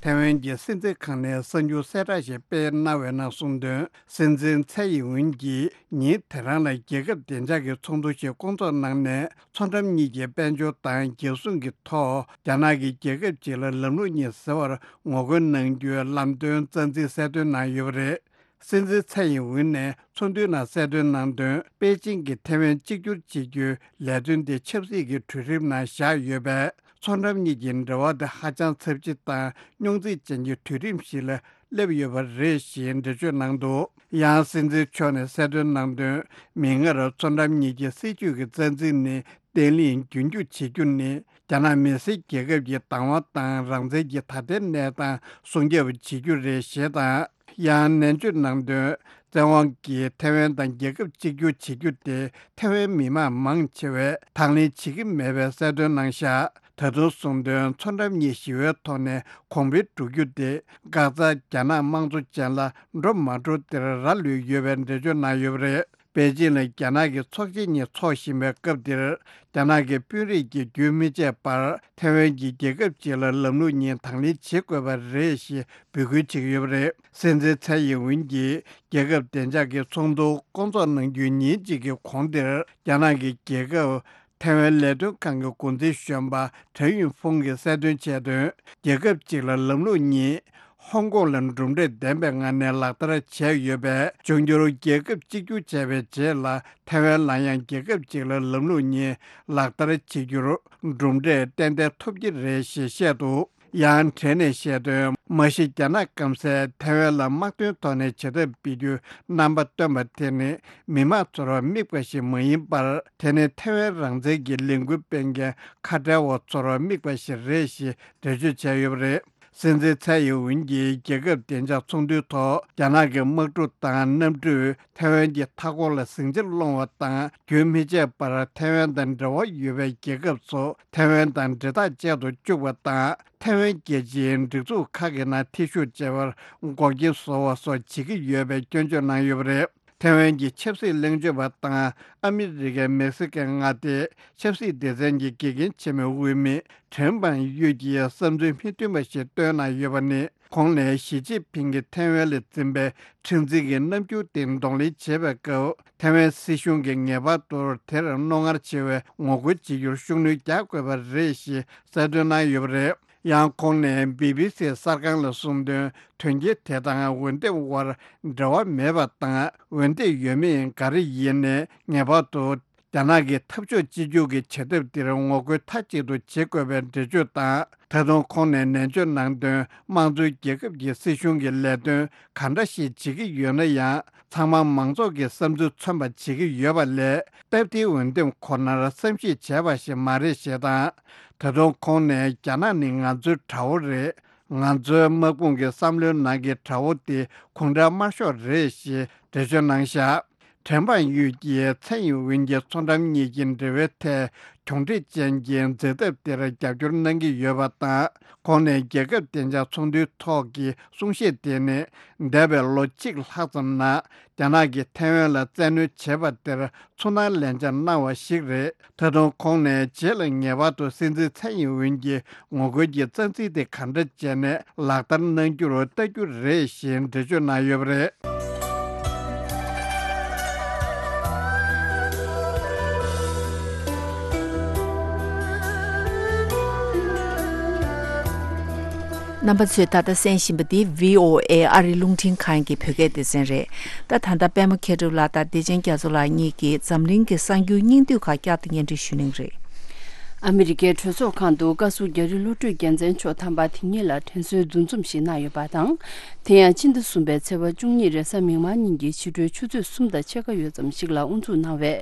ཐའེ་ཝན་གྱི་སྲིད་འཛིན་ཁང་ནས་གསར་འགྱུར་གསལ་བསྒྲགས་ཤིག་སྤེལ་གནང་བའི་ནང་གསུངས་དོན། སྲིད་འཛིན་ཚའེ་ཡིན་ཝུན་གྱིས་ཉིན་དེ་རང་ལ་རྒྱལ་ཁབ་བདེ་འཇགས་ཀྱི་ཚོགས་འདུ་ཞིག་བསྐོང་ཚོགས་གནང་ནས། མཚོ་འགྲམ་གཉིས་ཀྱི་དཔལ་འབྱོར་དང་རྒྱལ་སྲུང་གི་ཐོག་རྒྱ་ནག་གིས་རྒྱལ་ཁབ་གཅིག་ལ་ལམ་ལུགས་གཉིས་ཟེར་བར་ངོ་རྒོལ་གནང་རྒྱུའི་ལམ་སྟོན་རྩ་འཛིན་གསལ་སྟོན་གནང་ཡོད་པ་རེད། སྲིད་འཛིན་ཚའེ་ཡིན་ཝུན་ནས་ཚོགས་འདུའི་ནང་གསལ་སྟོན་གནང་དོན། པེ་ཅིང་གིས་ཐའེ་ཝན་གཅིག་གྱུར་བྱེད་རྒྱུའི་ལས་དོན་དེ་ཆབ་སྲིད་ཀྱི་གྲོས་རིམ་ནང་བཞག་ཡོད་པས། མཚོ་འགྲམ་གཉིས་ཀྱི་འབྲེལ་བ་དེ་ཧ་ཅང་ཚབས་ཆེ་དང་རྙོག་འཛིང་ཅན་གྱི་གྲོས་རིམ་ཞིག་ལ་སླེབས་ཡོད་པ་རེད་ཞེས་འགྲེལ་བརྗོད་གནང་འདུག། ཡང་སྲིད་འཛིན་མཆོག་ནས་གསལ་སྟོན་གནང་དོན། མིག་སྔར་མཚོ་འགྲམ་གཉིས་ཀྱི་སྲིད་ཇུས་ཀྱི་རྩ་འཛིན་ནི། བརྟན་ལྷིང་རྒྱུན་འཁྱོངས་བྱེད་རྒྱུ་ནི་རྒྱ་ནག་མི་སེར་རྒྱལ་ཁབ་ཀྱི་བདག་དབང་དང་རང་བཙན་གྱི་ད་ལྟའི་གནས་སྟངས་སྲུང་སྐྱོབ་བྱེད་རྒྱུ་རེད་ཞེས་དང་། ཡང་ནན་བརྗོད་གནང་དོན། བཙན་དབང་གིས་ཐའེ་ཝན་དང་རྒྱལ་ཁབ་གཅིག་གྱུར་བྱེད་རྒྱུ་དེ་ཐའེ་ཝན་མི་མང་མང་ཆེ་བས་དང་ལེན་བྱེད་ཀྱི་མེད་པའི་གསལ་སྟོན་གནང་བཞག། ད་དུང་གསུངས་དོན། མཚོ་འགྲམ་གཉིས་ཞི་བའི་ཐོག་ནས་གོང་འཕེལ་འགྲོ་རྒྱུ་དེ་འགག་རྩ་རྒྱ་ནག་དམངས་གཙོ་ཅན་ལ་འགྲོ་མ་འགྲོ་དེར་རག་ལུས་ཡོད་པའི་འགྲེལ་བརྗོད་གནང་ཡོད་པ་རེད། པེ་ཅིང་ལ་རྒྱ་ནག་གི་ཚོགས་ཆེན་གཉིས་འཚོགས་བཞིན་པའི་སྐབས་འདིར། རྒྱ་ནག་གི་དཔོན་རིགས་ཀྱིས་རྒྱུན་མི་ཆད་པར་ཐའེ་ཝན་གྱིས་རྒྱལ་ཁབ་གཅིག་ལ་ལམ་ལུགས་གཉིས་དང་ལེན་བྱེད་དགོས་པ་རེད་ཞེས་འབོད་སྐུལ་བྱེད་ཀྱི་ཡོད་པ་རེད། སྲིད་འཛིན་ཚའེ་ཡིན་ཝུན་གྱིས་རྒྱལ་ཁབ་བདེ་འཇགས་ཀྱི་ཚོགས་འདུ་བསྐོང་ཚོགས་གནང་རྒྱུའི་ཉིན་གཅིག་གི་གོང་དེར། རྒྱ་ནག་གི་རྒྱལ་ཁབ་ཐའེ་ཝན་ལས་དོན་ཁང་གི་འགོ་འཛིན་གཞོན་པ་ཁྲའེ་ཡུན་ཧྥུང་གིས་གསལ་སྟོན་བྱས་དོན། རྒྱལ་ཁབ་གཅིག་ལ་ལམ་ལུགས་གཉིས། ཧོང་ཀོང་ལ་གྲུབ་འབྲས་ལྡན་པའི་ངང་ནས་ལག་བསྟར་བྱས་ཡོད་པས། འབྱུང་འགྱུར་རྒྱལ་ཁབ་གཅིག་གྱུར་བྱས་པའི་རྗེས་ལ་ཐའེ་ཝན་ལ་ཡང་རྒྱལ་ཁབ་གཅིག་ལ་ལམ་ལུགས་གཉིས་ལག་བསྟར་བྱེད་རྒྱུར་གྲུབ་འབྲས་ཏན་ཏན་ཐོབ་ཀྱི་རེད་ཞེས་བཤད་འདུག། ཡང་ཁྲའེ་ནས་བཤད་དོན། མ་གཞི་རྒྱ་ནག་སྐམ་སས་ཐའེ་ཝན་ལ་དམག་དོན་ཐོག་ནས་བྱེད་ཐབས་སྤེལ་རྒྱུའི་རྣམ་པ་བཏོན་པ་དེ་ནི་མི་དམངས་ཚོར་དམིགས་པ་ཞིག་མ་ཡིན་པར། དེ་ནི་ཐའེ་ཝན་རང་བཙན་གྱི་ལས་འགུལ་སྤེལ་མཁན་ཁ་བྲལ་བ་ཚོར་དམིགས་པ་ཞིག་རེད་ཞེས་འགྲེལ་བརྗོད་བྱས་ཡོད་པ་རེད། སྲིད་འཛིན་ཚའེ་ཡིན་ཝུན་གྱིས་རྒྱལ་ཁབ་བདེ་འཇགས་ཚོགས་འདུའི་ཐོག་རྒྱ་ནག་གི་དམག་འཁྲུག་དང་གནམ་གྲུས་ཐའེ་ཝན་གྱི་མཐའ་འཁོར་ལ་ཟིང་ཆ་སློང་བ་དང་རྒྱུན་མི་ཆད་པར་ཐའེ་ཝན་དང་འབྲེལ་བ་ཡོད་པའི་རྒྱལ་ཁབ་ཚོ་ཐའེ་ཝན་དང་འབྲེལ་ཐག་བཅད་དུ་བཅུག་པ་དང་། ཐའེ་ཝན་རྒྱལ་སྤྱིའི་སྒྲིག་འཛུགས་ཁག་གི་ནང་ཐེ་ཞུགས་བྱེད་པར་འགོག་རྐྱེན་བཟོ་བ་སོགས་བྱེད་ཀྱི་ཡོད་པའི་སྐྱོན་བརྗོད་གནང་ཡོད་པ་རེད། ཐའེ་ཝན་གྱི་ཆབ་སྲིད་གླེང་བརྗོད་པ་དང་ཨ་མི་རི་ཀའི་མེག་སི་ཀན་མངའ་སྡེའི་ཆབ་སྲིད་སྡེ་ཚན་གྱི་དགེ་རྒན་ཆེན་མོའི་དབུ་མི་ཁྲེན་པང་ཡུས་ཀྱིས་བསམ་ཚུལ་མི་མཐུན་པ་ཞིག་བཏོན་གནང་ཡོད་པ་ནི། ཁོང་ནས་ཞི་ཅིན་ཕིང་གིས་ཐའེ་ཝན་ལ་འཛིན་པའི་མཁྲེགས་འཛིན་གྱི་རྣམ་འགྱུར་དེ་གདོང་ལེན་བྱེད་པའི་སྐབས། ཐའེ་ཝན་སྲིད་གཞུང་གིས་ངེས་པར་དུ་དེར་རྣོ་ངར་ཆེ་བའི་ངོ་རྒོལ་བྱེད་རྒྱུར་ཤུགས་སྣོན་རྒྱག་དགོས་པ་རེད་ཞེས་གསལ་སྟོན་གནང་ཡོད་པ་རེད། ཡང་ཁོང་ནས་བི་བི་སི་གསར་ཁང་ལ་གསུངས་དོན། དོན་རྐྱེན་དེ་དང་འོས་འདེམས་དབར་འབྲེལ་བ་མེད་པ་དང་། འོས་འདེམས་ཡོད་མེད་ག་རེ་ཡིན་ནའི་ངེས་པར་དུ་རྒྱ་ནག་གི་འཐབ་ཕྱོགས་གཅིག་གྱུར་གྱི་བྱ་ཐབས་འདིར་ངོ་རྒོལ་མཐའ་གཅིག་ཏུ་བྱེད་དགོས་པའི་འགྲེལ་བརྗོད་དང་། ད་དུང་ཁོང་ནས་ནན་བརྗོད་གནང་དོན། དམངས་གཙོའི་རྒྱལ་ཁབ་ཀྱི་སྲིད་གཞུང་གི་ལས་དོན་ག་འདྲ་ཞིག་བྱེད་ཀྱི་ཡོད་ན་ཡང་། ཚང་མ་མང་ཚོགས་ཀྱི་བསམ་ཚུལ་མཚོན་པ་བྱེད་ཀྱི་ཡོད་པ་ལས། སྟབས་བདེའི་འོས་འདེམས་ཁོ་ནར་བསམ་གཞིག་བྱས་པ་ཞིག་མ་རེད་ཞེས་དང་། ད་དུང་ཁོང་ནས་རྒྱ་ནག་ནི་ང་ཚོའི་དགྲ་བོ་རེད། ང་ཚོའི་དམག་དཔུང་གི་བསམ་བློའི་ནང་གི་དགྲ་བོ་དེ་གུང་ཁྲན་དམར་ཤོག་རེད་ཞེས་འགྲེལ་བརྗོད་གནང་བཞག་ཁྲེན་པང་ཡུས་ཀྱིས་ཚའེ་ཡིན་ཝིན་གྱི་ཚོང་འགྲམ་གཉིས་ཀྱི་འབྲེལ་བའི་ཐད་གྱོང་འཕྲད་ཅན་གྱི་འཛེག་ཐབས་དེར་རྒྱབ་སྐྱོར་གནང་གི་ཡོད་པ་དང་། ཁོང་ནས་རྒྱལ་ཁབ་བདེ་འཇགས་ཚོགས་འདུའི་ཐོག་གི་གསུང་བཤད་དེ་ནི། འདས་པའི་ལོ་གཅིག་ལྷག་ཙམ་ནང་རྒྱ་ནག་གིས་ཐའེ་ཝན་ལ་བཙན་གནོན་བྱས་པ་དེར་ཚུར་སྣང་ལན་ཆགས་གནང་བ་ཞིག་རེད། ད་དུང་ཁོང་ནས་རྗེས་ལ་ངེས་པར་དུ་སྲིད་འཛིན་ཚའེ་ཡིན་ཝིན་གྱི་ངོ་རྒོལ་གྱི་རྩ་འཛིན་དེ་གང་འདྲ་བྱས་ནས་ལག་བསྟར་གནང་རྒྱུར་ལྟ་རྒྱུ་རེད་ཞེས་འགྲེལ་བརྗོད་གནང་ཡོད་པ་རེད། རྣམ་པ་ཚོས་ད་ལྟ་གསན་བཞིན་པ་འདི་བྷི་ཨོ་ཨེ་ཨ་རིའི་རླུང་འཕྲིན་ཁང་གི་བོད་སྐད་སྡེ་ཚན་རེད། ད་ད་ལྟ་པད་མ་མཁས་གྲུབ་ལགས་དང་བདེ་ཆེན་རྒྱ་མཚོ་ལགས་གཉིས་ཀྱིས་འཛམ་གླིང་གི་གསར་འགྱུར་སྙིང་བསྡུས་ཁག་བསྐྱར་དུ་སྙན་སྒྲོན་ཞུ་གནང་གི་རེད། ཨ་མི་རི་ཀའི་གྲོས་ཚོགས་ཁང་དུ་བཀའ་ཟུར་རྒྱ་རི་བློ་གྲོས་རྒྱལ་མཚན་མཆོག་དམ་པ་དེ་ཉིད་ལ་དྲན་གསོའི་འདུ་འཛོམས་ཤིག་གནང་ཡོད་པ་དང་། དེ་ཡང་སྤྱི་ཟླ་གསུམ་པའི་ཚེས་པ་བཅུ་གཉིས་རེས་གཟའ་མིག་དམར་ཉིན་གྱི་ཕྱི་དྲོའི་ཆུ་ཚོད་གསུམ་དང་ཕྱེད་ཀ་ཡོལ་ཙམ་ཞིག་ལ་དབུ་འཛུགས་གནང་བའི་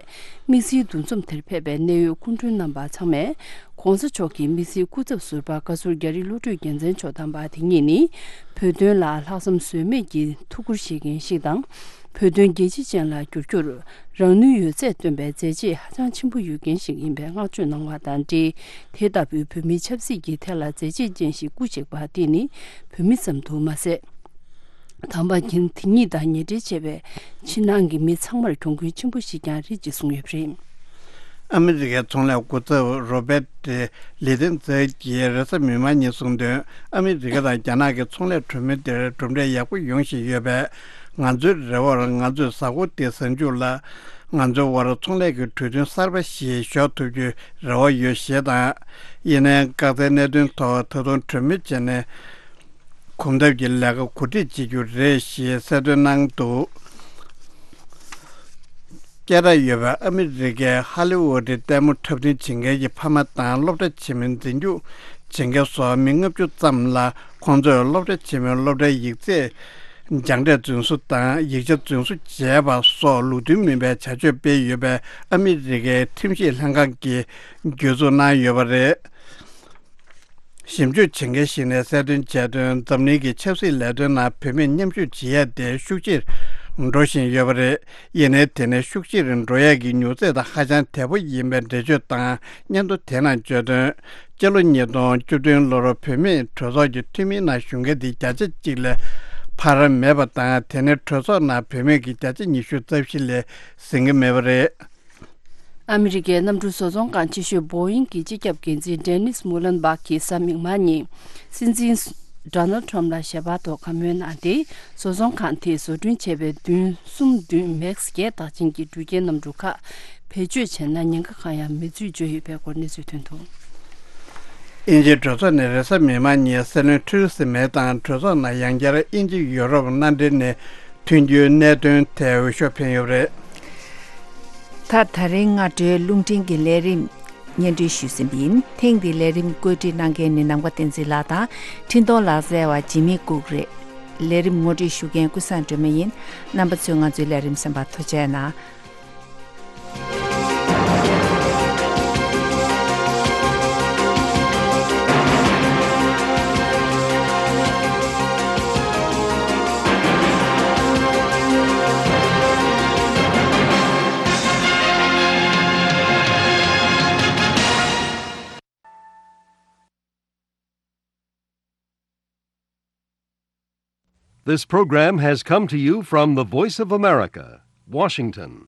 དམིགས་བསལ་འདུ་འཛོམས་དེར་ཕེབས་པའི་གནད་ཡོད་སྐུ་མགྲོན་རྣམ་པ་ཚང་མས། ྋགོང་ས་མཆོག་གི་དམིགས་བསལ་སྐུ་ཚབ་ཟུར་པ་བཀའ་ཟུར་རྒྱ་རི་བློ་གྲོས་རྒྱལ་མཚན་མཆོག་དམ་པ་དེ་ཉིད་ནི། བོད་དོན་ལ་ལྷག་བསམ་ཟོལ་མེད་ཀྱིས་ཐུགས་ཁུར་བཞེས་མཁན་ཞིག་དང་། བོད་དོན་རྒྱལ་སྤྱི་ཅན་ལ་བསྒྱུར་རྒྱུར་རང་ནུས་ཡོད་ཚད་བཏོན་པའི་མཛད་རྗེས་ཧ་ཅང་ཆེན་པོ་ཡོད་མཁན་ཞིག་ཡིན་པའི་བསྔགས་བརྗོད་གནང་བ་དང་འབྲེལ། དེ་ལྟ་བུའི་བོད་མིའི་ཆབ་སྲིད་ཀྱི་ཐད་ལ་མཛད་རྗེས་ཅན་ཞིག་སྐུ་གཤེགས་པ་དེ་ནི་བོད་མི་ཙམ་དུ་མ་ཟད། དམ་པ་དེ་ཉིད་དང་ཉེ་འབྲེལ་ཆེ་བའི་ཕྱི་ནང་གི་མི་ཚང་མར་གྱོང་གུན་ཆེན་པོ་ཞིག་ཀྱང་རེད་ཅེས་གསུངས་ཡོད་པ་རེད། ཨ་མི་རི་ཀའི་ཚོང་ལས་འགོ་ཚབ་རོ་བེད་ལི་ཏན་ཛེ་ཡིས་རེས་གཟའ་མིག་དམར་ཉིན་གསུངས་དོན། ཨ་མི་རི་ཀ་དང་རྒྱ་ནག་གི་ཚོང་ལས་གྲོས་མོལ་དེར་གྲུབ་འབྲས་ཡག་པོ་ཡོང་བཞིན་ཡོད་པས། ང་ཚོའི་རེ་བར་ང་ཚོས་གཟའ་འཁོར་འདིའི་གཟའ་མཇུག་ལ། ང་ཚོའི་དབར་ཚོང་ལས་ཀྱི་གྲོས་མཐུན་གསར་པ་ཞིག་ཞོག་ཐུབ་རྒྱུའི་རེ་བ་ཡོད་ཞེས་དང་། ཡིན་ནའི་འགག་རྩའི་གནད་དོན་ཐོག་ད་དུང་གྲོས་མོལ་བྱས་ནས། གོམ་སྟབས་ཀྱི་ལས་ཀ་གོ་སྒྲིག་བྱེད་རྒྱུ་རེད་ཞེས་གསལ་སྟོན་གནང་འདུག་སྐད་གྲགས་ཡོད་པའི་ཨ་མི་རི་ཀའི་ཧ་ལི་ཝུ་ཌི་ལྟད་མོ་འཁྲབ་སྟོན་བྱེད་མཁན་གྱི་ཕ་མ་དང་སློབ་གྲྭ་ཆེན་མོའི་འཛིན་སྐྱོང་བྱེད་མཁན་སོགས་མི་ལྔ་བཅུ་ཙམ་ལ་ཁོང་ཚོས་སློབ་གྲྭ་ཆེན་མོའི་སློབ་གྲྭའི་ཡིག་ཚད་སྦྱངས་འབྲས་རྫུན་བཟོ་དང་ཡིག་ཆ་རྫུན་བཟོ་བྱས་པ་སོགས་ལུགས་མཐུན་མིན་པའི་བྱ་སྤྱོད་སྤེལ་ཡོད་པའི་ཨ་མི་རི་ཀའི་ཁྲིམས་ཞིབ་ལྷན་ཁང་གིས་གྱོད་འཛུགས་གནང་ཡོད་པ་རེད། ཞིབ་འཇུག་བྱེད་མཁན་ཞིག་ནས་གསལ་སྟོན་བྱས་དོན། འཛམ་གླིང་གི་ཆབ་སྲིད་ལས་དོན་ནང་བུད་མེད་མཉམ་ཞུགས་བྱེད་ཡ་དེ་ཤུགས་ཆེར་འགྲོ་བཞིན་ཡོད་པ་རེད། ཡིན་ནའི་དེ་ནི་ཤུགས་ཆེར་འགྲོ་ཡ་གི་མྱུར་ཚད་དང་ཧ་ཅང་དལ་པོ་ཡིན་པའི་འགྲེལ་བརྗོད་དང་། སྙན་ཐོ་དེ་ནང་བརྗོད་དོན། སྤྱི་ལོ་ཉིས་སྟོང་བཅུ་བདུན་ལོར་བུད་མེད་གྲོས་ཚོགས་ཀྱི་འཐུས་མིའི་ནང་ཞུགས་མཁན་དེ་བརྒྱ་ཆ་གཅིག་ལས་འཕར་མེད་པ་དང་། དེ་ནི་གྲོས་ཚོགས་ནང་བུད་མེད་ཀྱི་བརྒྱ་ཆ་ཉི་ཤུ་རྩ་བཞི་ལས་ཟིན་གྱི་མེད་པ་རེད། ཨ་མི་རི་ཀའི་གནམ་གྲུ་བཟོ་ཚོང་ཁང་ཆེ་ཤོས་བོ་ཡིང་གི་སྤྱི་ཁྱབ་འགན་འཛིན་ཌེ་ནིས་མུ་ལན་བྷག་གིས་གཟའ་མིག་དམར་ཉིན་སྲིད་འཛིན་ཌོ་ནལ་ཁྲམ་ལ་ཞལ་པར་ཐོག་བཀའ་མོལ་གནང་སྟེ། བཟོ་ཚོང་ཁང་དེས་བཟོ་སྐྲུན་བྱས་པའི་མདུན་གསུམ་བདུན་མེག་སི་བརྒྱད་རྟགས་ཅན་གྱི་འགྲུལ་སྐྱེལ་གནམ་གྲུ་ཁག་བེད་སྤྱོད་བྱས་ན་ཉེན་ཁ་གང་ཡང་མེད་ཚུལ་བརྗོད་ཡོད་པའི་སྐོར་གནས་ཚུལ་ཐོན་འདུག་དབྱིན་ཇིའི་གྲོས་ཚོགས་ནས་རེས་གཟའ་མིག་དམར་ཉིན་སྲིད་བློན་ཐེ་རེ་སི་མེ་དང་གྲོས་ཚོགས་ནང་ཡང་བསྐྱར་དབྱིན་ཇི་ཡུ་རོབ་མནའ་འབྲེལ་ནས་མཐུན་འགྱུར་གནད་དོན་ཐད་འོས་ཤོག་འཕེན་ཡོད་པ་རེད། ད་ད་རིང་སྔ་དྲོའི་རླུང་འཕྲིན་གྱི་ལས་རིམ་སྙན་སྒྲོན་ཞུས་ཟིན་པ་ཡིན། ཐེངས་འདིའི་ལས་རིམ་བཀོད་སྒྲིག་གནང་མཁན་ནི་ནམ་མཁའ་བསྟན་འཛིན་ལགས་དང་། འཕྲིན་གཏོང་ལག་རྩལ་བ་འཇིགས་མེད་ལྐུགས་རེད། ལས་རིམ་ངོ་སྤྲོད་ཞུ་མཁན་ཀུན་བཟང་སྒྲོལ་མ་ཡིན། རྣམ་པ་ཚོས་ང་ཚོའི་ལས་རིམ་གསན་པར་ཐུགས་རྗེ་གནང་། This program has come to you from the Voice of America, Washington.